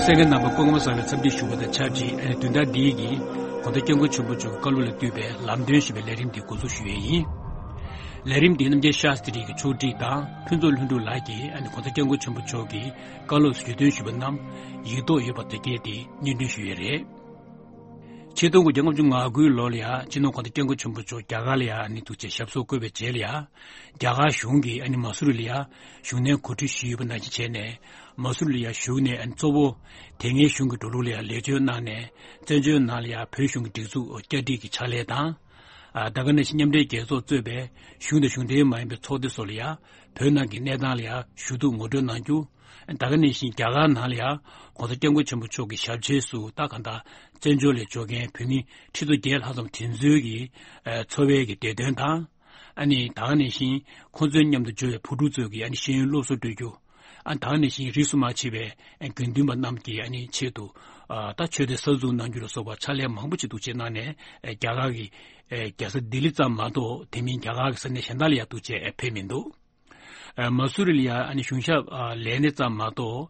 གསན་མཁན་རྣམ་པ་སྐུ་ཁམས་བཟང་བའི་འཚམས་འདྲི་ཞུ་བ་དང་ཆབས་ཅིག་ཨ་ནི་བདུན་ཕྲག་འདིའི་གི་༧གོང་ས་༧སྐྱབས་མགོན་ཆེན་པོ་མཆོག་གི་བཀའ་སློབ་ལ་བཏུས་པའི་ལམ་སྟོན་ཞེས་པའི་ལས་རིམ་འདི་འགོ་འཛུགས་ཞུ་ཡས་ཡིན། ལས་རིམ་འདི་རྣམ་རྒྱལ་ཤཱསྟྲི་གི་ཕྱོགས་སྒྲིག་དང་ཕུན་ཚོགས་ལྷུན་གྲུབ་ལགས་ཀྱིས་ཨ་ནི་༧གོང་ས་༧སྐྱབས་མགོན་ཆེན་པོ་མཆོག་གི་བཀའ་སློབ་བརྗོད་དོན་ཞུས་པ་རྣམས་ཡིག་ཐོག་ཡོད་པ་དེ་གས་དེ་སྙན་སྒྲོན་ཞུ་ཡས་རེད། ཆིག་སྟོང་དགུ་བརྒྱ་ལྔ་བཅུ་ང་དགུའི་ལོ་ལ་ཡ་སྤྱི་ནོར་༧གོང་ས་༧སྐྱབས་མགོན་ཆེན་པོ་མཆོག་རྒྱ་གར་ལ་ཡ་ཨ་ནི་འདུག་བྱས་ཞབས་སོར་བཀོད་པའི་རྗེས་ལ་ཡ། རྒྱ་གར་གཞུང་གིས་ཨ་ནི་མ་སུ་རི་ལ་ཡ་བཞུགས་གནས་གོ་སྒྲིག་ཞུས་ཡོད་པ་ནང་བཞིན་བྱས་ནས། མ་སུ་རི་ལ་ཡ་བཞུགས་ནས་ཨ་ནི་གཙོ་བོ་དེ་སྔའི་གཞུང་གི་འགྲོ་ལུགས་ལ་ཡ་ལེགས་བཅོས་གནང་ནས། བཙན་བྱོལ་ནང་ལ་ཡ་བོད་གཞུང་གི་སྒྲིག་འཛུགས་བསྐྱར་སྒྲིག་གི་ཕྱག་ལས་དང་། ཨ། ད་ག་ནང་བཞིན་མཉམ་འབྲེལ་རྒྱལ་ཚོགས་གཙོས་པའི་གཞུང་དང་གཞུང་འབྲེལ་མ་ཡིན་པའི་ཚོགས་སྡེ་སོགས་ལ་ཡ་བོད་ནང་གི་གནས་སྟངས་ལ་ཡ་ཞུ་གཏུག་ངོ་སྤྲོད་གནང་རྒྱུ། ད་ག་ནང་བཞིན་རྒྱ་གར་ནང་ལ་ཡ་༧གོང་ས་༧སྐྱབས་མགོན་ཆེན་པོ་མཆོག་གི་ཞབས་ཆེན་སུ་ད་ག་ད་བཙན་བྱོལ་ལ་འབྱོར་མཁན་བོད་མི་ཁྲི་ཚོ་བརྒྱད་ལྷག་ཙམ་དེ་ཚོའི་གི་ཨ། འཚོ་བའི་གི་བདེ་དོན་དང་། ཨ་ནི་ད་ག་ནང་བཞིན་ཁོང་ཚོའི་མཉམ་དུ་འབྱོར་བའི་བུ་ཕྲུག་ཚོའི་གི་ཨ་ནི་ཤེས་ཡོན་སློབ་གསོ་སྤྲོད་རྒྱུ། ཨ། ད་ག་ནང་བཞིན་རིས་སུ་མ་ཆད་པའི་ཨ། དགེ་འདུན་པ་རྣམས་ཀྱི་ཨ་ནི་ཆེད་དུ། ཨ། ད་ཆོས་སྡེ་གསར་འཛུགས་གནང་རྒྱུ་ལ་སོགས་པ་ཕྱག་ལས་མང་པོ་ཅིག་འདུག་བྱས་གནང་ནས། ཨ། རྒྱ་གར་གྱི་ཨ། རྒྱལ་ས་ལྡི་ལི་ཙམ་མ་གཏོགས་དེ་མིན་རྒྱ་གར་གྱི་ས་གནས་གཞན་དག་ལ་ཡ་འདུག་བྱས་ཨ། ཕེབས་མི་འདུག་ཨ། མ་སུ་རི་ལ་ཡ་ཨ་ནི་གཞུང་ཞབས་ཨ། ལས་སྣེ་ཙམ་མ་གཏོགས།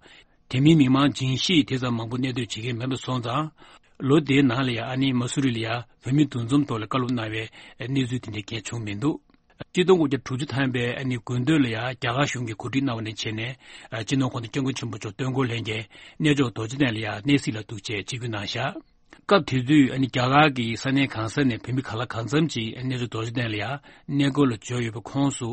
དེ་མིན་མི་མང་ཇིང་ཤིས་དེ་ཙམ་མང་པོ་གནས་སྡོད་བྱེད་མཁན་མེད་པ་སོང་ཙང་། ལོ་དེའི་ནང་ལ་ཡ་ཨ་ནི་མ་སུ་རི་ལ་ཡ་བོད་མི་འདུ་འཛོམས་ཐོག་ལ་བཀའ་སློབ་གནང་བའི་གནས་ཚུལ་དེ་འདྲ་གང་ཡང་བྱུང་མི་འདུག་ཆིག་སྟོང་དགུ་བརྒྱ་དྲུག་ཅུ་ཐམ་པའི་ཨ་ནི་དགུན་སྟོད་ལ་ཡ་རྒྱ་གར་གཞུང་གིས་གོ་སྒྲིག་གནང་བ་ནས་བྱས་ནས། ཨ། སྤྱི་ནོར་༧གོང་ས་༧སྐྱབས་མགོན་ཆེན་པོ་མཆོག་སྟོན་འཁོར་ལྷན་རྒྱས་གནས་མཆོག་རྡོ་རྗེ་གདན་ལ་ཡ་གནས་གཟིགས་ལ་འདུག་བྱས་ཆིབས་བསྒྱུར་གནང་བཞག་སྐབས་དེ་དུས་ཨ་ནི་རྒྱ་གར་གྱི་ས་གནས་གང་ས་ནས་བོད་མི་ག་ལ་གང་འཚམ་ཅིག་གནས་མཆོག་རྡོ་རྗེ་གདན་ལ་ཡ་གནས་སྐོར་ལ་འབྱོར་ཡོད་པའི་ཁོངས་སུ།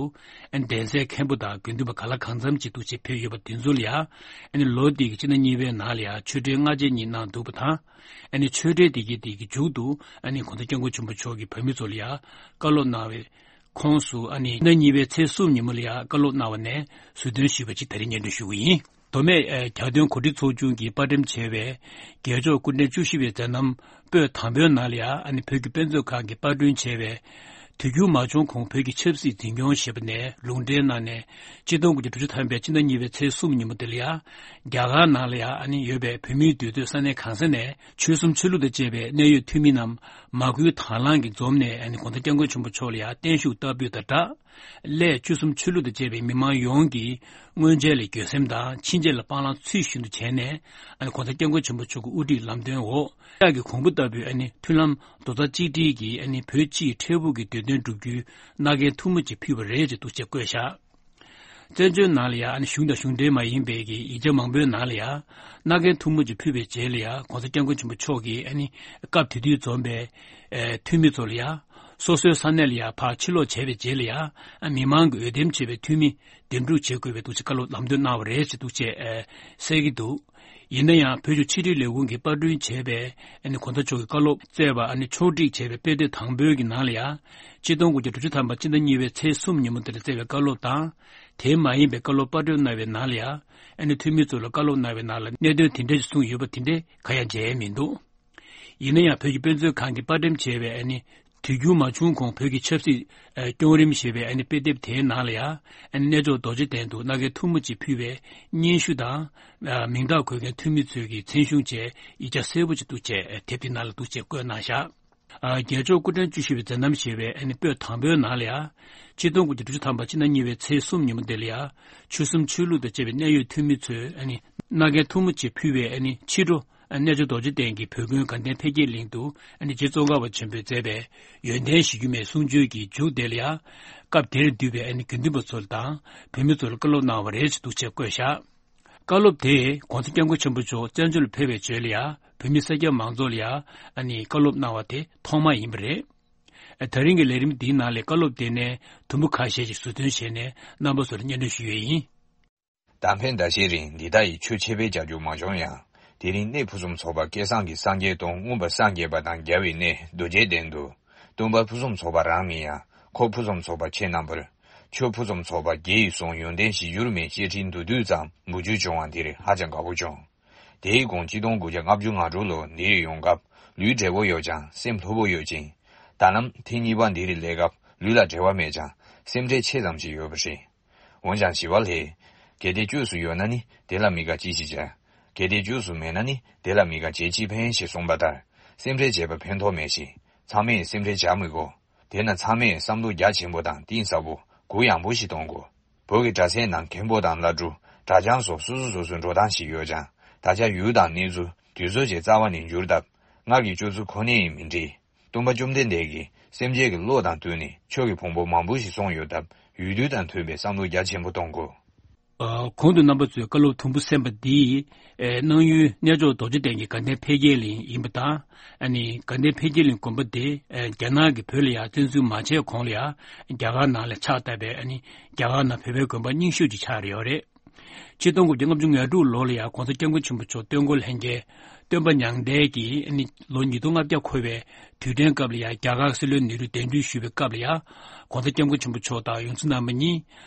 ཨ་ནི་གདན་སའི་མཁན་པོ་དང་དགེ་འདུན་པ་ག་ལ་གང་འཚམ་ཅིག་འདུག་བྱས་ཕེབས་ཡོད་པ་དེ་ཚོ་ལ་ཡ། ཨ་ནི་ལོ་དེ་གི་སྤྱི་ཟླ་གཉིས་པའི་ནང་ལ་ཡ་ཆོས་འབྲེལ་སྔ་རྗེས་གཉིས་གནང་འདུག་པ་དང་། ཨ་ནི་ཆོས་འབྲེལ་དེ་གི་དེ་གི་མཇུག་ཏུ་ཨ་ནི་༧གོང་ས་༧སྐྱབས་མགོན་ཆེན་པོ་མཆོག་གིས་བོད་མི་ཚོ་ལ་ཡ་བཀའ་སློབ་གནང་བའི་ཁོངས་སུ། ཨ་ནི་སྤྱི་ཟླ་གཉིས་པའི་ཚེས་གསུམ་ཉིན་མོ་ལ་ཡ་བཀའ་སློབ་གནང་བ་ནས་ཟུར་འདོན་ཞུས་པ་ཅིག་ད་རིང་སྙན་སྒྲོན་ཞུ་གི་ཡིན། མདོ་སྨད་ཨ། གྱ་སྟོན་གོ་སྒྲིག་ཚོགས་ཆུང་གིས་དཔར་འགྲེམས་བྱས་པའི་རྒྱལ་མཆོག་སྐུ་ཕྲེང་བཅུ་བཞི་པའི་མཛད་རྣམ་པོད་དང་པོའི་ནང་ལ་ཡ་ཨ་ནི་བོད་ཀྱི་དཔེ་མཛོད་ཁང་གིས་པར་སྐྲུན་བྱས་པའི་དུས་འགྱུར་མ་བྱུང་གོང་བོད་ཀྱི་ཆབ་སྲིད་འཛིན་སྐྱོང་ཞེས་པ་ནས་ལུང་འདྲེན་གནང་ནས། ཆིག་སྟོང་དགུ་བརྒྱ་དྲུག་ཅུ་ཐམ་པའི་སྤྱི་ཟླ་གཉིས་པའི་ཚེས་གསུམ་ཉིན་མོ་དེ་ལ་ཡ་རྒྱ་གར་ནང་ལ་ཡ་ཨ་ནི་ཡོད་པའི་བོད་མིའི་འདུས་སྡོད་ས་གནས་གང་ས་ནས་ཆོལ་གསུམ་ཆོས་ལུགས་དང་བཅས་པའི་གནད་ཡོད་འཐུས་མི་རྣམས་མ་བསྐུལ་དང་བླངས་ཀྱིས་འཛོམས་ནས། ཨ་ནི་༧གོང་ས་༧སྐྱབས་མགོན་ཆེན་པོ་མཆོག་ལ་ཡ་བརྟན་བཞུགས་བསྟར་འབུལ་དང་སྦྲགས། སླད་ཆོལ་གསུམ་ཆོས་ལུགས་དང་བཅས་པའི་མི་མང་ཡོངས་ཀྱིས་སྔོན་ཆད་ལས་འགྱོད་སེམས་དང་ཕྱིན་ཆད་ལ་སྤང་བླང་ཚུལ་བཞིན་དུ་བྱས་ནས། ཨ་ནི་༧གོང་ས་༧སྐྱབས་མགོན་ཆེན་པོ་མཆོག་གི་དབུ་ཁྲིད་ལམ་སྟོན་འོག་ལྕགས་ཀྱི་གོང་བུ་ལྟ་བུའི་ཨ་ནི་མཐུན་ལམ་རྡོག་རྩ་གཅིག་སྒྲིལ་གྱིས་ཨ་ནི་བོད་སྤྱིའི་འཕྲལ་ཕུགས་ཀྱི་བདེ་དོན་བསྒྲུབ་རྒྱུའི་མནའ་གན་ཐུང་མོ་ཅིག་ཕུལ་བ་རེད་ཅེས་འདུག་ཅེས་བཀོད་བཞག་བཙན་བྱོལ་ནང་ལ་ཡ་ཨ་ནི་གཞུང་དང་གཞུང་འབྲེལ་མ་ཡིན་པའི་གི་ཡིག་ཆ་མང་པོའི་ནང་ལ་ཡ་མནའ་གན་ཐུང་མོ་ཅིག་ཕུལ་བའི་རྗེས་ལ་ཡ་༧གོང་ས་༧སྐྱབས་མགོན་ཆེན་པོ་མཆོག་གིས་ཨ་ནི་སྐབས་དེ་དུས་འཛོམས་པའི་ཨ་འཐུས་མི་ཚོ་ལ་ཡ་སོ་སོའི་ས་གནས་ལ་ཡ་ཕར་ཕྱིར་ལོག་བྱས་པའི་རྗེས་ལ་ཡ་ཨ་མི་མང་གི་འོས་འདེམས་བྱས་པའི་འཐུས་མི་འདེམས་སྒྲུག་བྱེད་དགོས་པའི་འདུག་ཅེས་བཀའ་སློབ་ལམ་སྟོན་གནང་བ་རེད་ཅེས་འདུག་ཅེས་ཨ་གསལ་གྱི་འདུག་ཡིན་ན་ཡང་བོད་ཀྱི་ཕྱི་དྲིལ་ལས་ཁུངས་ཀྱིས་པར་སྐྲུན་བྱས་པའི་ཨ་ནི་གོང་ས་མཆོག་གི་བཀའ་སློབ་བསྩལ་བ་ཨ་ནི་ཕྱོགས་སྒྲིག་བྱས་པའི་དཔེ་དེབ་དང་པོའི་གི་ནང་ལ་ཡ། ཆིག་སྟོང་དགུ་བརྒྱ་དྲུག་ཅུ་ཐམ་པ་སྤྱི་ཟླ་གཉིས་པའི་ཚེས་གསུམ་ཉིན་མོ་དེར་བསྩལ་བའི་བཀའ་སློབ་དང་། དེ་མ་ཡིན་པའི་བཀའ་སློབ་པར་སྐྲུན་གནང་བའི་ནང་ལ་ཡ། ཨ་ནི་འཐུས་མི་ཚོ་ལ་བཀའ་སློབ་གནང་བའི་ནང་ལ་གནད་དོན་དེ་འདྲ་ཞིག་གསུངས་ཡོད་པ་དེ་འདྲ་གང་ཡང་མཇལ་ཡས་མི་འདུག་ཡིན་ན་ཡང་བོད་ཀྱི་དཔེ་མཛོད་ཁང་གིས་པར་འགྲེམས་བྱས་པའི་ཨ་ནི་དུས་འགྱུར་མ་བྱུང་གོང་བོད་ཀྱི་ཆབ་སྲིད་ཨ་སྐྱོང་རིམ་ཞེས་པའི་ཨ་ནི་དཔེ་དེབ་དེའི་ནང་ལ་ཡ། ཨ་ནི་གནས་མཆོག་རྡོ་རྗེ་གདན་དུ་མནའ་གན་ཐུང་མོ་ཅིག་ཕུལ་བའི་སྙན་ཞུ་དང་། ཨ་མིང་རྟགས་འཁོད་མཁན་འཐུས་མི་ཚོའི་གི་མཚན་གཞུང་བཅས་ཡིག་ཆ་གསལ་པོ་ཅིག་འདུག་ཅེས་དེབ་དེའི་ནང་ལ་འདུག་ཅེས་བཀོད་གནང་བཞག་ཨ་རྒྱལ་མཆོག་སྐུ་ཕྲེང་བཅུ་བཞི་པའི་མཛད་རྣམ་ཞེས་པའི་ཨ་ནི་པོད་དང་པོའི་ནང་ལ་ཡ། ཆིག་སྟོང་དགུ་བརྒྱ་དྲུག་ཅུ་ཐམ་པ་སྤྱི་ཟླ་གཉིས་པའི་ཚེས་གསུམ་ཉིན་མོ་དེ་ལ་ཡ། ཆོལ་གསུམ་ཆོས་ལུགས་དང་བཅས་པའི་གནད་ཡོད་འཐུས་མི་ཚོས་ཨ་ནི་ སྣ་ཁའི་ཐུར་མ་བཅས་ཕུལ་བའི་ཨ་ནི་ཕྱི་དྲོ་རྣལ་འབྱོར་རྡོ་རྗེ་གདན་གྱི་བོད་དགོན་དགའ་ལྡན་འཕེལ་རྒྱས་གླིང་དུ་ཨ་ནི་རྗེ་ཙོང་ཁ་པ་ཆེན་པོས་མཛད་པའི་ཡོན་ཏན་གཞིར་གྱུར་མའི་གསུང་ཆོས་ཀྱི་མཇུག་དེ་ལ་ཡང་། སྐབས་དེར་འདུས་པའི་ཨ་ནི་དགེ་འདུན་པ་ཚོ་དང་བོད་མི་ཚོ་ལ་བཀའ་སློབ་གནང་བ་རེད་ཅེས་འདུག་ཅེས་བཀོད་བཞག་བཀའ་སློབ་དེས་༸གོང་ས་༸སྐྱབས་མགོན་ཆེན་པོ་མཆོག་བཙན་བྱོལ་ལ་ཕེབས་པའི་རྗེས་ལ་ཡང་བོད་མི་སེར་སྐྱ་མང་ཚོགས་ལ་ཡང་ཨ་ནི་བཀའ་སློབ་གནང་བ་དེ་ཐོག་མ་ཡིན་པ་རེད། ད་རིང་གི་ལས་རིམ་འདིའི་ནང་ལས་བཀའ་སློབ་དེ་ནས་དུམ་བུ་ཁ་ཤས་ཤིག་ཟུར་འདོན་བྱས་ནས་རྣམ་པ་ཚོར་སྙན་སྒྲོན་ཞུ་ཡས་ཡིན། ད་ཕན་ཟླ་ཤས་རིང་འདི་ལྟ་ཡི་ཆོས་འཆད་སྤེལ་བྱ་རྒྱུ་མ་བྱུང་ཡང་། དེ་རིང་གནས་ཕུན་སུམ་ཚོགས་པ་སྐལ་བཟང་གི་སངས་རྒྱས་དང་མངོན་པར་སངས་རྒྱས་པ་དང་རྒྱལ་བའི་གནས་རྡོ་རྗེ་གདན་དུ། སྟོན་པ་ཕུན་སུམ་ཚོགས་པ་རང་མིན་ཡང་ཁོ་ཕུན་སུམ་ཚོགས་པ་ཁྱེད་རྣམ་པར། ཆོས་ཕུན་སུམ་ཚོགས་པ་རྒྱས་ཡོལ་སོང་ཡོན་ཏན་གཞིར་གྱུར་མའི་བཤད་ཁྲིད་མདོར་བསྡུས་ཙམ་མུ་མཇུག་བྱུང་བ་འདིར་ཧ་ཅང་དགའ་པོ་བྱུང་། དེའི་གོང་གཅིག་སྟོང་དགུ་བརྒྱ་ལྔ་བཅུ་ང་དྲུག་ལོ་འདིར་ཡོང་སྐབས་ལུས་བདེ་པོ་ཡོད་ཀྱང་སེམས་ལྷོད་པོ་ཡོད་ཅིང་། ད་ལམ་ཐེངས་གཉིས་པ་འདིར་སླེབས་སྐབས་ལུས་ལ་བྲེལ་བ་མེད་ཀྱང་སེམས་ཁྲལ་ཆེ་ཙམ་ཞིག་ཡོད་པ་རེད། འོན་ཀྱང་ཞི་བ་ལྷས། གལ་ཏེ་བཅོས་སུ་ཡོད་ན་ནི་དེ་ལ་མི་དགའ་ཅི་ཞིག་བྱ། གལ་ཏེ་བཅོས་སུ་མེད་ན་ནི་དེ་ལ་མི་དགའ་བྱས་ཅི་ཕན་ཞེས་གསུངས་པ་ལྟར། སེམས་ཁྲལ་བྱས་པ་ཕན་ཐོགས་མེད་ཞིང་། ཚང་མས་སེམས་ཁྲལ་བྱ་མི་དགོས། དེས་ན་ཚང་མས་བསམ་བློ་རྒྱ་ཆེན་པོ་དང་གཏིང་ཟབ་པོ། གུ་ཡངས་པོ་ཞིག་གཏོང་དགོས། བོད་ཀྱི་གྲྭ་སའི་ནང་མཁན་པོ་དང་བླ་སྤྲུལ། གྲྭ་རྐྱང་སོགས་སོ་སོ་སོ་སོའི་འགྲོ་སྟངས་ཤིག་ཡོད་ཀྱང་། ད་ཆ་ཡུལ་དང་གནས་ཚུལ་དུས་ཚོད་ཀྱི་རྩ་བ་ནས་འགྱུར་སྟབས། སྔར་གྱི་སྤྱོད་ཚུལ་ཁོ་ནས་ཡིན་མི་འགྲིག་སྟོན་པ་བཅོམ་ལྡན་འདས་ཀྱིས་སེམས་ཅན་གྱི་བློ་དང་བསྟུན་ནས་ཆོས་ཀྱི་ཕུང་པོ་མང་པོ་ཞིག་གསུངས་ཡོད་སྟབས། ཡུལ་དུས་དང་མཐུན་པའི་བསམ་བློ་རྒྱ་ཆེན་པོ་གཏོང་དགོས། ཨ། གོང་དུ་རྣམ་པ་ཚོས་བཀའ་སློབ་དུམ་བུ་གསན་པ་འདི། ཨེ། གནང་ཡུལ་རྣལ་འབྱོར་རྡོ་རྗེ་གདན་གྱི་དགའ་ལྡན་འཕེལ་རྒྱས་གླིང་ཡིན་པ་དང་། ཨ་ནི་དགའ་ལྡན་འཕེལ་རྒྱས་གླིང་དགོན་པ་དེ། ཨེ། རྒྱ་ནག་གིས་བོད་ལ་ཡང་བཙན་འཛུལ་མ་བྱས་གོང་ལ་ཡང་རྒྱ་གར་ནང་ལ་ཕྱག་བཏབ་པའི། ཨ་ནི་རྒྱ་གར་ནང་བོད་པའི་དགོན་པ་རྙིང་ཤོས་ཅིག་ཆགས་ཡོད་རེད། ཆིག་སྟོང་དགུ་བརྒྱ་ལྔ་བཅུ་ང་དྲུག་ལོ་ལ་ཡང་༸གོང་ས་༸སྐྱབས་མགོན་ཆེན་པོ་མཆོག་སྟོན་འཁོར་ལྷན་རྒྱས་སྟོན་པ་མྱང་འདས་ཀྱིས། ཨ་ནི་ལོ་ཉིས་སྟོང་ལྔ་བརྒྱ་འཁོར་བའི་དུས་དྲན་སྐབས་ལ་ཡང་རྒྱ་གར་སྲིད་བློན་ནེ་རུ་གདན་འདྲེན་ཞུས་པའི་སྐབས་ལ་ཡང་༸གོང་ས་༸སྐྱབས་མགོན་ཆེན་པོ་མཆོག་དང་ཡོངས་འཛིན་རྣམ་པ་གཉིས།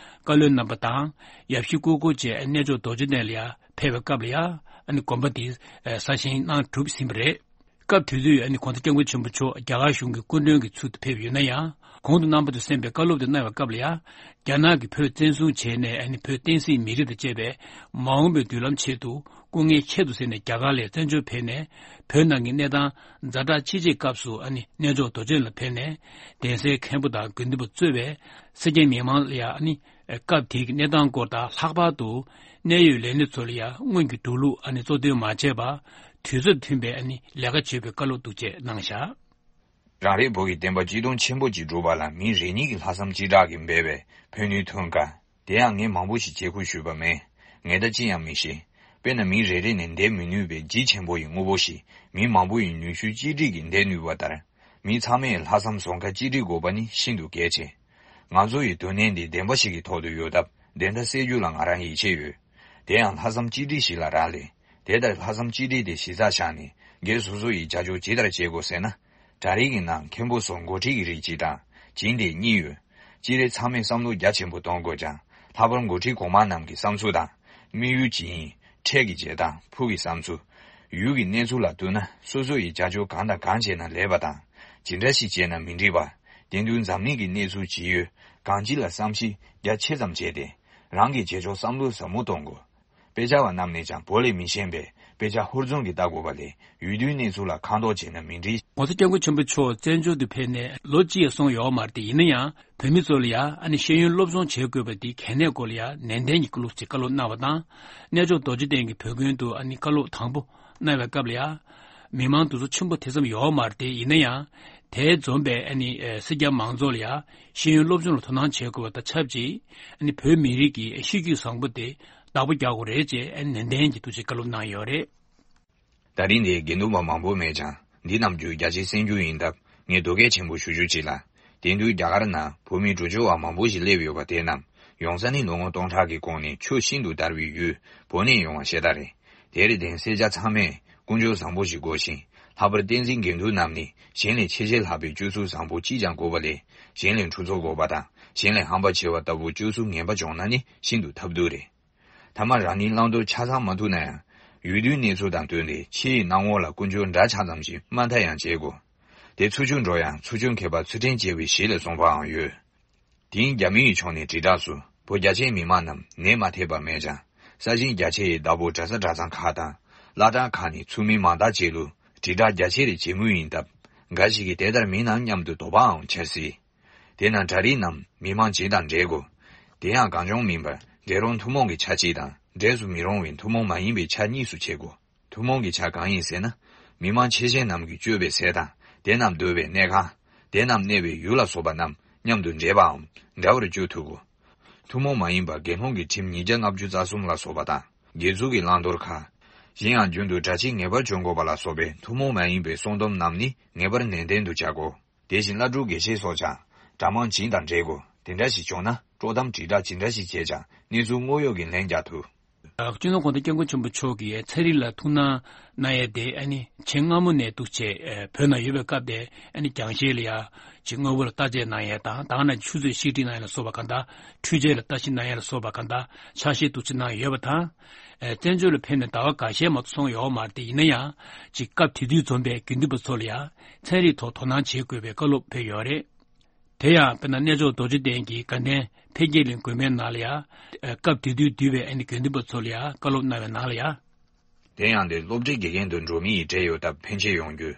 བཀའ་བློན་རྣམ་པ་དང་ཡབ་གཞིས་སྐུ་འཁོར་བཅས་རྣལ་འབྱོར་རྡོ་རྗེ་གདན་ལ་ཡང་ཕེབས་པའི་སྐབས་ལ་ཡང་། ཨ་ནི་དགོན་པ་དེ་གསར་བཞེངས་གནང་གྲུབ་ཟིན་པ་རེད། སྐབས་དེ་དུས་ཨ་ནི་༸གོང་ས་༸སྐྱབས་མགོན་ཆེན་པོ་མཆོག་རྒྱ་གར་གཞུང་གི་སྐུ་མགྲོན་གྱི་ཚུལ་དུ་ཕེབས་ཡོད་ན་ཡང་། གོང་དུ་རྣམ་པ་ཚོས་གསན་པའི་བཀའ་སློབ་དེ་གནང་བའི་སྐབས་ལ་ཡང་། རྒྱ་ནག་གིས་བོད་བཙན་བཟུང་བྱས་ནས། ཨ་ནི་བོད་བསྟན་སྲིད་མི་རིགས་དང་བཅས་པའི་མ་འོངས་པའི་མདུན་ལམ་ཆེད་དུ་སྐུ་ངལ་ཁྱད་དུ་བསད་ནས་རྒྱ་གར་ལ་བཙན་བྱོལ་ཕེབས་ནས། བོད་ནང་གི་གནས་སྟངས་ཛ་དྲག་ཅི་ཆེའི་སྐབས་སུ། ཨ་ནི་རྣལ་འབྱོར་རྡོ་རྗེ་ལ་ཕེབས་ནས་གདན་སའི་མཁན་པོ་དང་དགེ་འདུན་པ་གཙོས་པའི་སེར་སྐྱའི་མི་མང་ལ་ཡང་། ཨ་ནི་སྐབས་དེའི་གནས་སྟངས་སྐོར་དང་། ལྷག་པར་དུ་གནད་ཡོད་ལས་སྣེ་ཚོ་ལ་ཡང་སྔོན་གྱི་འགྲོ་ལུགས། ཨ་ནི་གཙོ་འདོན་མ་བྱས་པར་དུས་ཚོད་མཐུན་པའི། ཨ་ནི་ལས་ཀ་བྱེད་པའི་བཀའ་སློབ་འདུག་ཅེས་གནང་བཞག་རང་རེའི་བོད་ཀྱི་བསྟན་པ་སྤྱི་དོན་ཆེན་པོ་ཅིག་སྒྲུབ་པ་ལ་མི་རེ་གཉིས་ཀྱི་ལྷག་བསམ་གཅིག་སྒྲིལ་གྱིས་འབད་པས་ཕན་ནུས་ཐོན་དཀའ། དེ་ཡང་ངས་མང་པོ་ཞིག་བྱེད་ཁུལ་ཞུས་པ་མེད། ངས་ད་ཅི་ཡང་མི་ཤེས། དཔེར་ན་མི་རེ་རེ་ནས་འདེད་མི་ནུས་པའི་ལྗིད་ཆེན་པོ་ཡི་དངོས་པོ་ཞིག་མི་མང་པོ་ཡི་ནུས་ཤུགས་གཅིག་སྒྲིལ་གྱིས་འདེད་ནུས་པ་ལྟར། མི་ཚང་མས་ལྷག་བསམ་ཟོང་ཁ་གཅིག་སྒྲིལ་དགོས་པ་ནི་ཤིན་ཏུ་གལ་ཆེ། ང་ཚོ་ཡི་དོན་གནད་འདི་བདེན་པ་ཞིག་གི་ཐོག་ཏུ་ཡོད་སྟབས། བདེན་མཐའ་གསལ་རྒྱུ་ལ་ང་རང་ཡིད་ཆེས་ཡོད། དེ་ཡང་ལྷག་བསམ་གཅིག་སྒྲིལ་ཞིག་ལ་རག་ལས། དེ་ལྟར་ལྷག་བསམ་གཅིག་སྒྲིལ་དེ་གཞི་རྩར་བཞག་ནས་སྒེར་སོ་སོ་ཡི་བྱ་སྤྱོད་ཇི་ལྟར་བྱེད་དགོས་ཟེར་ན། གྲྭ་རིགས་ཀྱི་ནང་མཁན་པོ་སོགས་འགོ་ཁྲིད་ཀྱི་རིགས་གཅིག་དང་སྦྱིན་བདག་གཉིས་ཡོད། སྤྱིར་ཚང་མས་བསམ་བློ་རྒྱ་ཆེན་པོ་གཏོང་དགོས་ཀྱང་། ལྷག་པར་འགོ་ཁྲིད་གོང་མ་རྣམས་ཀྱི་བསམ་ཚུལ་དང་། དམིགས་ཡུལ་ཇི་ཡིན། འཕྲལ་གྱི་བྱེད་སྟངས། ཕུགས་ཀྱི་བསམ་ཚུལ། ཡུལ་གྱི་གནས་ཚུལ་ལ་བསྟུན་ན་སོ་སོ་ཡི་བྱ་སྤྱོད་གང་དང་གང་བྱས་ན་ལེགས་པ་དང་། ཇི་འདྲ་ཞིག་བྱས་ན་མི་འགྲིག་པ། དེང་དུས་འཛམ་གླིང་གི་གནས་ཚུལ་ཇི་ཡོད་གང་ཅི་ལ་བསམ་གཞིག་རྒྱ་ཆེ་ཙམ་བྱས་ཏེ། རང་གི་བྱེད་ཕྱོགས་བསམ་བློ་ཟབ་མོ་གཏོང་དགོས། དཔེ་ཆ་བ་རྣམས་ནས་ཀྱང་བོད་ལས་མི་ཤེས་པས་དཔེ་ཆ་ཧུར་བརྩོན་གྱིས་ལྟ་དགོས་པ་ལས་ཡུལ་དུས་གནས་ཚུལ་ལ་ཁ་མདོག་བྱས་ན་མི་འགྲིག ༸གོང་ས་༸སྐྱབས་མགོན་ཆེན་པོ་མཆོག་བཙན་བྱོལ་དུ་ཕེབས་ནས་ལོ་གཅིག་ཡང་སོང་ཡོད་མ་རེད་དེ། ཡིན་ན་ཡང་བོད་མི་ཚོ་ལ་ཡང་ཨ་ནི་ཤེས་ཡོན་སློབ་སྦྱོང་བྱེད་དགོས་པ་འདི་གལ་གནད་སྐོར་ལ་ཡང་ནན་ཏན་གྱིས་བཀའ་སློབ་ཅིག་བཀའ་སློབ་གནང་བ་དང་། རྣལ་འབྱོར་རྡོ་རྗེ་གདན་གྱི་བོད་དགོན་དུ་ཨ་ནི་བཀའ་སློབ་དང་པོ་གནང་བའི་སྐབས་ལ་ཡང་མི་མང་དེ་ཚོ་ཆེན་པོ་དེ་ཙམ་ཡོད་མ་རེད་དེ། ཡིན་ན་ཡང་དེ་འཛོམས་པའི་ཨ་ནི་སེར་སྐྱ་མང་ཚོགས་ལ་ཡང་ཤེས་ཡོན་སློབ་སྦྱོང་ལ་དོ་སྣང་བྱེད་དགོས་པ་དང་ཆབས་ཅིག་ཨ་ནི་བོད་མི་རིགས་ཀྱི་གཤིས་རྒྱུད་བཟང་པོ་དེ་བདག་པོ་རྒྱག་དགོས་རེད་ཅེས་ནན་ཏན་གྱིས་ཐུགས་རྗེ་བཀའ་སློབ་གནང་ཡོད་རེད། ད་རིང་འདིར་དགེ་འདུན་པ་མང་པོ་མེད་ཀྱང་། འདི་རྣམས་རྒྱུད་རྒྱ་ཆེར་གསན་རྒྱུ་ཡིན་སྟབས། ངས་དོ་གལ་ཆེན་པོ་ཞུ་རྒྱུ་ཅིག་ལ། དེང་དུས་རྒྱ་གར་ནང་བོད་མི་འགྲོ་བཅོས་པ་མང་པོ་ཞིག་སླེབས་ཡོད་པ་དེ་རྣམས་ཡོང་ས་ནི་ལོ་ངོ་སྟོང་ཕྲག་གི་གོང་ནས་ཆོས་ཤིན་ཏུ་དར་བའི་ཡུལ་བོད་ནས་ཡོང་བ་ཤ་སྟག་རེད། དེར་བརྟེན་སེར་སྐྱ་ཚང་མས་ཀུན་སྤྱོད་བཟང་པོ་ཞིག་དགོས་ཤིང་། ལྷག་པར་བསྟན་འཛིན་དགེ་འདུན་རྣམས་ནི་གཞན་ལས་ཆེས་ཆེས་ལྷག་པའི་སྤྱོད་ཚུལ་བཟང་པོ་ཅིས་ཀྱང་དགོས་པ་ལས། གཞན་ལས་འཁྲུག་རྩོད་དགོས་པ་དང་། གཞན་ལས་ཧམ་པ་ཆེ་བ་ལྟ་བུ་སྤྱོད་ཚུལ་ངན་པ་བྱུང་ན་ནི་ཤིན་ཏུ་ཐབས་སྡུག་རེད། ཐ་མ་རང་ཉིད་བླང་དོར་ཆ་ཚང་མ་ཐུབ་ན་ཡང་། ཡུལ་དུས་གནས་ཚུལ་དང་བསྟུན་ཏེ་ཕྱི་ཡི་སྣང་ངོ་ལ་ཀུན་སྤྱོད་འདྲ་ཆགས་ཙམ་ཞིག་དམའ་མཐའ་ཡང་བྱེད་དགོས། དེ་ཚུལ་འཆོས་འགྲོ་ཡང་ཚུལ་འཆོས་མཁས་པ་ཚུལ་ཁྲིམས་བྱེད་པའི་གཞི་ལས་གསུངས་པའང་ཡོད། དེང་རྒྱ་མི་ཡི་ཕྱོགས་ནས་དྲིལ་བསྒྲགས་སུ་བོད་རྒྱ་ཆེའི་མི་མང་རྣམས་ནད་མ་ཐེབས་པ་མེད་ཀྱང་། ས་ཞིང་རྒྱ་ཆེ་ཡི་བདག་པོ་གྲྭ་ས་གྲྭ་ཚང་ཁག་དང་། བླ་བྲང་ཁག་ནས་ཚུགས་མི་མང་དག་ཅིག་ལུ་དྲིལ་བསྒྲགས་རྒྱ་ཆེ་རེ་བྱེད་མུས་ཡིན་སྟབས། འགའ་ཞིག་གིས་དེ་ལྟར་མིན་ནམ་སྙམ་དུ་དོགས་པའང་འཆར་སྲིད། དེས་ན་གྲྭ་རིགས་རྣམས་མི་མང་སྤྱི་དང་འབྲེལ་དགོས། དེ་ཡང་གང་བྱུང་མིན་པར་འབྲེལ་རོགས་ཐུན་མོང་གི་ཆ་གཅིག་དང་ འབྲས་སུ་མི་རུང་བའི་ཐུན་མོང་མ་ཡིན་པའི་ཆ་གཉིས་སུ་ཕྱེ་དགོས། ཐུན་མོང་གི་ཆ་གང་ཡིན་ཟེར་ན། མི་མང་ཆེ་ཤས་རྣམས་ཀྱིས་སྤྱོད་པའི་ཟས་དང་། དེ་རྣམས་སྡོད་པའི་གནས་ཁང་། དེ་རྣམས་གནས་པའི་ཡུལ་ལ་སོགས་པ་རྣམས་མཉམ་དུ་འདྲེས་པའམ་འདྲ་བར་སྤྱོད་ཐུབ་དགོས། ཐུན་མོང་མ་ཡིན་པ་དགེ་སློང་གི་ཁྲིམས་ཉིས་བརྒྱ་ལྔ་བཅུ་རྩ་གསུམ་ལ་སོགས་པ་དང་། དགེ་ཚུལ་གྱི་བླང་དོར་ཁག། གཞན་ཡང་རྒྱུན་དུ་གྲྭ་ཆས་ངེས་པར་གྱོན་དགོས་པ་ལ་སོགས་པའི་ཐུན་མོང་མ་ཡིན་པའི་གསུང་སྡོམ་རྣམས་ནི་ངེས་པར་ནན་ཏན་དུ་བྱ་དགོས། དེ་བཞིན་བླ་སྤྲུལ་དགེ་བཤེས་སོགས་ཀྱང་གྲྭ་མང་བྱིངས་དང་འབྲེལ་དགོས། དེ་འདྲ་ཞིག་བྱུང་ན་དཀྲོག་གཏམ་དྲིལ་བསྒྲགས་ཇི་འདྲ་ཞིག་བྱས་ཀྱང་གནས་ཚུལ་དངོས་ཡོད་ཀྱི་ལན་རྒྱག་ཐུབ། སྤྱི་ནོར་༸གོང་ས་༸སྐྱབས་མགོན་ཆེན་པོ་མཆོག་གིས་ཚན་རིག་ལ་ཐུགས་སྣང་གནང་ཡས་དེ་ཨ་ནི་ཆེས་སྔ་མོ་ནས་འདུག་བྱས་བོད་ནང་ཡོད་པའི་སྐབས་དེ་ཨ་ནི་རྒྱང་ཤེལ་ལ་ཡ་ཅིག་དངོས་པོ་ལ་བརྟག་དཔྱད་གནང་ཡས་དང་། ད་ག་ནང་ཆུ་ཚོད་བཤིག་སྒྲིལ་གནང་ཡས་ལ་སོགས་པ་གང་དག་འཕྲུལ་ཆས་ལ་བརྟག་ཞིབ་གནང་ཡས་ལ་སོགས་པ་གང་དག་ཕྱག་བཞེས་འདུག་བྱས་གནང་ཡོད་པ་དང་། བཙན་བྱོལ་ལ་ཕེབས་ནས་ཟླ་བ་འགའ་ཤས་མ་གཏོགས་སོང་ཡོད་མ་རེད་དེ། ཡིན་ན་ཡང་ཅིག་སྐབས་དེ་དུས་འཛོམས་པའི་དགེ་འདུན་པ་ཚོ་ལ་ཡ་ཚན་རིག་ཐོག་དོ་སྣང་བྱེད་དགོས་པའི་བཀའ་སློབ་ཕེབས་ཡོད་རེད། དེ་ཡང་དཔེར་ན་གནས་མཆོག་རྡོ་རྗེ་གདན་གྱི་དགའ་ལྡན་འཕེལ་རྒྱས་གླིང་དགོན་པའི་ནང་ལ་ཡང་སྐབས་དེ་དུས་འདུས་པའི་ཨ་ནི་དགེ་འདུན་པ་ཚོ་ལ་ཡང་བཀའ་སློབ་གནང་བའི་ནང་ལ་ཡང་། དེ་ཡང་དེ་སློབ་གྲྭའི་དགེ་རྒན་དུ་འགྲོ་མི་ཡི་གྲས་ཡོད་སྟབས་ཕན་ཆེ་ཡོང་རྒྱུ།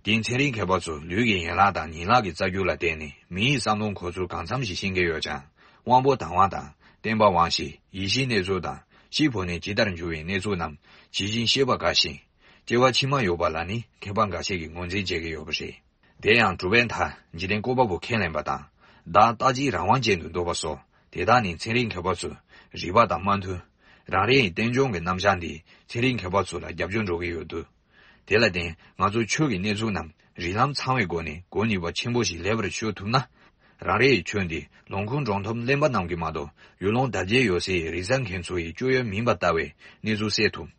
དེའི་ཚན་རིག་མཁས་པ་ཚོ་ལུས་ཀྱི་ཡན་ལག་དང་ཉིང་ལག་གི་རྩ་རྒྱུ་ལ་བརྟེན་ནས་མི་ཡི་བསམ་བློ་འཁོར་ཚུལ་གང་འཚམ་ཞིག་ཤེས་ཀྱི་ཡོད་ཀྱང་། དབང་པོ་དང་བ་དང་། བརྟན་པ་དབང་ཤེས། ཡིད་བཞིན་གནས་ཚུལ་དང་། ཤི་འཕོས་ནས་ཇི་ལྟར་འགྱུར་བའི་གནས་ཚུལ་རྣམས་ཇི་བཞིན་ཤེས་པ་དགའ་ཞིང་། སྐྱེ་བ་ཕྱི་མ་ཡོད་པ་ལ་ནི་མཁས་པ་འགའ་ཤས་ཀྱིས་ངོས་འཛིན་བྱེད་ཀྱི་ཡོད་པ་རེད། དེ་ཡང་གྲུབ་པའི་མཐའ་འཇིག་རྟེན་བཀོད་པ་པོ་ཁས་ལེན་པ་དང་། བདག་རྟག་གཅིག་རང་དབང་ཅན་དུ་འདོད་པ་སོགས་དེ་དག་ནི་ཚན་རིག་མཁས་པ་ཚོས་རིགས་པ་དང་མ་མཐུན། རང་རེ་ཡི་རྟེན་འབྱུང་གི་རྣམ་གཞག་འདིས་ཚན་རིག་མཁས་པ་ཚོ་ལ་རྒྱབ་སྐྱོར་འགྲོ་གི་ཡོད་འདུག་དེ་ལ་བརྟེན་ང་ཚོ་ཆོས་ཀྱི་གནས་ཚུལ་རྣམས་རིགས་ལམ་ཚང་བའི་སྒོ་ནས་གོ་ནུས་པ་ཆེན་པོ་ཞིག་ལེགས་པར་ཤོད་ཐུབ་ན། རང་རེ་ཡི་ཆོས་འདི་ལུང་ཁུངས་འགྲོ་འཐོམ་གླེན་པ་རྣམས་ཀྱིས་མ་གཏོགས་ཡུལ་ལུང་དར་རྒྱས་ཡོད་སའི་རིག་གསར་མཁན་ཚོ་ཡི་སྤྱོད་ཡུལ་མིན་པ་ལྟ་བའི་གནས་ཚུལ་སེལ་ཐུབ།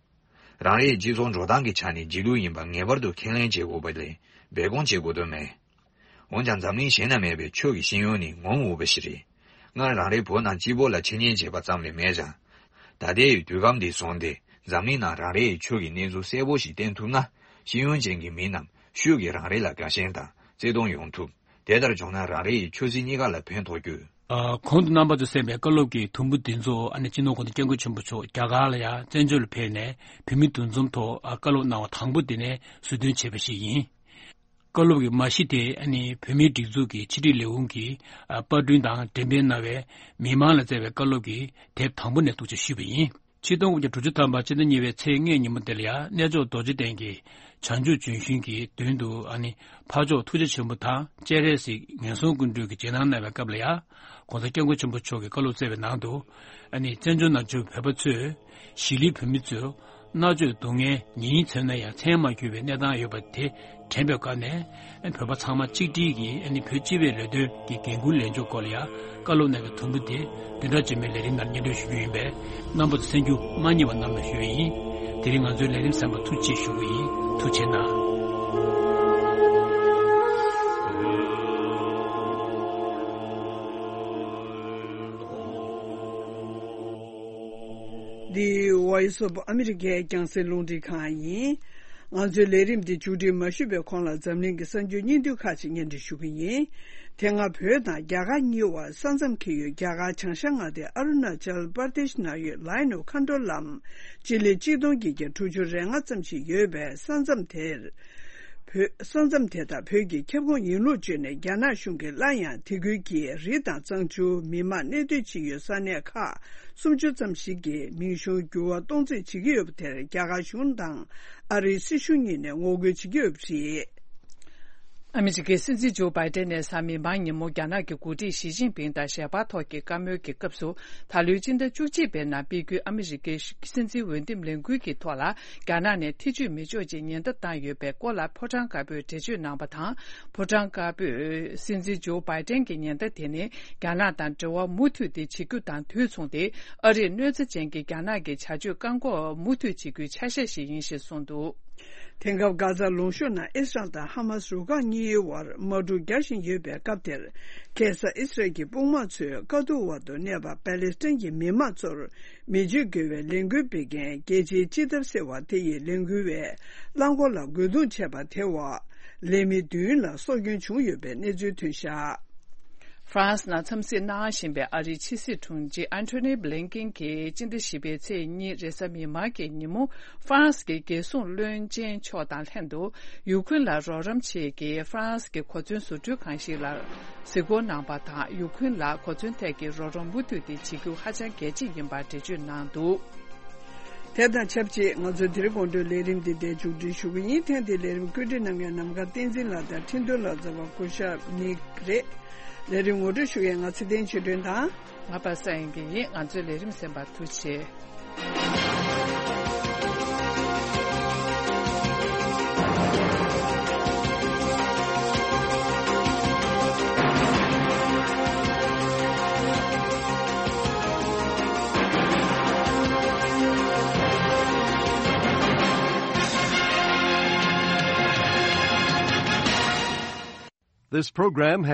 རང་རེའི་སྤྱི་ཚོགས་འགྲོ་སྟངས་ཀྱི་ཆ་ནས་རྗེས་ལུས་ཡིན་པ་ངེས་པར་དུ་ཁས་ལེན་བྱེད་དགོས་པ་ལས་སྦས་སྐུང་བྱེད་དགོས་དོན་མེད། འོན་ཀྱང་འཛམ་གླིང་གཞན་ན་མེད་པའི་ཆོས་ཀྱི་ཤེས་ཡོན་ནི་ངོམ་འོས་པ་ཞིག་རེད། སྔར་རང་རེའི་བོད་ནང་སྤྱི་བོ་ལ་འཆད་ཉན་བྱས་པ་ཙམ་ལས་མེད་ཀྱང་། ད་ལྟའི་དུས་སྐབས་འདི་བཟུང་སྟེ་འཛམ་གླིང་ནང་རང་རེའི་ཆོས་ཀྱི་གནས་ཚུལ་གསལ་པོ་ཞིག་བསྟན་ཐུབ་ན། ཤེས་ཡོན་ཅན་གྱི་མི་རྣམས་ཤུགས་ཀྱིས་རང་རེ་ལ་དགའ་ཞེན་དང་བརྩེ་གདུང་ཡོང་ཐུབ། དེ་ལྟར་བྱུང་ན་རང་རེ་ཡི་ཆོས་སྲིད་གཉིས་ཀ་ལ་ཕན་ཐོགས་རྒྱུ། ཨ། གོང་དུ་རྣམ་པ་ཚོས་གསན་པའི་བཀའ་སློབ་ཀྱི་དུམ་བུ་འདི་ཚོ་ཨ་ནི་སྤྱི་ནོར་༸གོང་ས་༸སྐྱབས་མགོན་ཆེན་པོ་མཆོག་རྒྱ་གར་ལ་ཡང་བཙན་བྱོལ་ལ་ཕེབས་ནས་བོད་མི་འདུ་འཛོམས་ཐོག་ཨ་བཀའ་སློབ་གནང་བ་དང་པོ་དེ་ནས་ཟུར་འདོན་བྱས་པ་ཞིག་ཡིན། བཀའ་སློབ་ཀྱི་མ་གཞི་དེ་ཨ་ནི་བོད་མིའི་སྒྲིག་འཛུགས་ཀྱི་ཕྱི་དྲིལ་ལས་ཁུངས་ཀྱིས་ཨ་པར་སྐྲུན་དང་འགྲེམས་སྤེལ་གནང་བའི་མི་མང་ལ་བསྩལ་བའི་བཀའ་སློབ་ཀྱི་དེབ་དང་པོ་ནས་འདུག་ཅེས་ཞུས་པ་ཡིན། ཆིག་སྟོང་དགུ་བརྒྱ་དྲུག་ཅུ་ཐམ་པ་སྤྱི་ཟླ་གཉིས་པའི་ཚེས་ལྔའི་ཉིན་མོ་དེ་ལ་ཡང་གནས་མཆོག་རྡོ་རྗེ་གདན་གྱི་བྱང་ཆུབ་ལྗོན་ཤིང་གི་མདུན་དུ་ཨ་ནི་འཕགས་མཆོག་ཐུགས་རྗེ་ཆེན་པོ་དང་སྤྱན་རས་གཟིགས་ངན་སོང་ཀུན་འདུལ་གྱི་རྗེས་གནང་གནང་བའི་སྐབས་ལ་ཡང་༸གོང་ས་༸སྐྱབས་མགོན་ཆེན་པོ་མཆོག་གིས་བཀའ་སློབ་སྩལ་བའི་ནང་དུ། ཨ་ནི་བཙན་བྱོལ་ནང་བཞུགས་བོད་པ་ཚོས་གཞིས་ལུས་བོད་མི་ཚོས་མནར་གཅོད་སྡུག་བསྔལ་ཉེན་མཚོན་ན་ཡང་མཚན་མ་གྱུར་པའི་གནས་སྟངས་ཡོད་པ་དེ་དྲན་པའི་སྒོ་ནས། བོད་པ་ཚང་མ་གཅིག་སྒྲིལ་གྱིས་ཨ་ནི་བོད་སྤྱི་པའི་ལས་དོན་གྱི་འགན་འཁུར་ལེན་ཕྱོགས་སྐོར་ལ་ཡང་བཀའ་སློབ་གནང་བའི་དུམ་བུ་དེ་བདུན་ཕྲག་རྗེས་མའི་ལས་རིམ་ནང་སྙན་སྒྲོན་ཞུ་རྒྱུ་ཡིན་པས། རྣམ་པ་ཚོ་གསན་རྒྱུ་མ་བསྙེལ་བ་གནང་བ་ཞུ་བ་ཡིན། དེ་རིང་ང་ཚོའི་ལས་རིམ་གསན་པར་ཐུགས་རྗེ་ཆེ་ཞུ་གི་ཡིན། ཐུགས་རྗེ་གནང་། འདི་Voice of America་རྒྱང་སྲིང་རླུང་འཕྲིན་ཁང་ཡིན། ང་ཚོའི་ལས་རིམ་འདི་མཇུག་སྒྲིལ་མ་ཞུས་པའི་གོང་ལ་འཛམ་གླིང་གི་གསར་འགྱུར་སྙིང་བསྡུས་ཁག་ཅིག་སྙན་སྒྲོན་ཞུ་གི་ཡིན། དེ་སྔ་བོད་དང་རྒྱ་གར་གཉིས་བར་ས་མཚམས་འཁེལ་ཡུལ་རྒྱ་གར་བྱང་ཤར་མངའ་སྡེ་ཨ་རུ་ན་ཅལ་པར་དེཤ་ནང་ཡོད་Line of Control་ལམ། སྤྱི་ལེ་གཅིག་སྟོང་བརྒྱད་བརྒྱ་དྲུག་ཅུ་རེ་ལྔ་ཙམ་ཞིག་ཡོད་པའི་ས་མཚམས་དེར། བོད། ས་མཚམས་དེ་དག་བོད་ཀྱི་ཁྱབ་ཁོངས་ཡིན་ལུགས་བརྗོད་ནས་རྒྱ་ནག་གཞུང་གིས་སླར་ཡང་དེ་ཁུལ་གྱི་རི་དང་གཙང་ཆུ། མི་མང་གནས་སྡོད་བྱེད་ཡུལ་ས་གནས་ཁག་སུམ་ཅུ་ཙམ་ཞིག་གི་མིང་གཞུང་འགྱུར་བ་གཏོང་རྩིས་བྱེད་ཀྱི་ཡོད་པ་དེར་རྒྱ་གར་གཞུང་དང་ཨ་རིའི་སྲིད་གཞུང་གཉིས་ནས་ངོ་རྒོལ་བྱེད་ཀྱི་ཡོད་པ་རེད། ཨ་མི་རི་ཀའི་སྲིད་འཛིན་ཇོ་བྷའི་ཏན་ནས་གཟའ་མིག་དམར་ཉིན་མོ་རྒྱ་ནག་གི་འགོ་ཁྲིད་ཞི་ཅིན་ཕིང་དང་ཞལ་པར་ཐོག་གི་བཀའ་མོལ་གྱི་སྐབས་སུ། ད་ལོའི་སྤྱི་ཟླ་བཅུ་གཅིག་པའི་ནང་སྤེལ་རྒྱུའི་ཨ་མི་རི་ཀའི་སྲིད་འཛིན་འོས་འདེམས་ལས་འགུལ་གྱི་ཐོག་ལ། རྒྱ་ནག་ནས་ཐེ་བྱུས་མི་འཇོག་ཅེས་ཉེན་བརྡ་བཏང་ཡོད་པའི་སྐོར་ལ་ཕོ་བྲང་དཀར་པོས་འགྲེལ་བརྗོད་གནང་བ་དང་། ཕོ་བྲང་དཀར་པོས་སྲིད་འཛིན་ཇོ་བྷའི་ཏན་གྱི་ཉེན་བརྡ་དེ་ནི། རྒྱ་ནག་དང་འབྲེལ་བ་མུ་མཐུད་དེ་བྱེད་རྒྱུ་དང་དུས་མཚུངས་ཏེ། ཨ་རིར་གནོད་འཚེ་ཅན་གྱི་རྒྱ་ནག་གི་བྱ་སྤྱོད་བཀག་འགོག་མུ་མཐུད་བྱེད་རྒྱུའི་ཆ་ཤས་ཤིག་ཡིན་ཞེས་གསུངས་འདུག། དེང་སྐབས་གྷ་ཛ་ལུང་གཤོང་ནང་ཨི་སི་རལ་དང་ཧ་མ་སི་རུ་ཁག་གཉིས་དབར་དམག་འཁྲུག་རྒྱག་བཞིན་ཡོད་པའི་སྐབས་དེར། ཁ་སང་ཨི་སི་རལ་གྱི་དཔུང་དམག་ཚོས་དཀའ་སྡུག་འོག་ཏུ་གནས་པ་པ་ལེ་སི་ཐན་གྱི་མི་དམངས་ཚོར་མེ་མཆོད་འགེལ་བའི་ལས་འགུལ་སྤེལ་མཁན་རྒྱལ་སྤྱིའི་སྤྱི་ཐབ་ཟེར་བ་དེ་ཡི་ལས་འགུལ་བའི་རླངས་འཁོར་ལ་རྒོལ་རྡུང་བྱས་པ་དེ་འོག་ལས་མི་བདུན་ལ་སྲོག་སྐྱོན་བྱུང་ཡོད་པའི་གནས་ཚུལ་ཐོན་བཞག། ཧྥ་རན་སི་ནང་འཚམས་གཟིགས་གནང་བཞིན་པའི་ཨ་རིའི་ཕྱི་སྲིད་དྲུང་ཆེ་ཨན་ཐོ་ནི་བྷི་ལིན་ཀིན་གྱིས་སྤྱི་ཟླ་བཞི་པའི་ཚེས་གཉིས་རེས་གཟའ་མིག་དམར་གྱི་ཉིན་མོ། ཧྥ་རན་སི་གི་རྒྱལ་སྲུང་བློན་ཆེན་མཆོག་དང་ལྷན་དུ། ཡུ་ཁུན་ལ་རོགས་རམ་ཆེད་ཀྱི་ཧྥ་རན་སི་གི་གོ་མཚོན་བཟོ་སྐྲུན་ཁང་ཞིག་ལ་གཟིགས་སྐོར་གནང་བ་དང་། ཡུ་ཁུན་ལ་གོ་མཚོན་ཐད་ཀྱི་རོགས་རམ་མུ་མཐུད་དེ་བྱེད་རྒྱུ་ཧ་ཅང་གལ་ཆེ་ཡིན་པར་འགྲེལ་བརྗོད་གནང་འདུག། དེ་དང་ཆབས་ཅིག་ང་ཚོའི་དེ་རིང་དགོང་དྲོའི་ལས་རིམ་འདི་འདིར་མཇུག་སྒྲིལ་ཞུ་གི་ཡིན། ཐེངས་འདིའི་ལས་རིམ་བཀོད་སྒྲིག་གནང་མཁན་ནམ་མཁའ་བསྟན་འཛིན་ལགས་དང་འཕྲིན་གཏོང་ལག་རྩལ་བ་སྐུ་ཞབས་ནིག་རེད། ལས་རིམ་ངོ་སྤྲོད་ཞུ་མཁན་ང་ཚེ་བརྟན་ཆོས་སྒྲོན་དང་། ང་པ་སངས་དབྱངས་སྐྱིད་ཡིན། ང་ཚོའི་ལས་རིམ་གསན་པར་ཐུགས་རྗེ་ཆེ། This program has